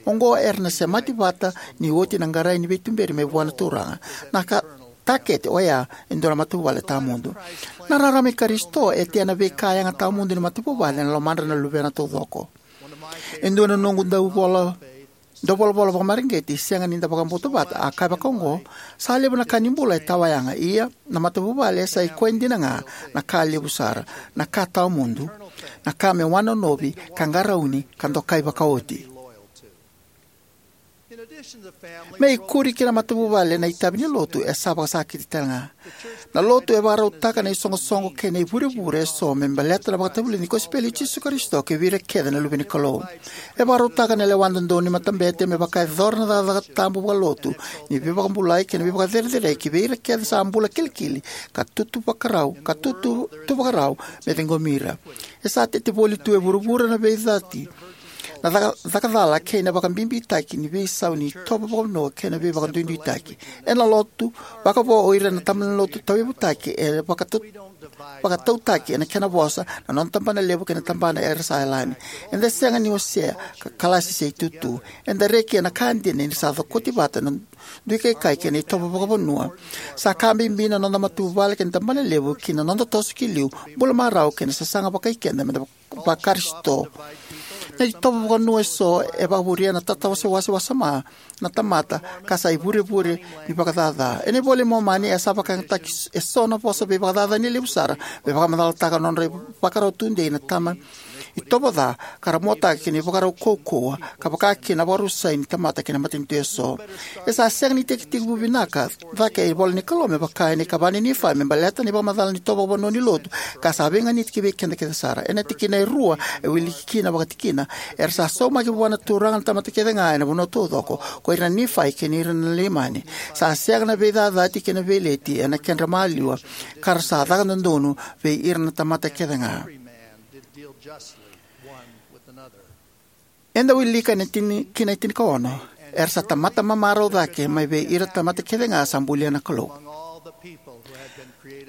Oqo era na semati vata ni oti na qarai ni veituberi mai vua na Turaga. Na ka takete oya e dua na matavuvale tawamudu. Na rarama i Karisito e tea na veika yaga tawamudu ni matavuvale ena lomadra na luvena taucoko. E dua na noqu dauvola, dauvolavola vakamareqeti, sega ni da vakabauta vata, a kaya vakaoqo: Sa levu na ka ni bula e tawayaga, ia na matavuvale sa i koya dina ga na ka levu sara, na ka tawamudu, na ka me wanonovi ka qarauni ka dokai vakaoti. Me ikuri ki na matavuvale, na itavi ni lotu e sa vakasakiti talega. Na lotu e vakarautaka na isoqosoqo kei na ivurevure eso me baleta na vakatavulici ni kosipeli i Jisu Karisito kivei ira kece na luve ni Kalou. E vakarautaka na lewa dodonu ni matabete me vakayacora na cakacaka tabu vakalotu ni veivakabulai kei na veivakacerecerei kivei ira kece sa bula kilikili ka tutu vakarau, ka tutu, tu vakarau me ciqomi ira. E sa tete voli tu e vuravura na veicati, na caka, cakacala kei na vakabibitaki ni veisau ni itovo vakavanua kei na veivakaduiduitaki. Ena lotu vakavo o ira na tabana ni lotu tauyavutaki, e vakatau, vakatautaki ena kena vosa na noda tabanalevu kei na tabana era sa yalani. Eda sega ni wasea ka kalasi se itutu. Eda reki ena ka dina ni sa cokoti vata na duikaikai kei na itovo vakavanua. Sa ka bibi na noda matavuvale kei na tabanalevu ki na noda toso ki liu, bula marau kei na sasaga vakaikeda meda vakarisito. Na itovo vakavanua eso e vakavuria na tatawasewase wasoma na tamata, ka sa ivurevure ni vakacaca. Ena iVola i Momani e sa vakayagataki eso na vosa veivakacaca ni levu sara me vakamacalataka na nodra ivakarau tudei na tama itovo ca, ka ra motaka kina ivakarau kaukauwa, ka vaka kina na vakarusai ni tamata kei na matanitu eso. E sa sega ni tekitekivu vinaka cake e ivola ni Kalou me vaka ena ikava ni Nifai me baleta na ivakamacala ni itovo vakavanua ni lotu, ka sa veiganiti ki vei keda kece sara. Ena tikina e rua e wiliki kina vakatikina: Era sa saumaki vua na Turaga na tamata kece ga ena vanua taucoko, ko ira na Nifai kei ira na Leimani. Sa sega na veicacati kei na veileti ena kedra maliwa, ka ra sa caka dodonu vei ira na tamata kece ga. Eda wilika ena tini, kina e tinikaono: Era sa tamata mamarau cake mai vei ira tamata kece ga sa bulia na Kalou.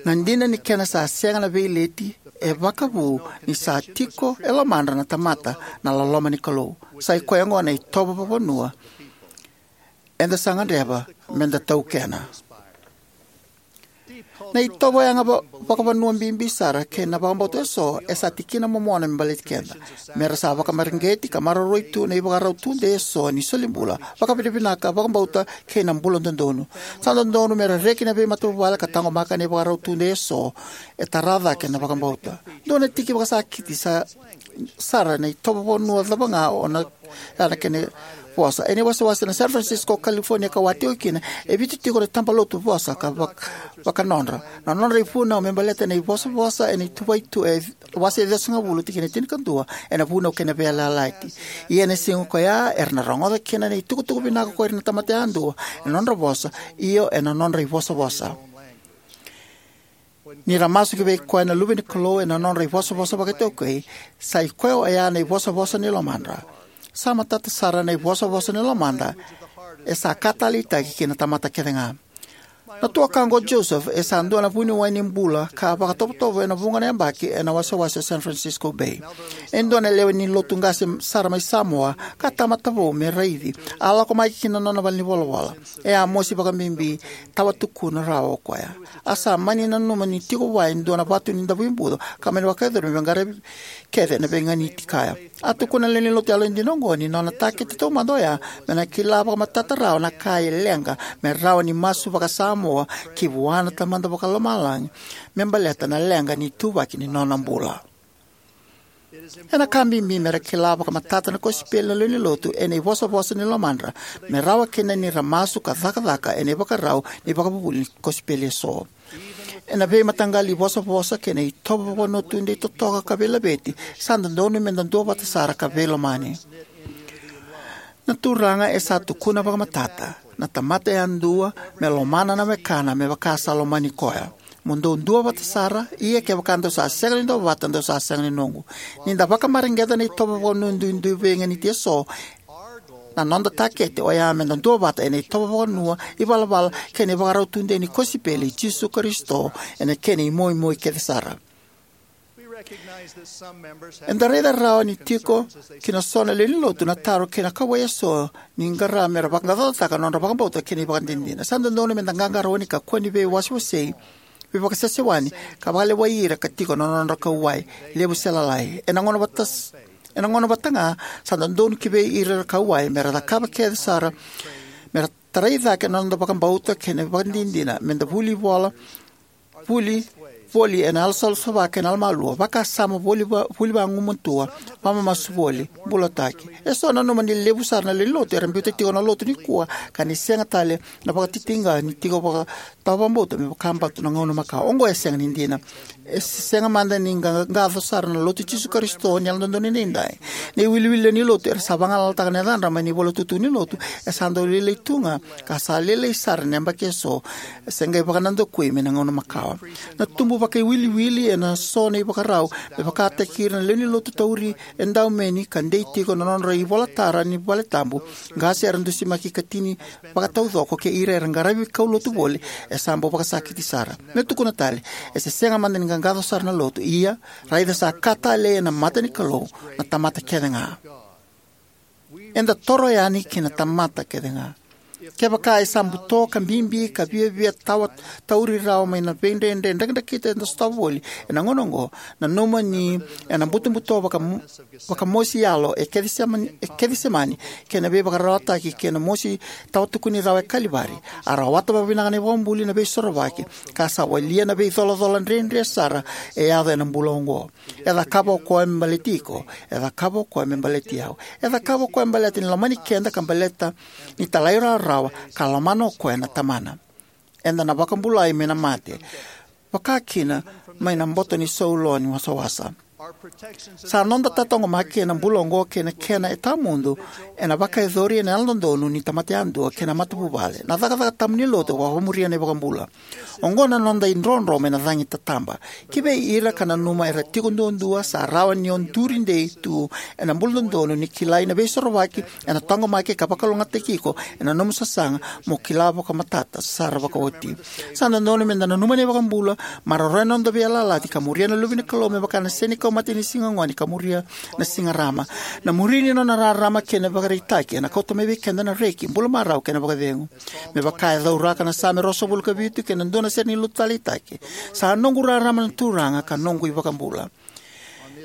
Na dina ni kena sa sega na veileti e vakavu ni sa tiko e lomadra na tamata na loloma ni Kalou. Sa i koya oqo na itovo vakavanua eda sa gadreva meda taukena. Na itovo yaga va, vakavanua bibi sara kei na vakabauta eso e sa tikina momona me baleti keda. Mera sa vakamareqeti ka maroroi tu na ivakarau tudei eso ni solibula, vakavinavinaka, vakabauta kei na bula dodonu. Sa dodonu mera reki na veimatavuvale ka taqomaka na ivakarau tudei eso e tara cake na vakabauta. Dua na tiki vakasakiti sa sara na itovo vakavanua cava ga o na, ya na kena vosa. Ena iwasewase na San Francisco, California ka wati tiko kina, e vitu tiko na tabalotu vosa ka vak, vakanodra. Na nodra ivunau me baleta na ivosavosa ena ituvai tu e wase ciwasagavulu, tikina tinikadua, ena Vunau kei na Veiyalayalati. Ia ena siga koya era na rogoca kina na itukutuku vinaka ko ira na tamata yadua ena nodra vosa, io ena nodra ivosavosa. Ni ra masu ki vei koya na luve ni Kalou ena nodra ivosavosa vakaitaukei, sa i koya oya na ivosavosa ni lomadra. Sa matata sara na ivosavosa ni lomada e sa ka taleitaki ki na tamata kece ga. Na tuakaqu o Joseph e sa dua na vuniwai ni bula ka vakatovotovo ena vuqa na yabaki ena wasewase o San Francisco Bay. E dua na lewe ni lotu qase sara mai Samoa ka tamata vou me raici. A lako mai ki na nona valenivolavola. E a mosi vakabibi, tawa tukuna rawa o koya. A sa mani nanuma ni tiko vua e dua na vatu ni davuibuco ka mani vakayacori me vaqara kece na veiganiti kaya. A tukuna na lewe ni lotu yalodina oqo ni nona takete taumada oya me na kila vakamatata rawa na ka e leqa me rawa ni masu vaka-Samoa ki vua na Tamada Vakalomalagi me baleta na leqa ni ituvaki ni nona bula. Ena ka bibi me ra kila vakamatata na kosipeli na lewe ni lotu ena ivosavosa ni lomadra me rawa kina ni ra masu ka cakacaka ena ivakarau ni vakavuvuli ni kosipeli eso. Ena veimataqali ivosavosa kei na itovo vakavanua tudei totoka ka veilaveti, sa dodonu me da duavata sara ka veilomani. Na Turaga e sa tukuna vakamatata, na tamata yadua me lomana na wekana me vaka sa lomani koya. Mo dou duavata sara, ia kevaka dou sa sega ni duavata, dou sa sega ni noqu. Ni da vakamareqeta na itovo vakavanua duidui veiganiti eso, na noda takete oya me da duavata ena itovo vakavanua, ivalavala kei na ivakarau tudei ni kosipeli i Jisu Karisito ena kena imoimoi kece sara. Eda raica rawa ni tiko ki na so na lewe ni lotu na taro kei na kauwai eso ni qara me ra vakaqaqacotaka na nodra vakabauta kei na ivakadinadina. Sa dodonu me da qaqarauni ka kua ni veiwasewasei, veivakasesewani, ka vakalewai ira ka tiko na nodra kauwai, levu se lalai. Ena gauna vata, ena gauna vata ga, sa dodonu ki vei ira era kauwai me ra cakava kece sara me ra tarai cake na noda vakabauta kei na ivakadinadina, me da vuli vola, vuli, voli ena yalosalasala kei na yalomalua, vakasama voli va-, vuli vagumatua, vakamamasu voli, bulataki. Eso nanuma ni levu sara na lewe ni lotu era biuta tiko na lotu nikua ka ni sega tale na vakatitiqa ni tiko vaka tawa vakabauta me vakabauta na gauna makawa. Oqo e sega ni dina. E se-, sega mada ni qa-, qaco sara na Lotu i Jisu Karisito ni Yalododonu Edaidai. Na iwiliwili lewe ni lotu era sa vagalalataka na yacadra mai na iVola Tukutuku ni Lotu e sa dau lailai tu ga ka sa lailai sara ena yabaki eso, e se qai vakanadakui mai na gauna makawa. Na tubu vakaiwiliwili ena so na ivakarau me vakataki ira na lewe ni lotu tauri edaumeni ka dei tiko na nodra ivolatara ni valetabu, qase era dusimaki ikatini vakataucoko kei ira era qaravi kaulotu voli, e sa bau vakasakiti sara. Meu tukuna tale, e se sega mada ni qaqaco sara na lotu, ia, raica sa ka talei ena mata ni Kalou na tamata kece ga. Eda toro yani ki na tamata kece ga. Kevaka e sa buto ka bibi ka viavia tawa tauri rawa mai na veidredre drakidrakita eda sotava voli ena gauna oqo, nanuma ni ena butobuto vaka vakamosi yalo e Kecisemani, e Kecisemani, kei na veivakararawataki kei na mosi tawatukuni rawa e Kalivari, a rawata vakavinaka na iVakabula na Veisorovaki, ka sa walia na veicolacola dredre sara e yaco ena bula oqo. E cakava o koya me baleti iko, e cakava o koya me baleti au. E cakava o koya me baleta ni lomani keda ka baleta ni talairawarawa ka lomana o koya na Tamana. Eda na vakabulai mai na mate, vaka kina mai na boto ni saulo ni wasawasa. Sa noda tataqomaki ena bula oqo kei na kena e tawamudu ena vakayacori ena yalododonu ni tamata yadua kei na matavuvale, na cakacaka tabu ni lotu, vakamuria na iVakabula. Oqo na noda idrodro mai na cagi tataba. Ki vei ira ka nanuma era tiko duadua, sa rawa ni o duri dei tu ena bula dodonu ni kilai na Veisorovaki ena taqomaki ka vakalougatataki iko ena nomu sasaga mo kila vakamatata sara vakaoti. Sa dodonu meda nanuma na iVakabula, maroroya na noda veiyalayalati ka muria na Luve ni Kalou me vaka na sega ni kau mate ni siga gone ka muria na siga rarama. Na muri ni nona rarama kei na ivakaraitaki ena kauta mai vei keda na reki, bula marau kei na vakacegu. Me vaka e cauraka na Same ruasagavulu ka vitu kei na dua na sere ni lotu taleitaki, sa noqu rarama na Turaga ka noqu iVakabula.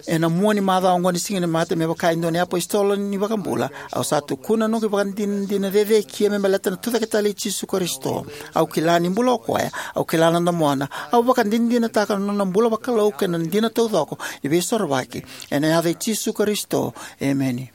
Ena mua ni macawa oqo ni Siganimate, me vaka e dua na iapositolo ni iVakabula, au sa tukuna na noqu ivakadinadina cecekia me baleta na Tucaketale i Jisu Karisito. Au kila ni bula o koya, au kila na domona, au vakadinadinataka na nona bula vakalou kei na dina taucoko ni Veisorovaki. Ena yaca i Jisu Karisito, emeni.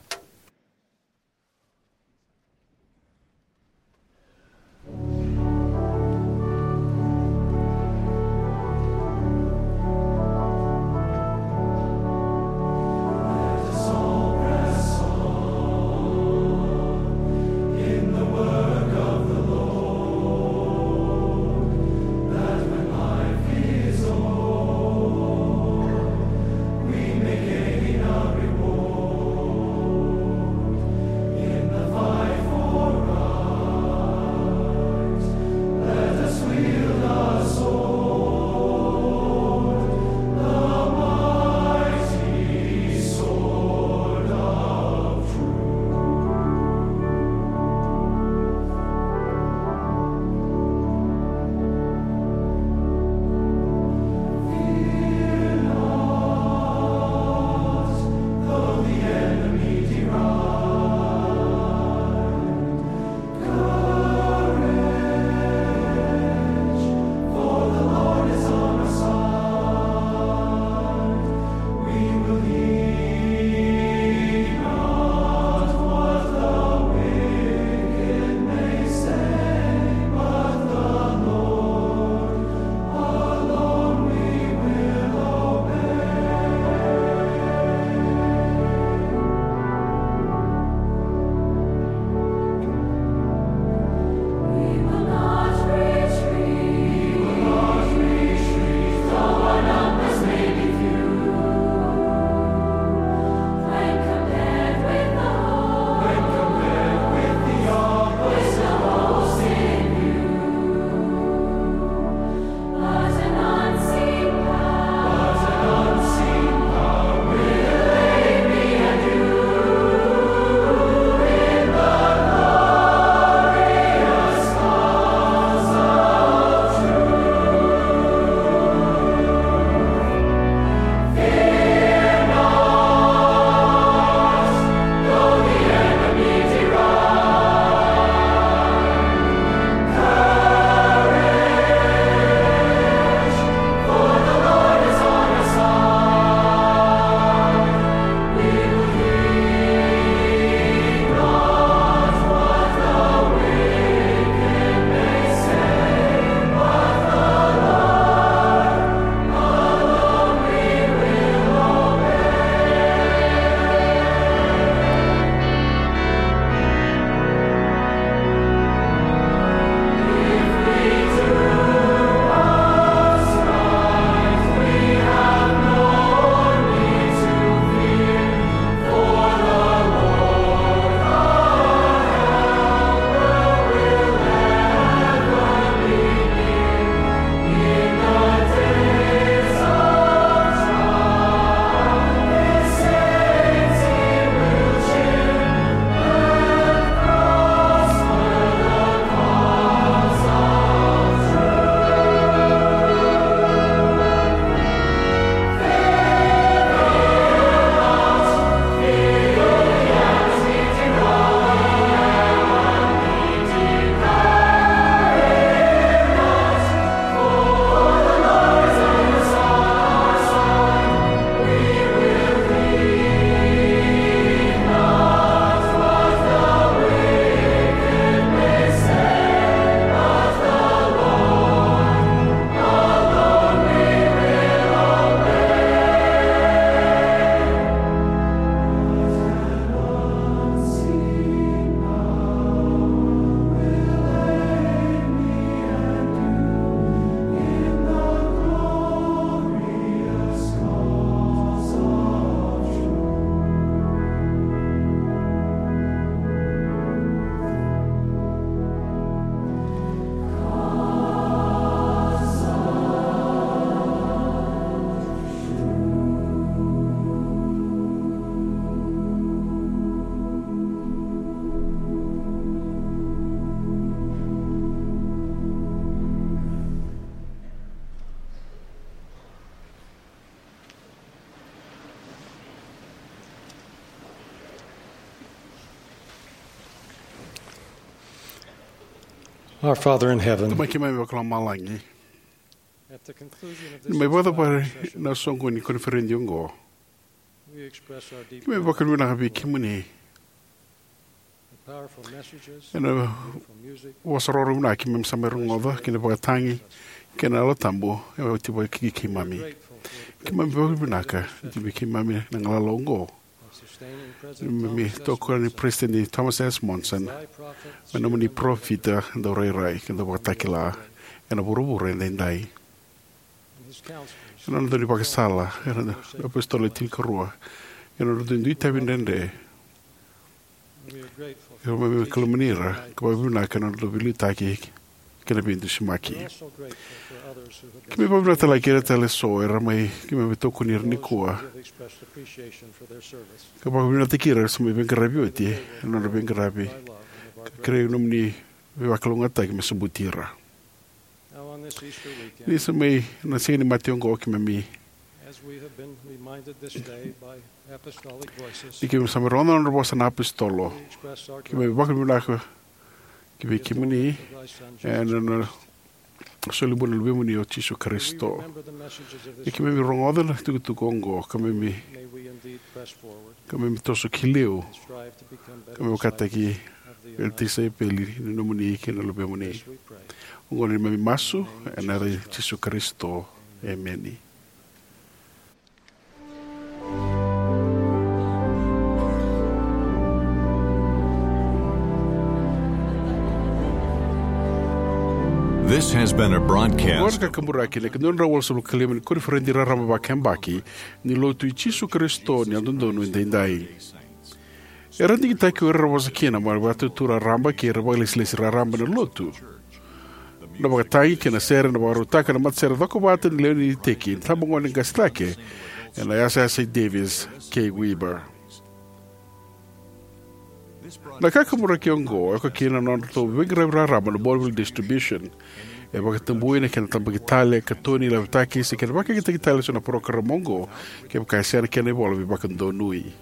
Our Father in heaven, Tamai keimami vakalomalagi, at the conclusion of this ni mai vakacavari na soqoni ni koniferedi oqo, we express our deep keimami vakavinavinaka vei kemuni. The powerful messages, ena beautiful music, vosa roro vinaka keimami sa mai rogoca, kei na vakatagi kei na Yalo Tabu e oti vata kei keimami. We're grateful for the keimami privilege vakavinavinaka ni tu vei keimami na galala oqo. Keimami tokoni President Thomas S. Monson me nomuni parofita daurairai kei na dauvakatakila ena vuravura edaidai. Ena nodra dau ni vakasala ena apositolo e tinikarua, ena nodra dau ni itavi dredre, keimami veikalomani ira ka vakavinavinaka ena nodra dau veiliutaki kei na veidusimaki. Keimami vakavinavinaka tale kei ira tale eso era mai keimami veitokoni ira nikua, ka vakavinavinakataki ira era sa mai veiqaravi oti ena nodra veiqaravi, ka kerei nomuni veivakalougatataki me sobuti ira. Ni sa mai na siga ni mate oqo keimami, ni keimami sa mai rogoca na nodra vosa na apositolo, keimami vakavinavinaka ki vei kemuni ena nona soli bula na Luvemuni o Jisu Karisito. Ni keimami rogoca na tukutuku oqo, keimami, keimami toso ki liu, keimami vakataki e tisaipeli ni nomuni kei na Luvemuni. Oqo na neimami masu ena yaca i Jisu Karisito. Emeni. This has been a broadcast. Oqo na Kakaburaki, na ika dua na drau walusagavulu ka lima ni koniferedi raraba vakayabaki ni Lotu i Jisu Karisito ni Yalododonu Edaidai. Era digitaki o ira era vosa kina mai na Vakaitutu Raraba kei ira era vakailesilesi raraba ena Lotu. Na vakatagi kei na sere ena vakarautaka ena matasere cokovata ni lewe ni iteki ni itabagone qase cake ena yasayasa i Davis K. Weber. Na Kakaburaki oqo e oka kina na nodratou veiqaravi raraba na Bonneville Distribution. E vakatabui na kena tabaki tale, katoni, laveti, se kena vakayagataki tale eso na parokaramu oqo kevaka e sega na kena ivola veivakadonui.